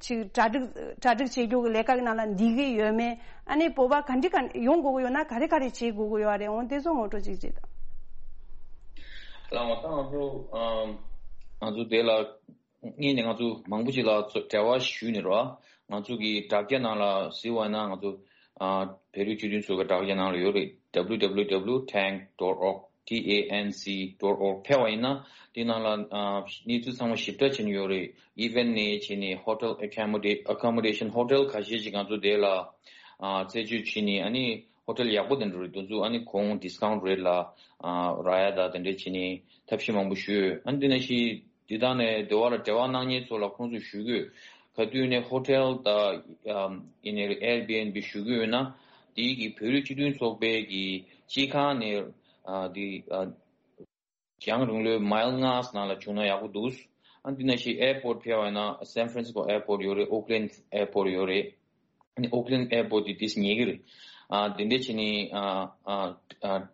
ཅིག་གྲ་སྒྲིག་གྲ་སྒྲིག་བྱེད་རྒྱུ་གི་ལས་ཀ་གི་ནང་ལ་འདུས་ཀྱི་ཡོད་མེད། ཨ་ནི་བོད་པ་ག་འདྲི་ག་ཡོང་དགོས་ཀྱི་ཡོད་ན་ག་རེ་ག་རེ་བྱེད་དགོས་ཀྱི་ཡོད་རེད། འོང་དེ་ཚོ་ངོ་སྤྲོད་ཅིག་བྱེད་དང་། ལགས་འོ། ད་ང་ཚོ་ཨམ་ང་ཚོ་དེ་ལ་སྔོན་ནས་ང་ཚོ་མང་པོ་ཅིག་ལ་འབྲེལ་བ་ཞུས་ནས་རོ། ང་ཚོ་གི་དྲ་རྒྱ་ནང་ལ་གཟིགས་པ་ན་ང་ཚོ་ཨ་བོད་རིགས་སྤྱི་མཐུན་ཚོགས་པའི་དྲ་རྒྱ་ནང་ལ་ཡོད་རེད། W W W tanc dot org, T A N C dot org ཕེབས་པ་ཡིན་ན་དེ་ནང་ལ་ཨ་གནས་ཚུལ་ཚང་མ་ཞིབ་ཕྲ་བྱས་ནས་ཡོད་རེད། Event ནས་བྱས་ནས་hotel accommodate accommodation hotel ཁ་ཤས་ཅིག་ང་ཚོ་དེ་ལ་ཨ་རྩད་གཅོད་བྱས་ནས། ཨ་ནི་ཧོ་ཊེལ་ཡག་པོ་དེ་འདྲ་རེད། དེ་ཚོ་ཨ་ནི་གོང་discount rate ལ་ཨ་རག་ཡ་ད་དེ་འདྲ་བྱས་ནས་ཐབས་ཤེས་མང་པོ་ཞུས། ཨ་ནི་དེ་ནང་བཞིན་འདི་དག་ནས་འདི་བ་ལ་འབྲེལ་བ་གནང་མཁན་ཚོ་ལ་ཁོང་ཚོས་ཞུ་གི་ཡོད། ག་དུས་ནས་ཧོ་ཊེལ་དང་ཨམ་ཡིན་ནའི་Airbnb ཞུ་གི་ཡོད་ན་དེའི་གི་བོད་རིགས་སྤྱི་མཐུན་ཚོགས་པའི་གི་སྤྱི་ཁང་ནས་ཨ་འདི་ཨ་རྒྱང་རིང་ལོའི་མའིལ་ལྔ་ནང་ལ་བྱུང་ན་ཡག་པོ་འདུག་ཨ་འདི་ནང་བཞིན་airport ཕེབས་པ་ཡིན་ན་San Francisco airport ཡོད་རེད། Oakland airport ཡོད་རེད། ཨ་ནི་Oakland airport དེ་དེས་ཉེ་གི་རེད། ཨ་དེ་འདྲ་བྱས་ནས་ཨ་ཨ་ཨ་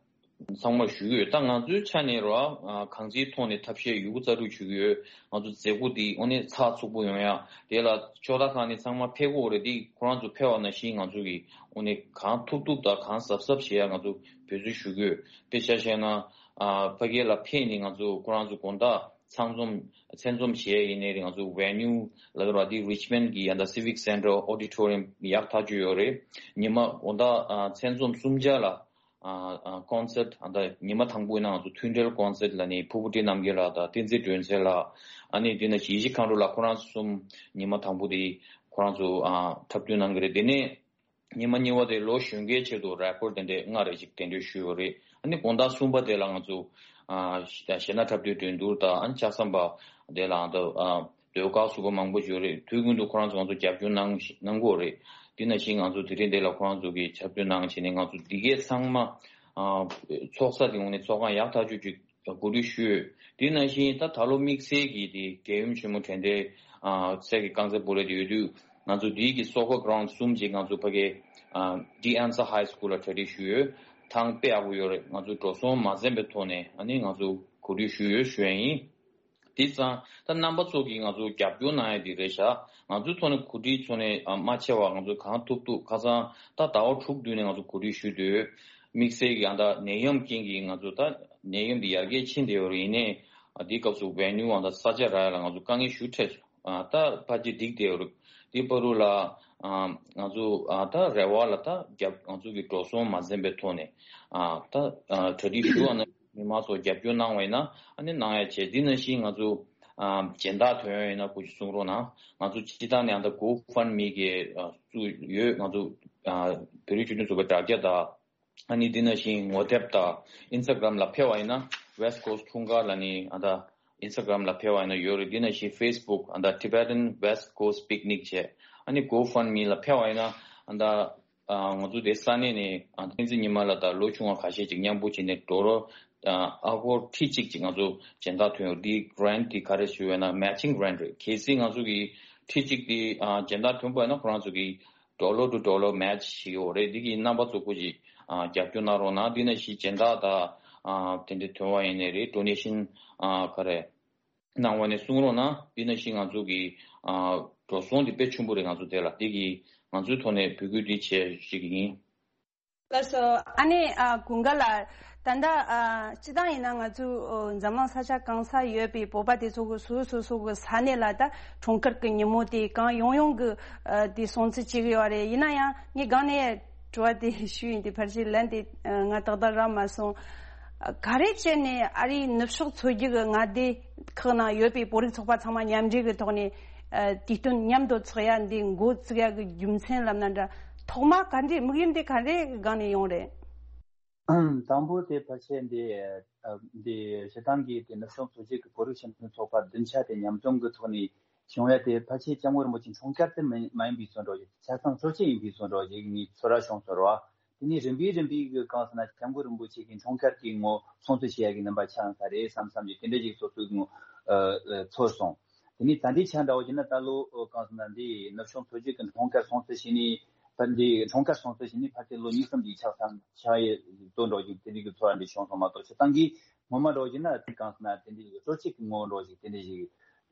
ཚང་མར་ཞུ་གི་ཡོད། ད་ང་ཚོའི་ཆ་ནས་རོ་ཨ་གང་ཅིའི་ཐོག་ནས་ཐབས་ཤེས་ཡོད་རྒུ་རྩལ་སྤྲུགས་ཞུ་གི་ཡོད། ང་ཚོ་མཛད་སྒོ་འདི་དངོས་གནས་ཚགས་ཚུད་པོ་ཡོང་ཡ་དེ་ལ་ཕྱོགས་མཐའ་ཁག་ནས་ཚང་མ་ཕེབས་དགོས་རེད། འདི་ཁོ་རང་ཚོ་ཕེབས་པ་ནང་བཞིན་ང་ཚོ་གི་དངོས་གནས་གང་ཐུབ་ཐུབ་དང་གང་གཟབ་གཟབ་བྱེད་ཡ་ང་ཚོ་འབད་རྩོལ་ཞུ་གི་ཡོད། དཔེ་ཆ་བཤད་ན་ཨ་ཕ་གི་ལ་ཕེབས་ནས་ང་ཚོ་ཁོ་རང་ཚོ་དགོང་དག་ཚང་འཛོམས་མཚན་འཛོམས་བྱས་ཡིན་ནའི་རེད། ང་ཚོ་venue ལབ་ར་དེ་Richmond གི་ཡ་ད་Civic Center auditorium ཡག་ཐག་ཆོད་ཡོད་རེད། ཉི་མ་དགོང་དག་ཨ་མཚན་འཛོམས་གསུམ་ཆ་ལ་ཨ་ཨ་concert ཨ་ད་ཉི་མ་དང་པོ་ཡིན་ན་ང་ཚོ་མཐུན་འབྲེལ་concert ལ་ནི་ཕུར་བུ་བཀྲ་ཤིས་རྣམ་རྒྱལ་ལགས་དང་བསྟན་འཛིན་སྒྲོན་གསལ་ལགས། ཨ་ནི་དེ་ནས་ཡེ་ཤེས་མཁའ་འགྲོ་ལགས། ཁོ་རང་ཚོ་གསུམ་ཉི་མ་དང་པོ་དེ་ཁོ་རང་ཚོ་ཨ་འཁྲབ་སྟོན་གནང་གི་རེད། དེ་ནས་ཉི་མ་གཉིས་པ་དེ་ལོ་གཞོན་སྐྱེས་ཆེད་དུ་རེ་ཀོར་དེ་འདྲས་ལྔ་རེ་ཅིག་གདན་འདྲེན་ཞུས་ཡོད་རེད། ཨ་ནི་དགོང་དག་གསུམ་པ་དེ་ལ་ང་ཚོ་ཨ་གཞས་སྣ་འཁྲབ་སྟོན་འགྲན་བསྡུར་དང་། ཨ་ནི་ལྕགས་ཟམ་པ་དེ་ལ་ཨ་ད་ཨ་ཟློས་གར་ཟུར་པ་མང་པོ་ཡོད་རེད། དུས་རྒྱུན་དུ་ཁོ་རང་ཚོ་ང་ཚོ་རྒྱབ་སྐྱོར་གནང་གནང་གི་ཡོད་རེད། དེ་ནང་བཞིན་ང་ཚོ་དེ་རིང་འདི་ལ་ཁོ་རང་ཚོ་གི་འཁྲབ་སྟོན་གནང་བྱས་ནས་ང་ཚོ་འདི་གའི་ཚང་མ་ཨ་ཚོགས་ས་དེ་ངོས་ནས་ཚོགས་ཁང་ཡག་ཐག་ཆོད་ཅིག་གོ་སྒྲིག་ཞུས། དེ་ནང་བཞིན་ད་ད་ལོ་དམིགས་བསལ་གྱི་དེ་རྒྱལ་ཡུམ་ཆེན་མོ་དྲན་རྟེན་ཨ་གསེར་གྱི་རྐང་རྩེད་སྤོ་ལོ་དེ་ཡོད་དུས་ང་ཚོ་དེའི་གི་soccer ground གསུམ་ཅིག་ང་ཚོ་ཕ་གི་ཨ་De Anza High School ལ་གྲ་སྒྲིག་ཞུས་ཡོད། ཐང་དཔེ་ཡག་པོ་ཡོད་རེད། ང་ཚོ་འགྲོ་སོང་མ་འཛེམས་པའི་ཐོག་ནས་ཨ་ནི་ང་ཚོ་གོ་སྒྲིག་ཞུས་ཡོད་ཞུ་ཡ་ཡིན། དེ་ཙང་ད་རྣམ་པ་ཚོ་གིས་ང་ཚོ་རྒྱབ་སྐྱོར་གནང་ཡ་དེ་རེད་ཤག་ང་ཚོའི་ཐོག་ནས་གོ་སྒྲིག་ཚོགས་ནས་ཨ་མ་ཆེ་བ་ང་ཚོ་གང་ཐུབ་ཐུབ་ཁ་སང་ད་ཟླ་བ་དྲུག་བསྡུས་ནས་ང་ཚོ་གོ་སྒྲིག་ཞུས་དུས་དམིགས་བསལ་གྱི་ཨ་ད་ནད་ཡམས་རྐྱེན་གྱིས་ང་ཚོ་ད་ནད་ཡམས་འདི་ཡར་རྒྱས་ཕྱིན་བསྡད་ཡོད་རེད། ཡིན་ནའི་ཨ་དེའི་སྐབས་སུ་venue ཨ་ད་ས་ཆ་རག་ཡ་ལ་ང་ཚོ་དཀའ་ངལ་ཞེ་པོ་འཕྲད་སོང་། ཨ་ད་ཕལ་ཆེར་འགྲིག་བསྡད་ཡོད་རེད། དེ་བར་དུ་ལ་ཨ་ང་ཚོ་ཨ་ད་རེ་བ་ལ་ད་རྒྱབ་ང་ཚོ་གི་འགྲོ་སོང་མ་འཛེམས་པའི་ཐོག་ནས་ཨ་ད་ཨ་གྲ་སྒྲིག་ཞུ་བ་ན། མི་མང་ཚོ་རྒྱབ་སྐྱོར་གནང་བ་ཡིན་ན་ཨ་ནི་གནང་ཡ་བྱས། འདི་ནང་བཞིན་ང་ཚོ་ཨ་སྦྱིན་བདག་ཐོན་ཡ་ཡིན་ན་སྐུ་མཁྱེན་གསུང་རོགས་གནང་། ང་ཚོ་སྤྱི་བཏང་ནས་ཨ་ད་GoFundMe གི་ཨ་བཙུགས་ཡོད། ང་ཚོ་ཨ་བོད་རིགས་སྤྱི་མཐུན་ཚོགས་པའི་དྲ་རྒྱ་དང་། ཨ་ནི་འདི་ནང་བཞིན་ངོ་དེབ་དང་Instagram ལ་ཕེབས་པ་ཡིན་ན་West Coast འཁྲུངས་སྐར་ལ་ནི་ཨ་ད་Instagram ལ་ཕེབས་པ་ཡིན་ན་ཡོད་རེད། འདི་ནང་བཞིན་Facebook ཨ་ད་Tibetan West Coast Picnic བྱས། ཨ་ནི་GoFundMe ལ་ཕེབས་པ་ཡིན་ན་ ད་ང་ཚོ་དེ་ས་གནས་ནས་བསྟན་འཛིན་ཉི་མ་ལགས་དང་ལོ་ཆུང་བ་ཁ་ཤས་ཅིག་མཉམ་པོ་བྱས་ནས་ཌོ་ལར་ཨ་སྒོར་ཁྲི་གཅིག་ཅིག་ང་ཚོ་སྦྱིན་བདག་ཐོན་ཡོད། འདི་གྷ་རན་ཊི་འདི་ག་རེ་ཞུ་བས་ན་མེ་ཆིང་གྷ་རན་ཊི་རེད། གལ་སྲིད་ང་ཚོ་གི་ཁྲི་གཅིག་དེ་སྦྱིན་བདག་ཐོན་པ་ཡིན་ན་ཁོ་རང་ཚོ་གི་ཌོ་ལར་ཊུ་ཌོ་ལར་མེ་ཆི་ཞིག་ཡོད་རེད། འདི་གི་རྣམ་པ་ཚོ་སྐུ་ཅིག་རྒྱབ་སྐྱོར་གནང་རོགས་གནང་། འདི་ནང་བཞིན་སྦྱིན་བདག་དང་དེ་འདྲ་ཐོན་པ་ཡིན་ནའི་རེད། ཌོ་ནེ་ཤན་ག་རེ་གནང་བ་ནས་གསུང་རོགས་གནང་། འདི་ནང་བཞིན་ང་ཚོ་གི་འགྲོ་སོང་འདི་དཔེ་ཆེན་པོ་རེད། ང་ཚོ་དེ་ལ་འདི་གི་ང་ཚོའི་ཐོག་ནས་འབོད་སྐུལ་འདི་བྱས་ཞིག་ཡིན། ལགས་སོ། ཨ་ནེ་ཨ་ཀུན་དགའ་ལགས། ད་ལྟ་ཨ་སྤྱི་བཏང་ཡིན་ན་ང་ཚོ་འཛམ་གླིང་ས་ཆ་གང་ས་ཡོད་པའི་བོད་པ་དེ་ཚོ་གི་སོ་སོ་སོ་གི་ས་གནས་ལ་ད་འཁྲུངས་སྐར་གི་ཉིན་མོ་དེ་གང་ཡོང་ཡོང་གི་ཨ་དེ་སྲུང་བརྩི་བྱེད་གི་ཡོད་རེད། ཡིན་ན་ཡང་ངས་སྒང་ནས་དྲི་བ་དེ་ཞུས་ཡིན། དེ་ཕལ་ཆེར་ལན་དེ་ང་ཏག་ཏག་རག་མ་སོང་། ག་རེ་བྱས་ནས་ཨ་རིའི་ནུབ་ཕྱོགས་མཚོ་རྒྱུད་ཀྱི་མངའ་སྡེ་ཁག་ནང་ཡོད་པའི་བོད་རིགས་ཚོགས་པ་ཚང་མ་མཉམ་འབྲེལ་གྱི་ཐོག་ནས་དུས་སྟོན་མཉམ་དུ་འཚོགས་ཡ་འདི་འགོ་བཙུགས་ཡ་གི་རྒྱུ་མཚན་ལབ་ན་འདྲ། ཐོག་མ་ག་འདྲའི་དམིགས་ཡུལ་འདི་ག་འདྲའི་སྒང་ནས་ཡོང་རེད། དང་པོ་དེ་ཕལ་ཆེར་འདི་འདི་སྤྱིར་བཏང་གི་དེ་ནུབ་ཕྱོགས་མཚོ་རྒྱུད་ཀྱི་བོད་རིགས་སྤྱི་མཐུན་ཚོགས་པ་བདུན་ཆ་དེ་མཉམ་འཛོམས་ཀྱི་ཐོག་ནས་བྱུང་ཡ་དེ་ཕལ་ཆེར་སྐྱབས་མགོན་རིན་པོ་ཆེ་འཁྲུངས་སྐར་དེ་མ་ཡིན་པའི་བཟོ་འདྲ་ཆ་ཚང་གཙོ་ཆེ་ཡིན་པའི་བཟོ་འདྲ་ཞིག་ངས་ཚོར་བ་བྱུང་སོང་ར། དེ་ནས་རིམ་པས་རིམ་པས་ཀྱི་གང་ཟེར་ན་སྐྱབས་མགོན་རིན་པོ་ཆེ་གི་འཁྲུངས་སྐར་གྱི་ངོ་སྲུང་བརྩི་བྱེད་ཡ་གི་རྣམ་པ་ཆགས་ས་རེད་བསམ་བསམ་གྱི་དེ་འདྲ་ཞིག་སོ་སོའི་ངོ་ཚོར་སོང་། དེ་ནས་ད་ལྟའི་ཆ་འདྲ་བོ་བྱས་ན་ད་ལོ་གང་ཟེར་ན་འདི་ནུབ་ཕྱོགས་མཚོ་རྒྱུད་ཀྱི་འཁྲུངས་སྐར་སྲུང་བརྩི་བྱས་ནས་ཕར་འདི་འཁྲུངས་སྐར་སྲུང་བརྩི་བྱས་ནས་ཕར་དེ་ལོ་གཉིས་གསུམ་ཞིག་ཆགས་སམ་ཆགས་ཡས་ལྟོ་འདྲ་ཞིག་དེ་འདྲ་གི་ཚོར་བ་འདྲ་བྱུང་སོང་མ་གཏོགས་སྤྱིར་བཏང་གི་ངོ་མ་འདྲ་བོ་བྱས་ན་དེ་གང་ཟེར་ན་དེ་འདྲ་གི་སྤྲོ་སྐྱིད་ཀྱི་ངོ་བོ་འདྲ་ཞིག་དེ་འདྲ་ཞིག་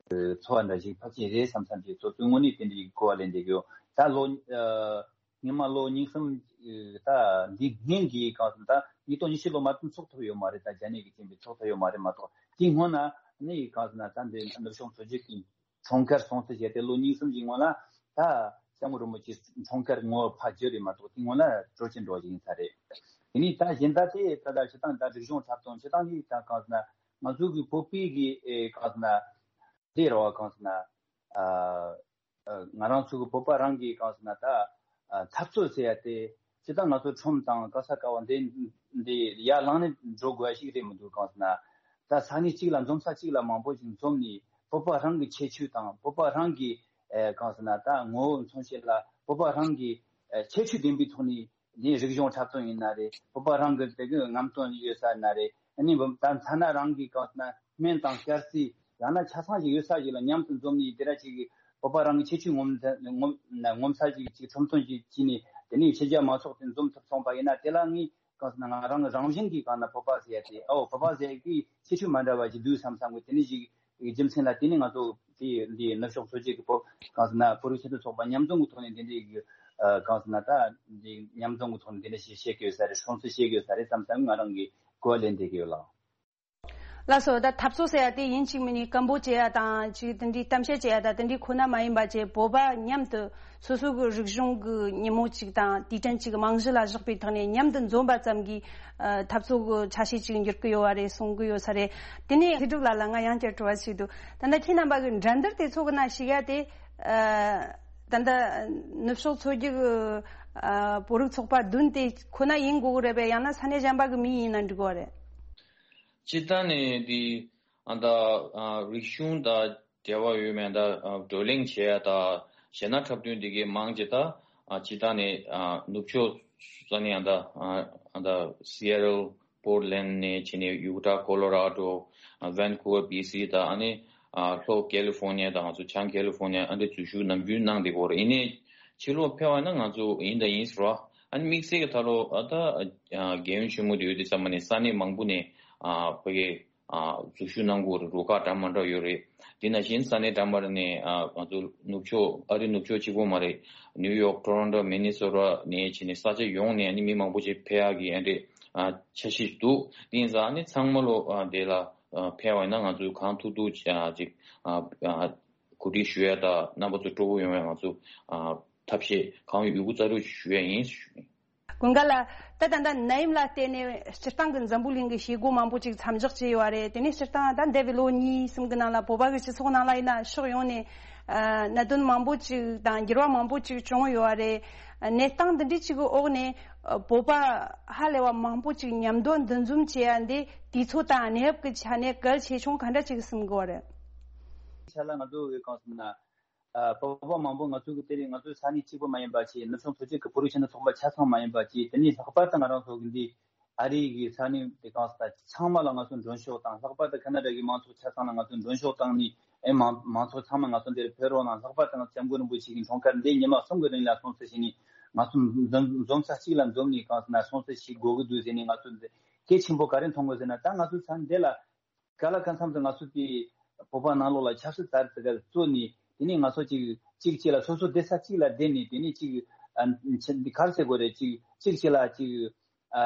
ཚོར་བ་འདྲ་ཞིག་ཕལ་ཆེར་རེད་བསམ་བསམ་ཞིག་སོ་སོའི་ངོས་ནས་དེ་འདྲ་ཞིག་གོ་བ་ལེན་བསྡད་ཀྱི་ཡོད། ད་ལོ་ཉི་མ་ལོ་གཉིས་གསུམ་ད་འདི་སྔོན་གྱི་གང་ཟེར་ད་ཉིས་སྟོང་ཉི་ཤུ་ལོ་མ་གཏོགས་ཚོགས་ཐུབ་ཡོད་མ་རེད། ད་རྒྱ་ནད་ཀྱི་རྐྱེན་པས་ཚོགས་ཐུབ་ཡོད་མ་རེད་མ་གཏོགས་དེའི་སྔོན་ན་ནི་གང་ཟེར་ན་ད་འདི་ནུབ་ཕྱོགས་མཚོ་རྒྱུད་ཀྱི་འཁྲུངས་སྐར་སྲུང་བརྩི་བྱས་ཏེ་ལོ་གཉིས་གསུམ་གྱི་སྔོན་ལ་ད་སྐྱབས་མགོན་རིན་པོ་ཆེའི་འཁྲུངས་སྐར་ངོ་ཕར་བརྗོད་རེད་མ་གཏོགས་དེ་སྔོན་ལ་སྤྲོ་སྐྱིད་འདྲ་བོ་ཞིག་ཡིན་ས་རེད། དེ་ནས་ད་གཞན་དག་དེ་ད་ལྟ་སྤྱིར་བཏང་ད་རིག་གཞུང་འཁྲབ་སྟོན་སྤྱིར་བཏང་གི་ད་གང་ཟེར་ན་ང་ཚོ་གི་བོད་པའི་གི་ཨེ་གང་ཟེར་ན་དེ་རེད་བ། གང་ཟེར་ན་ཨ་ཨ་ང་རང་ཚོ་གི་བོད་པ་རང་གི་གང་ཟེར་ན་ད་ཨ་འཐབ་རྩོད་ཟེར་ཡ་དེ་སྤྱིར་བཏང་ང་ཚོ་ཁྲོམ་དང་ག་ས་ག་བ་འདི་འདི་ཡར་ལངས་ནས་འགྲོ་དགོས་ཡ་ཞིག་རེད་མི་འདུག་གང་ཟེར་ན་ད་ས་གནས་གཅིག་ལ་འཛོམས་ས་གཅིག་ལ་མང་པོ་ཞིག་འཛོམས་ནས་བོད་པ་རང་གི་ཁྱད་ཆོས་དང་བོད་པ་རང་གི་ཨེ་གང་ཟེར་ན་ད་ངོ་བོ་མཚོན་བྱེད་ལ་བོད་པ་རང་གི་ཨེ་ཁྱད་ཆོས་ལྡན་པའི་ཐོག་ནས་ནི་རིག་གཞུང་འཁྲབ་སྟོན་ཡིན་ན་རེད། བོད་པ་རང་གི་དེ་གི་རྔམ་སྟོན་ཡོད་ས་ཡིན་ན་རེད། ཨ་ནི་ད་ཐ་ན་རང་གི་གང་ཟེར་ན་སྨན་དང་སྐྱ་རྩི་ཡང་ན་ཆ་ཚང་ཞིག་ཡོད་ས་ཞིག་ལ་མཉམ་དུ་འཛོམས་ནས་དེ་འདྲ་ཞིག་གི་བོད་པ་རང་གི་ཁྱད་ཆོས་ངོམ་ངོམ་ངོམ་ས་ཞིག་ཅིག་ཁྲོམ་སྟོན་ཞིག་བྱས་ནས་དེ་ནས་ཕྱི་རྒྱལ་མང་ཚོགས་དེ་འཛོམས་ཐུབ་སོང་པ་ཡིན་ན་དེ་ལ་ངས་གང་ཟེར་ན་ང་རང་རང་བཞིན་གྱིས་གང་ན་བོད་པ་ཟེར་ཡ་དེ་ཨོ་བོད་པ་ཟེར་ཡ་གི་ཁྱད་ཆོས་མ་འདྲ་བ་ཞིག་འདུག་བསམ་བསམ་གི་དེ་ནས་ཞིག་གི་རྒྱུ་མཚན་ལ་བརྟེན་ནས་ང་ཚོ་དེ་འདི་ནུབ་ཕྱོགས་མཚོ་རྒྱུད་ཀྱི་བོད་གང་ཟེར་ན་བོད་རིགས་སྤྱི་མཐུན་ཚོགས་པ་མཉམ་འཛོམས་ཀྱི་ཐོག་ནས་འདི་འདྲའི་གི་ཨ་གང་ཟེར་ན་ད་འདི་མཉམ་འཛོམས་ཀྱི་ཐོག་ནས་འདི་འདྲ་ཞིག་བཤད་ཀྱི་ཡོད་ས་རེད། སྲུང་བརྩི་བྱེད་ཀྱི་ཡོད་ས་རེད་བསམ་བསམ་ང་རང་གི་གོ་བ་ལེན་བསྡད་ཀྱི་ཡོད་ལགས། ལགས་སོ། ད་འཐབ་རྩོད་ཟེར་ཡ་དེ་ཡིན་གཅིག་མིན་གཉིས་སྐད་འབོད་བྱེད་ཡ་དང་ཅིག་དེ་འདྲའི་གཏམ་བཤད་བྱེད་ཡ་ད་དེ་འདྲའི་ཁོ་ན་མ་ཡིན་པ་བྱས་བོད་པ་མཉམ་དུ་སོ་སོ་གི་རིག་གཞུང་གི་ཉིན་མོ་ཅིག་དང་དུས་དྲན་ཅིག་རྨང་གཞི་ལ་བཞག་པའི་ཐོག་ནས་མཉམ་དུ་འཛོམས་པ་ཙམ་གྱིས་ཨ་འཐབ་རྩོད་ཀྱི་ཆ་ཤས་ཅིག་འགྱུར་གི་ཡོད་པ་རེད་གསུང་གི་ཡོད་ས་རེད། དེ་ནས་ལྷུན་གྲུབ་ལགས་ལ་ང་ཡང་བསྐྱར་དྲི་བ་ཞིག་འདུག་ད་ལྟ་ཁྱེད་རྣམ་པ་གི་འགྲན་བསྡུར་དེ་ཚོ་གི་ནང་ཞུགས་ཡ་དེ་ཨ་ད་ལྟ་ནུབ་ཕྱོགས་མཚོ་རྒྱུད་ཀྱི་ཨ་བོད་རིགས་ཚོགས་པ་བདུན་དེ་ཁོ་ན་ཡིན་དགོས་ཀྱི་རེད་པས། ཡང་ན་ས་གནས་གཞན་པ་གི་མི་ཡིན་ན་འགྲིག་གི་རེད། སྤྱིར་བཏང་ནས་འདི་ཨ་ད་ཨ་རིག་གཞུང་དང་འབྲེལ་བ་ཡོད་མེད་ད་ཨ་བགྲོ་གླེང་བྱེད་ཡ་ད་གཞས་སྣ་འཁྲབ་སྟོན་འདི་གའི་མང་ཆེ་ད་ཨ་སྤྱིར་བཏང་ནས་ཨ་ནུབ་ཕྱོགས་ས་གནས་ཨ་ད་ཨ་ད་སི་ཨེ་ཊལ། པོར་ལེན་ནས་བྱས་ནས་ཡུ་ཊ་ཀོ་ལོ་ར་ཌོ། ཝན་ཀུ་ཝར་བྷི་སི་དང་ཨ་ནི་ལྷོ་ཀེ་ལི་ཧྥོར་ནི་ཡ་དང་ང་ཚོ་བྱང་ཀེ་ལི་ཧྥོར་ནི་ཡ་ཨ་འདྲ་འཛུལ་ཞུགས་ནམ་རྒྱུན་གནང་བསྡད་ཀྱི་ཡོད་རེད། ཡིན་ནའི་ཕྱི་ལོགས་ཕེབས་པ་ན་ང་ཚོ་ཡིན་དང་ཡིན་ཟེར་བ། ཨ་ནི་དམིགས་བསལ་གྱི་ད་ལོ་ཨ་ད་རྒྱལ་ཡོངས་ཆེན་མོ་དེ་ཡོད་དུས་ཙམ་པ་ནས་ས་གནས་མང་པོ་ནས་ཕ་གི་འཛུལ་ཞུགས་གནང་གི་ཡོད་རེད། རུ་ཁག་འདྲ་མི་འདྲ་ཡོད་རེད། དེ་ནང་བཞིན་ས་གནས་འདྲ་མི་འདྲ་ནས་ང་ཚོ་ནུབ་ཕྱོགས་ཨ་རི་ནུབ་ཕྱོགས་གཅིག་པོ་མ་རེད། ནིའུ་ཡོག་ཊོ་རོན་ཊོ་མི་ནི་སོ་ཊ་ནས་བྱས་ནས་ས་ཆ་ཡོངས་ནས་ཨ་ནི་མི་མང་པོ་ཅིག་ཕེབས་ཡག་གི་ཨ་འདྲས་འཆར་གཞི་འདུག་དེ་ཡིན་ཙང་ཨ་ནི་ཚང་མ་ལོ་དེ་ལ་ཕེབས་པ་ཡིན་ན་ང་ཚོས་གང་ཐུབ་ཐུབ་ཅིག་གོ་སྒྲིག་ཞུ་ཡ་དང་རྣམ་པ་ཚོ་སྤྲོ་པོ་ཡོང་བའི་ང་ཚོ་ཐབས་ཤེས་གང་ཡོད་ཡོད་རྒུ་རྩལ་སྤྲུགས་ཞུ་ཡ་ཡིན། ཀུན་དགའ་ལགས། ད་ད་ལྟ་ནད་ཡམས་ལ་བརྟེན་ནས་སྤྱིར་བཏང་གི་འཛམ་བུ་གླིང་གི་བྱེད་སྒོ་མང་པོ་ཅིག་མཚམས་འཇོག་བྱས་ཡོད་རེད། དེ་ནས་སྤྱིར་བཏང་ད་འདས་པའི་ལོ་གཉིས་གསུམ་གི་ནང་ལ་བོད་པ་གི་སྤྱི་ཚོགས་ནང་ལ་ཡིན་ན་ཕྱོགས་ཡོངས་ནས་ཨ་གནད་དོན་མང་པོ་ཅིག་དང་འགྱུར་བ་མང་པོ་ཅིག་བྱུང་ཡོད་རེད། གནས་སྟངས་འདི་འདྲའི་ཅིག་གི་འོག་ནས་ཨ་བོད་པ་ཧ་ལས་པ་མང་པོ་ཅིག་མཉམ་དུ་འདུ་འཛོམས་བྱེད་ཡ་འདི་དུས་ཚོད་དང་གནས་བབ་ཀྱི་ཆ་ནས་གལ་ཆེ་ཆུང་ག་འདྲ་ཅིག་གསུང་གི་ཡོད་རེད། ཆ་ལ་ང་ཚོ་གི་གང་ཟེར་ན། ཨ་བོད་པ་མང་པོ་ང་ཚོ་གི་དེ་རིང་ང་ཚོའི་ས་གནས་གཅིག་པུ་མ་ཡིན་པ་བྱས། ནུབ་བྱང་མཐོ་སྒང་གི་བོད་རིགས་སྤྱི་མཐུན་ཚོགས་པ་ཆ་ཚང་མ་ཡིན་པ་བྱས། དེ་ནས་ལྷག་པར་དུ་ང་རང་ཚོ་གི་འདི་ཨ་རི་གི་ས་གནས་དེ་གང་ས་ཚང་མ་ལ་ང་ཚོ་མགྲོན་ཤོག་དང་། ལྷག་པར་དུ་ཁ་ན་ཌ་གི་མང་ཚོགས་ཆ་ཚང་ལ་ང་ཚོ་མགྲོན་ཤོག་བཏང་ནས། ཨེ་མང་མང་ཚོགས་ཚང་མ་ང་ཚོ་འདིར་ཕེབས་རོགས་གནང་། ལྷག་པར་དུ་ང་ཚོ་སྐྱབས་མགོན་རིན་པོ་ཆེ་གི་འཁྲུངས་སྐར་འདི་ཉི་མ་གསུམ་གི་རིང་ལ་སྲུང་བརྩི་བྱས་ནས། ང་ཚོ་འཛོམས་འཛོམས་ས་གཅིག་ལ་འཛོམས་ནས་གང་ཟེར་ན་སྲུང་བརྩི་བྱེད་དགོས་ཀྱི་འདུག་ཟེར་ནས། ང་ཚོ་འདི་གལ་ཆེན་པོ་ག་རེ་མཐོང་དགོས་ཟེར་ན། ད་ང་ཚོ་ས་འདི་ལ་ག་ལ་གང་འཚམ་དུ་ང་ཚོ་དེ་བོད་པ་ནང་ལོགས་ལ་ཆབ་སྲིད་དར་ཚིག་ག་བཙུགས་ནས། དེ་ནས་ང་ཚོ་གཅིག་གཅིག་གཅིག་ལ་སོ་སོ་སྡོད་ས་གཅིག་ལ་བསྡད་ནས། དེ་ནས་གཅིག་ཨ་ཆ་འདི་ག་རེ་ཟེར་དགོས་རེད། གཅིག་གཅིག་གཅིག་ལ་གཅིག་ཨ་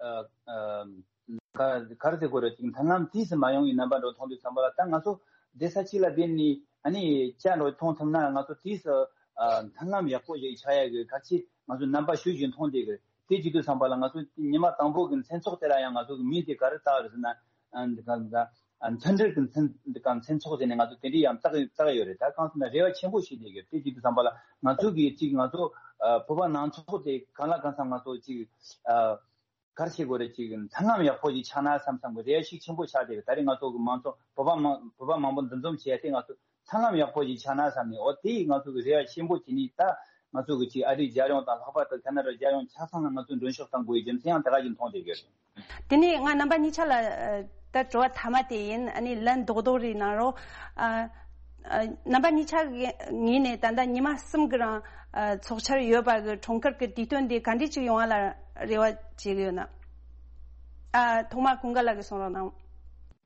ཨ་ཨ་ག་ག་རེ་ཟེར་དགོས་རེད། ཅིག་མཐུན་ལམ་དེས་སུ་མ་ཡོང་བའི་རྣམ་པ་འདྲ་མཐོང་དུས་ཙམ་པ་ལ། ད་ང་ཚོ་སྡོད་ས་གཅིག་ལ་བསྡད་ནས་ཨ་ནི་ཅ་འདྲ་མཐོང་ཐུབ་ན། ང་ཚོ་དེས་སུ་ཨ་མཐུན་ལམ་ཡག་པོ་ཞིག་ཆགས་ཡག་གི་གལ་ཆེ་ང་ཚོ་རྣམ་པ་ཞུ་བཞིན་མཐོང་བསྡད་གི། དེ་བྱེད་དུས་ཙམ་པ་ལ་ང་ཚོ་ཉི་མ་དང་པོ་གི་མཚན་ཚོགས་དེ་ལ་ཡང་ང་ཚོ་གི་མིང་དེ་ག་རེ་བཏགས་རེད་ཟེར་ན། ཨ་འདི་ག་ད་ཨ་མཐུན་སྒྲིལ་གྱི་མཚན་འདི་ག་མཚན་ཚོགས་ཟེར་ནས་ང་ཚོ་དེ་འདྲའི་ཡང་བཏགས་བཏགས་ཡོད་རེད། ད་གང་ཟེར་ན་རེ་བ་ཆེན་པོ་ཞིག་སླེབས་ཡོད། དེ་བྱེད་དུས་ཙམ་པ་ལ་ང་ཚོ་གི་ཅིག་ང་ཚོ་ཨ་བོད་པ་ནང་ཚོགས་དེ་གང་ལ་གང་འཚམ་ང་ཚོ་ཅིག་ཨ་ག་རེ་བྱེད་དགོས་རེད། ཅིག་མཐུན་ལམ་ཡག་པོ་ཞིག་ཆགས་ན་བསམ་བསམ་གི་རེ་བ་ཞིག་ཆེན་པོ་ཆགས་བསྡད་ཡོད། ད་རེས་ང་ཚོ་གི་མང་ཚོགས་བོད་པ་མང་བོད་པ་མང་པོ་འདུ་འཛོམས་བྱས་ཏེ་ང་ཚོ་མཐུན་ལམ་ཡག་པོ་ཞིག་ཆགས་ན་བསམ་ནས། འོ་དེ་ང་ཚོ་གི་རེ་བ་ཆེན་པོ་བྱས་ནས། ད་ང་ཚོ་གི་ཅིག་ཨ་རིའི་རྒྱལ་ཡོངས་དང་། ལྷག་པར་དུ་ཁ་ན་ཌ་རྒྱལ་ཡོངས་ཆ་ཚང་ལ་ང་ཚོས་མགྲོན་ཤོག་བཏང་དགོས་པའི་རྒྱུ་མཚན་ཡང་དེ་ག་ཞིག་མཐོང་བསྡད་ཡོད། དེ་ནས་ང་རྣམ་པ་གཉིས་ཆ་ལ་ཨ་ད་དྲི་བ་མཐའ་མ་དེ་ཡིན། ཨ་ནི་ལན་རྡོག་རྡོག་རེ་གནང་རོགས། ཨ་ཨ་རྣམ་པ་གཉིས་ཆ་གི་ངོས་ནས་ད་ལྟ་ཉི་མ་གསུམ་གི་རིང་ཨ་ཚོགས་འཆར་ཡོད་པ་གི་འཁྲུངས་སྐར་གི་དུས་སྟོན་དེ་ག་འདྲ་ཅིག་ཡོང་བ་ལ་རེ་བ་བྱེད་ཀྱི་ཡོད་ན། ཨ་ཐོག་མར་ཀུན་དགའ་ལགས་ཀྱིས་གསུང་རོགས་གནང་།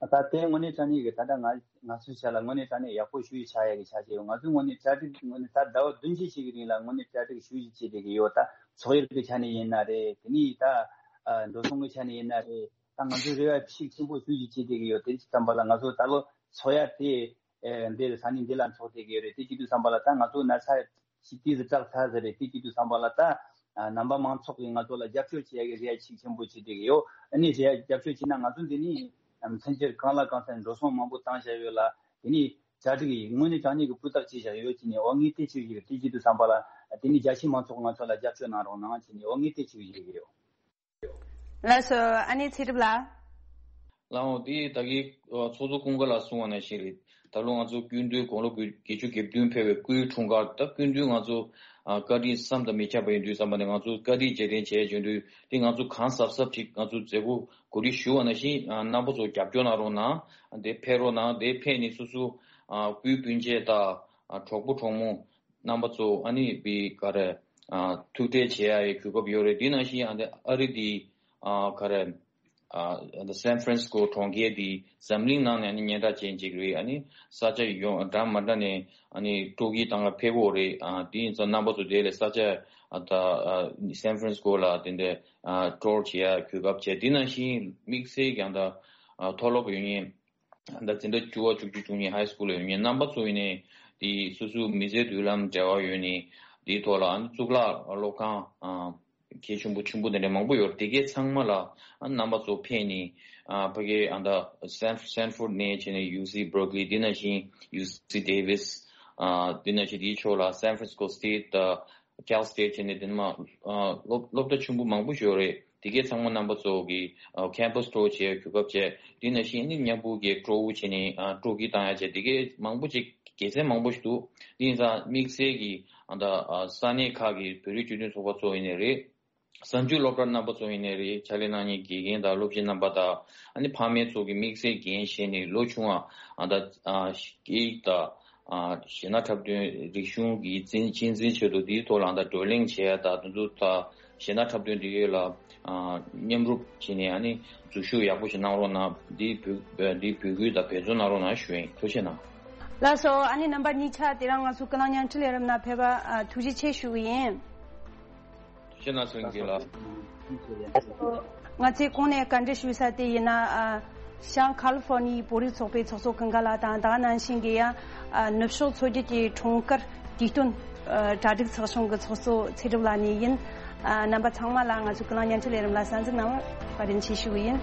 ད་དེ་དངོས་གནས་དྲང་གནས་ཀྱི་ད་ལྟ་ང་ང་ཚོའི་ཆ་ལ་དངོས་གནས་དྲང་གནས་ཡག་པོ་ཞེ་པོ་ཆགས་ཡག་གི་ཆ་ཞིག་ཡོད། ང་ཚོས་དངོས་གནས་གྲ་སྒྲིག་དངོས་གནས་ད་ཟླ་བ་བདུན་ཅུ་ཞིག་གི་རིང་ལ་དངོས་གནས་གྲ་སྒྲིག་ཞེ་པོ་ཅིག་བྱེད་བསྡད་ཀྱི་ཡོད། ད་ཚོགས་ཡུལ་གྱི་ཆ་ནས་ཡིན་ན་རེད། དེ་ནས་ད་ཨ་འགྲོ་སོང་གི་ཆ་ནས་ཡིན་ན་རེད། ད་ང་ཚོས་རེ་བ་ཤུགས་ཆེན་པོ་ཞེ་པོ་ཅིག་བྱེད་བསྡད་ཀྱི་ཡོད། དེ་བྱེད་དུས་ཙམ་པ་ལ་ང་ཚོ་ད་ལོ་ཚོགས་ཡ་དེ་ཨེ་འདིར་ས་གནས་འདི་ལ་འཚོགས་བསྡད་ཀྱི་ཡོད་རེད། དེ་བྱེད་དུས་ཙམ་པ་ལ་ད་ང་ཚོ་ན་ཚ་ཞིག་ཏོག་ཙམ་དྲག་ཚར་ཟེར་རེད། དེ་བྱེད་དུས་ཙམ་པ་ལ་ད་ཨ་རྣམ་པ་མང་ཚོགས་ཀྱིས་ང་ཚོ་ལ་རྒྱབ་སྐྱོར་བྱེད་ཡ་གི་རེ་བ་ཤུགས་ཆེན་པོ་བྱེད་བསྡད་ཀྱི་ཡོད། ཨ་ནི་རེ་བ་རྒྱབ་སྐྱོར་བྱས་ན་ང་ཚོ་འདི་ནས་མཚོན་ཆ་གང་ལ་གང་འཚམ་འགྲོ་སོང་མང་པོ་བཏང་བཞག་ཡོད་ལ། དེ་ནས་གྲ་སྒྲིག་ཡིན་དངོས་གནས་དྲང་གནས་ཀྱི་སྤུས་དག་བྱས་བཞག་ཡོད་བྱས་ནས། འོ་ངས་དེ་བྱེད་ཀྱི་ཡོད། དེ་བྱེད་དུས་ཙམ་པ་ལ་དེ་ནས་རྒྱ་ཆེའི་མང་ཚོགས་ང་ཚོ་ལ་རྒྱབ་སྐྱོར་གནང་རོགས་གནང་བྱས་ནས། འོ་ངས་དེ་བྱེད་ཀྱི་ཡོད། ལགས་སོ། ཨ་ནེ་ཚེ་སྒྲིབ་ལགས། ལགས་འོང་། དེ་ད་གིན་ཚོགས་གཙོ་ཀུན་དགའ་ལགས་གསུངས་པ་ནང་བཞིན་རེད། ད་ལོ་ང་ཚོ་སྐུ་མདུན་དགུང་ལོ་བརྒྱད་ཅུ་གྱ་བདུན་ཕེབས་པའི་སྐུའི་འཁྲུངས་སྐར། ད་སྐུ་མདུན་ང་ཚོ་ཨ་བཀའ་དྲིན་བསམ་དང་མི་ཁྱབ་པ་ཡིན་དུས་ཙམ་པ་ནས། ང་ཚོ་བཀའ་དྲིན་རྗེས་དྲན་བྱས་བྱུང་དུས་དེ་ང་ཚོ་གང་གཟབ་གཟབ་ཅིག་ང་ཚོ་མཛད་སྒོ་གོ་སྒྲིག་ཞུ་བ་ནང་བཞིན་ཨ་རྣམ་པ་ཚོ་རྒྱབ་སྐྱོར་གནང་རོགས་གནང་། དེ་ཕེབས་རོགས་གནང་། དེ་ཕེབས་ནས་སོ་སོ་ཨ་སྤུན་སྤུན་མཆེད་དང་ཨ་གྲོགས་པོ་གྲོགས་མོ་རྣམ་པ་ཚོ་ཨ་ནི་བི་ག་རེ་ཨ་ཐུག་འཕྲད་བྱེད་ཡ་ཡི་གོ་སྐབས་ཡོད་རེད། དེ་ནང་བཞིན་ཨ་ནི་ཨ་རི་དེ་ཨ་ག་རེ་ཨ་སན་ཧྥ་རན་སི་སྐོ་གྲོང་ཁྱེར་དེ་འཛམ་གླིང་ནང་ནས་ཨ་ནི་སྙན་གྲགས་ཅན་ཅིག་རེད། ཨ་ནི་ས་ཆ་ཡོངས་འདྲ་མི་འདྲ་ནས་ཨ་ནི་སྤྲོ་སྐྱིད་བཏང་ལ་ཕེབས་ཡོད་རེད། ཨ་དེ་ཡིན་ཙང་རྣམ་པ་ཚོ་དེ་ལས་ས་ཆ་ཨ་ད་ཨ་སན་ཧྥ་རན་སི་སྐོ་ལ་དེ་འདྲ་ཨ་ཊུར་བྱེད་ཡ་གོ་སྐབས་བྱས། དེ་ནང་བཞིན་དམིགས་བསལ་ཀྱང་ད་ཨ་མཐོ་སློབ་ཡོད་མཁན། ད་འཛིན་གྲྭ་བཅུ་པ་བཅུ་གཅིག་བཅུ་གཉིས་ཧའི་སི་ཀུལ་ལ་ཡོད་མཁན་རྣམ་པ་ཚོ་ཡིན་ནའི་དེ་སོ་སོའི་མི་ཚེའི་མདུན་ལམ་འབྲེལ་བ་ཡོད་ནི་དེའི་ཐོག་ལ་ཨ་ནི་གཙུག་ལག་སློབ་ཁང་ཨ་གལ་ཆེན་པོ་ཆེན་པོ་དེ་འདྲ་མང་པོ་ཡོད་རེད། དེ་གའི་ཚང་མ་ལ་ཨ་རྣམ་པ་ཚོ་ཕེབས་ནི་ཨ་ཕ་གི་ཨ་ད་སན་སན་ཧྥོར་ཌི་ནས་བྱས་ནས་ཡུ་སི་བྷར་ཀི་ལི། དེ་ནང་བཞིན་ཡུ་སི་ཌེ་ཝིས། ཨ་དེ་ནང་བཞིན་དེའི་ཕྱོགས་ལ་སན་ཧྥ་རན་སི་ཀོ་སི་ཊེཊ་དང་ཀལ་སི་ཊེཊ་བྱས་ནས་དེ་ནས་མ་ཨ་སློབ་སློབ་གྲྭ་ཆུང་ངུ་མང་པོ་ཞིག་ཡོད་རེད། དེ་གའི་ཚང་མ་རྣམ་པ་ཚོ་གི་ཨ་ཁེམ་པ་སི་ཊུར་བྱེད་གོ་སྐབས་བྱས། དེ་ནང་བཞིན་ནི་མཉམ་པོ་གི་སྤྲོ་བོ་བྱས་ནས་ཨ་སྤྲོ་སྐྱིད་བཏང་ཡ་བྱས། དེ་གའི་མང་པོ་ཅིག་དགེ་མཚན་མང་པོ་ཞིག་འདུག་དེ་ཡིན་ཙང་དམིགས་བསལ་གྱི་ཨ་ད་ཨ་ས་གནས་ཁག་གི་བོད་རིགས་སྤྱི་མཐུན་ཚོགས་པ་ཚོ་ཡིན་ནའི་རེད། གསར་འགྱུར་སློབ་གྲྭ་རྣམ་པ་ཚོ་ཡིན་ནའི་རེད། ཕྱག་ལས་གནང་མཁན་དགེ་རྒན་དང་སློབ་སྤྱི་རྣམ་པ་དང་། ཨ་ནི་ཕ་མའི་ཚོ་གི་དམིགས་བསལ་འགན་བཞེས་ནས་ལོ་ཆུང་བ་ཨ་ད་ཨ་སྐད་ཡིག་དང་ཨ་གཞས་སྣ་འཁྲབ་སྟོན་རིག་གཞུང་གི་གཅེས་གཅེས་འཛིན་ཆེད་དུ་དེའི་ཐོག་ལ་ཨ་ད་བགྲོ་གླེང་བྱེད་ཡ་དང་། དེ་ཚོ་དང་གཞས་སྣ་འཁྲབ་སྟོན་དེ་གའི་ལ་ཨ་མཉམ་རུབ་བྱས་ནས་ཨ་ནི་འཛུལ་ཞུགས་ཡག་པོ་ཞིག་གནང་རོགས་གནང་། འདི་འབོད་འདི་འབོད་སྐུལ་དང་འབད་བརྩོན་གནང་རོགས་གནང་ཞུ་ཡིན། ཐུགས་རྗེ་གནང་། ལགས་སོ། ཨ་ནི་རྣམ་པ་གཉིས་ཆ་དེ་རིང་ང་ཚོ་ཀུན་གླེང་བརྙན་འཕྲིན་ལས་རིམ་ནང་ཕེབས་པ་ཨ་ཐུགས་རྗེ་ཆེ་ཞུ་གི་ཡིན། ཐུགས་རྗེ་གནང་། སེང་གེ་ལགས། ང་ཚོས་གོང་ནས་བཀའ་འདྲི་ཞུས་ས་དེ་ཡིན་ན། ཨ་བྱང་ཁ་ལི་ཧྥོར་ནི་ཡའི་བོད་རིགས་ཚོགས་པའི་ཚོགས་གཙོ་ཀུན་དགའ་ལགས་དང་། ད་ག་ནང་བཞིན་གྱི་ཡང་ཨ་ནུབ་ཕྱོགས་མཚོ་རྒྱུད་ཀྱི་འཁྲུངས་སྐར་དུས་སྟོན་ཨ་གྲ་སྒྲིག་ཚོགས་ཆུང་གི་ཚོགས་གཙོ་ཚེ་སྒྲུབ་ལགས་ནས་ཡིན། ཨ་རྣམ་པ་ཚང་མ་ལ་ང་ཚོའི་ཀུན་གླེང་བརྙན་འཕྲིན་ལས་རིམ་ལ་གསན་གཟིགས་གནང་བར་བཀའ་དྲིན་ཆེ་ཞུ་གི་ཡིན།